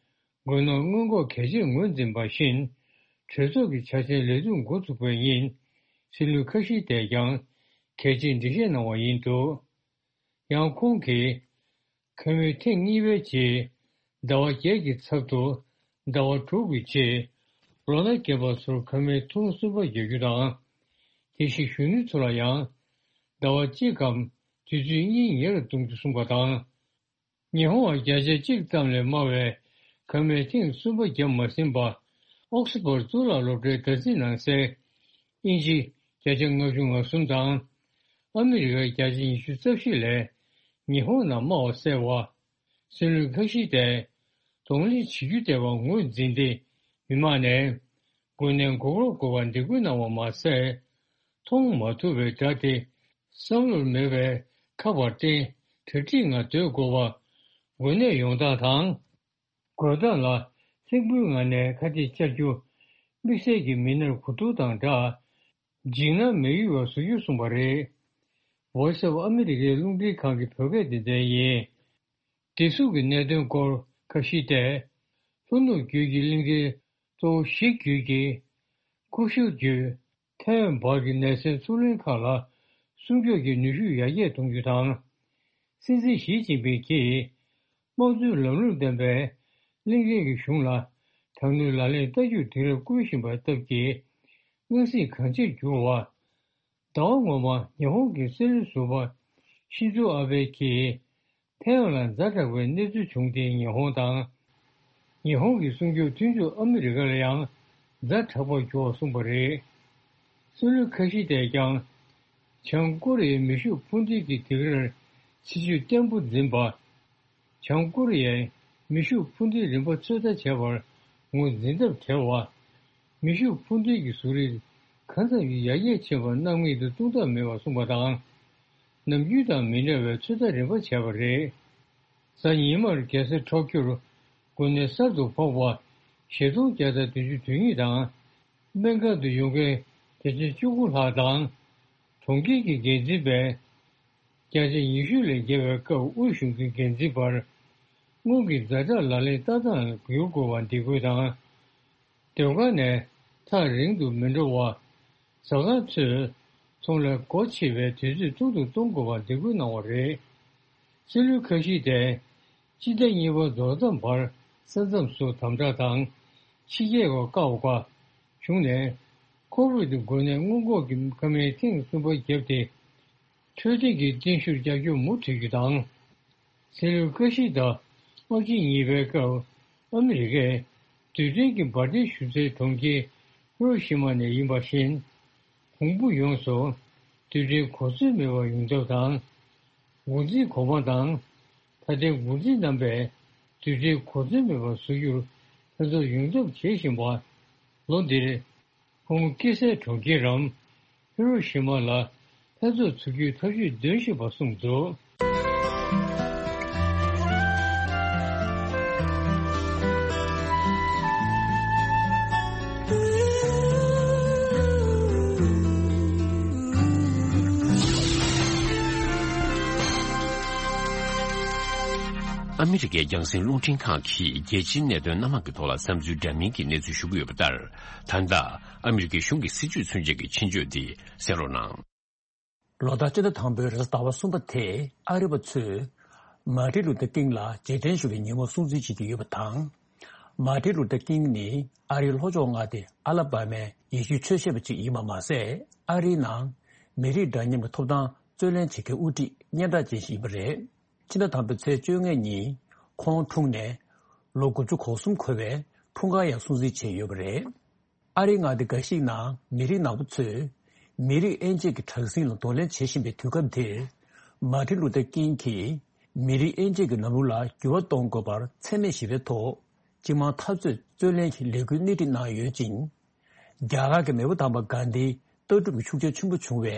དགོས་ནོར་སྔོན་འགོག་གལ་ཆེར་ངོས་འཛིན་པ་བཞིན། གྲོས་ཚོགས་ཀྱི་འཆར་ཅན་ལས་དོན་འགོ་ཚུགས་པའི་ཉིན། སྲིད་བློན་ཁ་ཤི་ཏས་ཀྱང་གལ་ཆེའི་འགྲེལ་བཤད་གནང་བ་ཡིན་འདུག། ཡང་ཁོང་གིས། ཁ་མུས་ཐེངས་གཉིས་པའི་རྗེས། ཟླ་བ་བརྒྱད་ཀྱི་ཚབ་ཏུ། ཟླ་བ་དྲུག་གི་རྗེས། ལོ་ན་རྒན་པ་ཚོར་ཁ་མུས་ཐེངས་གསུམ་པ་རྒྱག་རྒྱུ་དང་། དེ་བཞིན་གཞོན་ནུ་ཚོ་ལ་ཡང་། ཟླ་བ་གཅིག་གམ་དུས་ཚོད་གཉིས་ཉེ་རུ་གཏོང་རྒྱུ་གསུངས་པ་དང་། ཉི་ཧོང་བ་བརྒྱ་ཆ་གཅིག་ཙམ་ལས་དམའ་བའི་ཁ་མུས་ཐེངས་གསུམ་པ་བརྒྱབ་མ་ཟིན་པ། ཨོག་སི་ཕོར་གཙུག་ལག་སློབ་གྲྭའི་བརྡ་རྩིས་ནང་གསལ། དབྱིན་ཇི་བརྒྱ་ཆ་ལྔ་བཅུ་ང་གསུམ་དང་། ཨ་མི་རི་ཀ་བརྒྱ་ཆ་ཉི་ཤུ་རྩ་བཞི་ལས་ཉི་ཧོང་ནང་དམའ་བ་གསལ་བ། སྲིད་བློན་ཁ་ཤི་ཏས་གདོང་ལེན་བྱེད་རྒྱུ་བསྡད་པ་ངོས་འཛིན་ཏེ། མི་མང་ནས་འགོས་ནད་འགོག་རོགས་དགོས་པ་འདེད་སྐུལ་གནང་བ་མ་ཟད། མཐོང་མ་ཐུབ་པའི་སྒྲ་དེ་བསམ་བློར་མེད་པའི་ཁག་པར་བརྟེན། གྲ་སྒྲིག་ངང་སྡོད་དགོས་པ། འགོས་ནད་ཡོང་སྟངས་དང་། འགོས་སྟངས་ལ་གསེར་འབུལ་ངང་ནས་ཁ་གཏད་བཅར་རྒྱུ། དམིགས་བསལ་གྱི་མི་སྣར་གོ་བསྡུར་དང་སྦྲགས། འཇིགས་སྣང་མི་ཡོང་བ་བཟོ་རྒྱུ་གསུངས་པ་རེད། Voice of America རླུང་འཕྲིན་ཁང་གི་བོད་སྐད་སྡེ་ཚན་ཡིན། བདེ་སྲུང་གི་གནད་དོན་སྐོར་ཁ་ཤི་ཏས། ལྷོ་ནུབ་རྒྱུད་ཀྱི་གླིང་ཕྲན་གཙོ་བོ་བཞི་བརྒྱུད་ཀྱི་ཀུ་ཤུ་བརྒྱུད་ཐའེ་ཝན་བར་གྱི་ནད་སེལ་ཚུར་ལེན་ཁག་ལ་སྲུང་སྐྱོབ་ཀྱི་ནུས་ཤུགས་ཡར་རྒྱས་གཏོང་རྒྱུ་དང་། སྲིད་འཛིན་ཞི་ཅིན་ཕིང་གིས། དམངས་གཙོའི་ལམ་ལུགས་ལྡན་པའི་གླིང་ཕྲན་གྱི་གཞུང་ལ་དྲག་གནོན་ལག་ལེན་བསྟར་རྒྱུར་དུས་རབས་བསྐུལ་བཞིན་པའི་སྟབས་ཀྱིས། སྣང་སྲིད་གང་ཆེར་གྱུར་བ། ཟླ་བ་སྔོན་མ་ཉི་ཧོང་གི་སྲིད་བློན་ཟུར་པ་ཤིན་ཛོ་ཨ་བྷེ་གྱིས་ཐའེ་ཝན་ལ་ཛ་དྲག་པའི་གནས་ཚུལ་བྱུང་སྟེ། ཉི་ཧོང་དང་། ཉི་ཧོང་གི་སྲུང་སྐྱོབ་མཐུན་ཕྱོགས་ཨ་མི་རི་ཀ་ལ་ཡང་ཛ་དྲག་པར་གྱུར་བ་གསུངས་པ་རེད། སྲིད་བློན་ཁ་ཤི་ཏས་ཀྱང་། བྱང་ཀོ་རི་ཡའི་མེ་ཤུགས་འཕུར་མདེལ་གྱི་སྡིགས་རར་ཕྱི་བཅོས་བརྟན་པོ་འཛིན་པ། བྱང་ཀོ་རི་ཡའི་མེ་ཤུགས་འཕུར་མདེལ་རིམ་པ་ཚོད་ལྟ་བྱས་པར་ངོས་འཛིན་ཐབས་བྲལ་བ། མེ་ཤུགས་འཕུར་མདེལ་གྱི་གཟུགས་རིས་གང་ཙམ་ཞིག་ཡར་རྒྱས་ཕྱིན་པ་སྣང་མེད་དུ་གཏོང་ཐབས་མེད་པར་གསུངས་པ་དང་། ནམ་རྒྱུན་དང་མི་འདྲ་བའི་ཚོད་ལྟ་རིམ་པ་བྱས་པ་རེད། གཟའ་ཉི་མར་རྒྱལ་ས་ཊོ་ཀྱོར་འགོས་ནད་གསར་དུ་ཕོག་པ་ཞེ་སྟོང་བརྒྱ་དང་བདུན་ཅུ་དོན་གཉིས་དང་། སྨན་ཁང་དུ་ཡོང་མཁན་བརྒྱ་ཆ་བཅུ་དགུ་ལྷག་དང་། གྲོང་ཁྱེར་གྱི་འགན་འཛིན་པས་བརྒྱ་ཆ་ཉི་ཤུ་ལས་བརྒལ་བའི་སྐབས་དབུས་གཞུང་གི་འགན་འཛིན་པར་སྔོན་གྱི་ཛ་དྲག་ལག་ལེན་བསྟར་སྟངས་ལ་བསྒྱུར་དགོས་པ་འདེད་སྐུལ་དང་། སྡོད་ཁང་ནས་ཐག་རིང་དུ་མི་འགྲོ་བ། ཟ་ཁང་ཚོས་ཚོང་ལས་སྒོ་ཕྱེ་བའི་དུས་ཚོད་ཐུང་དུ་གཏོང་དགོས་པ་འདེད་སྐུལ་གནང་བ་རེད། སྲིད་བློན་ཁ་ཤི་ཏས་སྤྱི་ཟླ་གཉིས་པ་རྫོགས་མཚམས་བར་ས་མཚམས་སུ་དམ་དྲག་དང་ཕྱི་རྒྱལ་བ་བཀག་པ་བྱུང་ནས། ཁོ་བིད་འགོས་ནད་སྔོན་འགོག་གི་ཁ་སྨན་ཐེངས་གསུམ་པ་བརྒྱབ་སྟེ། འཕྲོད་བསྟེན་གྱི་བརྟན་བཞུགས་རྒྱབ་སྐྱོར་མུ་མཐུད་རྒྱུ་དང་། སྲིད་བློན་ཀ་ཤི་ད་དམག་ཆེན་གཉིས་པའི་སྐབས་ཨ་མི་རི་ཀས་རྡུལ་ཕྲན་གྱི་འབར་མདེལ་གཞུ་སའི་གྲོང་ཁྱེར་ཧི་རོ་ཤི་མ་ནས་ཡིན་པ་བཞིན། གོང་བུ་ཡོངས་སུ་རྡུལ་ཕྲན་གོ་མཚོན་མེད་པར་ཡོང་ཐབས་དང་། འགོ་འཛིན་གོང་མ་དང་། ད་ལྟའི་འགོ་འཛིན་རྣམ་པས་རྡུལ་ཕྲན་གོ་མཚོན་མེད་པར་བཟོ་རྒྱུར་ལྷན་ཚོགས་ཡོངས་ཁྱབ་བྱེད་བཞིན་པ། ལོ་འདིར། ཁོང་སྐྱེས་སའི་གྲོང་ཁྱེར་རམ། ཧི་རོ་ཤི་མ་ལ་ལྷན་ཚོགས་ཚུགས་རྒྱུའི་ཐག་གཅོད་འདོན་བཞིན་པ་གསུངས་འདུག། ཨ་མི་རི་ཀའི་རྒྱང་སྲིང་རླུང་འཕྲིན་ཁང་གིས་རྒྱལ་སྤྱིའི་གནད་དོན་སྣ་མང་གི་ཐོག་ལ་བསམ་ཚུལ་འདྲ་མིན་གྱི་གནས་ཚུལ་ཞུ་གི་ཡོད་པ་ལྟར། ད་ལྟ་ཨ་མི་རི་ཀའི་གཞུང་གི་སྲིད་བྱུས་ཚུན་ཆད་ཀྱི་ཆེད་བརྗོད་འདི་གསན་རོགས་གནང་། ལོ་ལྟར་སྤྱི་ཟླ་དང་པོའི་རེས་གཟའ་ཟླ་བ་གསུམ་པ་དེ་ཨ་རི་པ་ཚོས་མར་ཊིན་ལུ་ཐར་ཀིང་ལ་རྗེས་དྲན་ཞུ་བའི་ཉིན་མོ་སྲུང་བརྩི་བྱེད་ཀྱི་ཡོད་པ་དང་། མར་ཊིན་ལུ་ཐར་ཀིང་ནི་ཨ་རིའི་ལྷོ་ཕྱོགས་མངའ་སྡེ་ཨ་ལ་བ་མའི་ཡེ་ཤུའི་ཆོས་ཞེན་པ་ཅིག་ཡིན་པ་མ་ཟད། ཨ་རིའི་ནང་མི་རིགས་འདྲ་མཉམ་གྱི་ཐོབ་ཐང་རྩོད་ལེན་བྱེད་མཁན་དབུ་ཁྲིད་སྙན་གྲགས་ཅན་ཞིག་ཡིན་པ་རེད། ཕྱི་ཟླ་དང་པོའི་ཚེས་བཅོ་ལྔ་ཉིན་ཁོང་འཁྲུངས་ནས་ལོ་དགུ་བཅུ་གོ་གསུམ་འཁོར་བའི་འཁྲུངས་སྐར་ཡང་སྲུང་བརྩི་བྱས་ཡོད་པ་རེད། ཨ་རིའི་མངའ་སྡེ་འགའ་ཞིག་ནང་མི་རིགས་ནག་པོ་ཚོས་མི་རིགས་དབྱེ་འབྱེད་ཀྱི་དྲག་ཟིང་ལ་གདོང་ལེན་བྱེད་བཞིན་པའི་དུས་སྐབས་འདིར། མར་ཊིན་ལུ་ཐར་ཀིང་གིས་མི་རིགས་དབྱེ་འབྱེད་ཀྱི་ལམ་ལུགས་ལ་འགྱུར་བ་གཏོང་དགོས་པར་འཚེ་མེད་ཞི་བའི་ཐོག་སྤྱི་དམངས་འཐབ་རྩོད་རྩོད་ལེན་གྱི་ལས་འགུལ་སྣེ་ཁྲིད་གནང་ཡོད་ཅིང་། རྒྱ་གར་གྱི་མེས་པོ་དམ་པ་གྷན་དྷིའི་ལྟ་གྲུབ་ཀྱི་ཤུགས་རྐྱེན་ཆེན་པོ་བྱུང་བའི་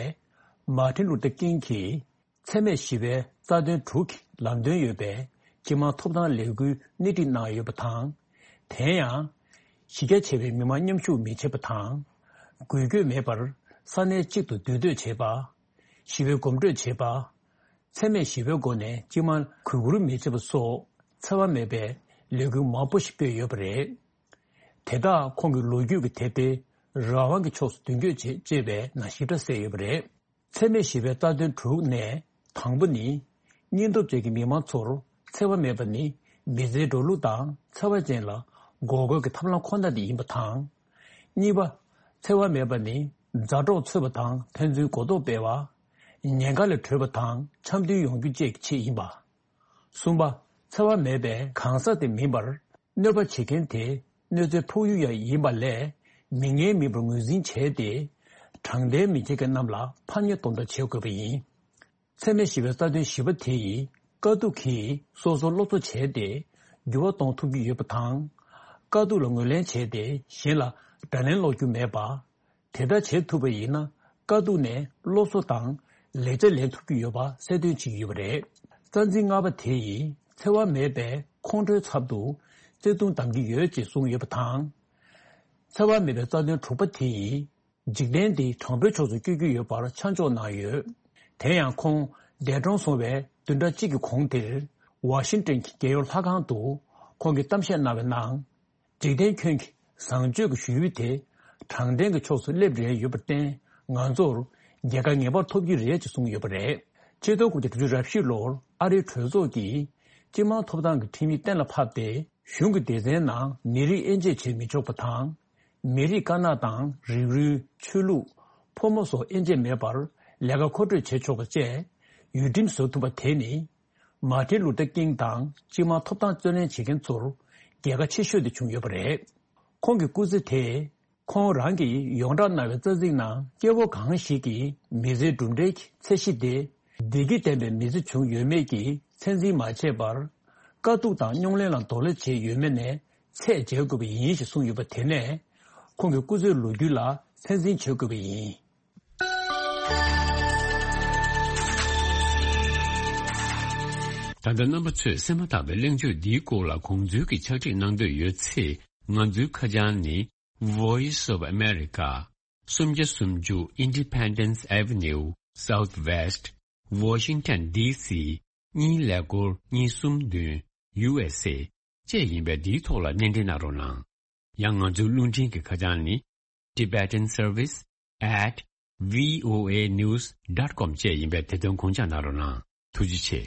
མར་ཊིན་ལུ་ཐར་ཀིང་གིས། འཚེ་མེད་ཞི་བའི་རྩ་དོན་དྲུག་གི་ལམ་སྟོན་ཡོད་པའི་སྤྱི་དམངས་ཐོབ་ཐང་ལས་འགུལ་སྣེ་ཁྲིད་གནང་ཡོད་པ་དང་། དེ་ཡང་། གཞི་རྒྱ་ཆེ་བའི་མི་མང་མཉམ་ཞུགས་མི་བྱེད་པ་དང་། འགུལ་སྐྱོད་མེད་པར་ས་གནས་གཅིག་ཏུ་འདུས་སྡོད་བྱེད་པ། ཞི་བའི་གོམ་བགྲོད་བྱེད་པ། འཚེ་མེད་ཞི་བའི་སྒོ་ནས་སྤྱི་དམངས་གུས་བཀུར་མི་བྱེད་པ་སོགས་འཚེ་བ་མེད་པའི་ལས་འགུལ་མང་པོ་ཞིག་སྤེལ་ཡོད་པ་རེད། དེ་དག་ཁོང་གི་ལོ་རྒྱུས་ཀྱི་དེབ་ཐེར་རང་དབང་གི་ཕྱོགས་སུ་མདུན་སྐྱོད་བྱེད་ཅེས་པའི་ནང་ཞིབ་ཕྲ་གསལ་ཡོད་པ་རེད། འཚེ་མེད་ཞི་བའི་རྩ་དོན་དྲུག་ནས་དང་པོ་ནི། སྙིང་སྟོབས་ཅན་གྱི་མི་མང་ཚོར་འཚེ་བ་མེད་པ་ནི་མི་ཚེའི་འགྲོ་ལུགས་དང་འཚེ་བ་ཅན་ལ་འགོག་རྒོལ་གྱི་ཐབས་ལམ་ཁོ་ན་དེ་ཡིན་པ་དང་། གཉིས་པ། འཚེ་བ་མེད་པ་ནི་མཛའ་གྲོགས་འཚོལ་བ་དང་ཕན་ཚུན་གོ་རྟོགས་སྤེལ་བ། ཉེན་ཁ་ལས་གྲོལ་བ་དང་འཆམ་མཐུན་ཡོང་རྒྱུ་བཅས་ཀྱི་ཆེད་ཡིན་པ། གསུམ་པ། འཚེ་བ་མེད་པའི་གང་ཟག་དེ་མིན་པར། གནོད་པ་བྱེད་མཁན་དེ་གནོད་འཚེའི་འཕོག་ཡུལ་ཡང་ཡིན་པ་ལས། མི་ངན་མིན་པར་ངོས་འཛིན་བྱས་ཏེ། དྲང་བདེན་མི་བྱེད་མཁན་རྣམས་ལ་ཕམ་ཉེས་གཏོང་ཐབས་བྱེད་དགོས་པ་ཡིན། འཚེ་མེད་ཞི་བའི་རྩ་དོན་བཞི་པ་དེ་ཡིས་དཀའ་སྡུག་གིས་སོ་སོར་སློབ་གསོ་བྱས་ཏེ། འགྱུར་བ་གཏོང་ཐུབ་ཀྱི་ཡོད་པ་དང་། དཀའ་སྡུག་ལ་ངོས་ལེན་བྱས་ཏེ་གཞན་ལ་དགྲ་ལན་སློག་རྒྱུ་མེད་པ། དེ་ལྟར་བྱེད་ཐུབ་པ་ཡིན་ན་དཀའ་སྡུག་ནས་སློབ་གསོ་དང་ལེགས་ཆ་ལེན་ཐུབ་ཀྱི་ཡོད་པ་གསལ་སྟོན་བྱེད་ཀྱི་ཡོད་པ་རེད། རྩ་འཛིན་ལྔ་པ་དེ་ཡིས་འཚེ་བ་མེད་པའི་ཁོང་ཁྲོའི་ཚབ་ཏུ་བརྩེ་དུང་འདམ་གྱི་ཡོད་ཅེས་གསུངས་ཡོད་པ་དང་། འཚེ་བ་མེད་པའི་རྩ་དོན་དྲུག་པ་དེ་ཡིས་འཇིག་རྟེན་འདི་དྲང་པོའི་ཕྱོགས་སུ་བསྐྱོད་ཀྱི་ཡོད་པར་ཆ་འཇོག་གནང་ཡོད། དེ་ཡང་ཁོང་འདས་གྲོངས་སོང་བའི་བདུན་ཕྲག་གཅིག་གི་གོང་དེར་ཝ་ཤིང་ཏོན་གྱི་རྒྱལ་ཡོངས་ལྷ་ཁང་དུ་ཁོང་གིས་གཏམ་བཤད་གནང་བའི་ནང་། འཇིག་རྟེན་ཁྱོན་གྱི་བཟང་སྤྱོད་ཀྱི་ཞུ་ཡུལ་དེ་དྲང་བདེན་གྱི་ཕྱོགས་སུ་སླེབས་རན་ཡོད་པར་བརྟེན། ང་ཚོར་རྒྱལ་ཁ་ངེས་པར་ཐོབ་ཀྱི་རེད་ཅེས་གསུངས་ཡོད་པ་རེད། ཆིག་སྟོང་དགུ་བརྒྱ་དྲུག་ཅུ་རེ་བཞི་ལོར་ཨ་རིའི་གྲོས་ཚོགས་ཀྱིས་སྤྱི་དམངས་ཐོབ་ཐང་གི་ཁྲིམས་ཡིག་གཏན་ལ་ཕབ་སྟེ། གཞུང་གི་སྡེ་ཚན་ནང་མི་རིགས་དབྱེ་འབྱེད་བྱེད་མི་ཆོག་པ་དང་། མི་རིགས་དཀར་ནག་དང་རིགས་རུས། ཆོས་ལུགས། ཕོ་མོ་སོགས་དབྱེ་འབྱེད་མེད་པར་ལས་ཀ་མཁོ་སྤྲོད་བྱེད་ཆོག་པ་བཅས་ཡུལ་ཁྲིམས་བཟོ་ཐུབ་པ་དེ་ནི། མར་ཊིན་ལུ་ཐར་ཀིང་དང་སྤྱི་དམངས་ཐོབ་ཐང་རྩོད་ལེན་བྱེད་མཁན་ཚོར་རྒྱལ་ཁ་ཆེ་ཤོས་དེ་བྱུང་ཡོད་པ་རེད། ཁོང་གི་སྐུ་ཚེ་དེས་ཁོང་རང་གིས་ཡོངས་གྲགས་གནང་བའི་རྩ་ཚིག་ནང་སྐྱེ་བོ་གང་ཞིག་གིས་མི་ཚེའི་གྲུབ་འབྲས་ཀྱི་ཚད་གཞི་དེ་བདེ་སྐྱིད་ལྡན་པའི་མི་ཚེ་བྱུང་ཡོད་མེད་ཀྱིས་ཚད་འཛིན་མ་བྱས་པར། དཀའ་སྡུག་དང་རྙོག་གླེང་ལ་གདོང་ལེན་བྱས་ཡོད་མེད་ནས་ཚད་འཇལ་དགོས་པ་ཡིན་ཞེས་གསུངས་ཡོད་པ་དེ་ནས་ཁོང་གི་སྐུ་ཚེའི་ལོ་རྒྱུས་ལ་ཚད་འཛིན་བྱེད་དགོས་པ་ཡིན། ད་ལྟ་རྣམ་པ་ཚོས་གསན་མ་ཐག་པའི་གླེང་བརྗོད་འདིའི་སྐོར་ལ་དགོངས་ཚུལ་གྱི་ཕྱག་བྲིས་གནང་འདོད་ཡོད་ཚེ། ང་ཚོའི་ཁ་བྱང་ནི། Voice of America། སུམ་བརྒྱ་སུམ་ཅུ་Independence Avenue, Southwest, Washington D C གཉིས་ཀླད་ཀོར་གཉིས་གསུམ་བདུན། U S A བཅས་ཡིན་པས། འདིའི་ཐོག་ལ་སྣེ་འདྲེན་གནང་རོགས་གནང་། ཡང་ང་ཚོའི་རླུང་འཕྲིན་གྱི་ཁ་བྱང་ནི། Tibetan Service at V O A news dot com བཅས་ཡིན་པས། དེ་དོན་དགོངས་འཇགས་གནང་རོགས་གནང་། ཐུགས་རྗེ་ཆེ།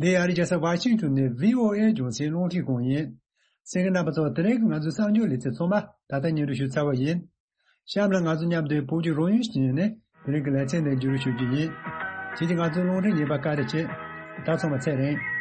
འདི་ཨ་རིའི་རྒྱལ་ས་ཝ་ཤིང་ཏོན་ནས་བྷི་ཨོ་ཨེ་རྒྱང་སྲིང་རླུང་འཕྲིན་ཁང་ཡིན། གསན་མཁན་རྣམ་པ་ཚོ། དེ་རིང་གི་ང་ཚོའི་གསར་འགྱུར་ལེ་ཚན་ཚང་མ་ད་ལྟ་སྙན་སྒྲོན་ཞུ་ཚར་བ་ཡིན། གཤམ་ལ་ང་ཚོ་མཉམ་དུ་བོད་ཀྱི་རོགས་ཡུལ་ཞིག་ནས་དེ་རིང་གི་ལེ་ཚན་འདི་བརྒྱུད་རིམ་ཞུ་རྒྱུ་ཡིན། ཁྱེད་ཀྱིས་ང་ཚོའི་རླུང་འཕྲིན་ཉན་པར་བཀའ་དྲིན་ཆེ། ད་ཚང་མ་ཚེ་རིང་།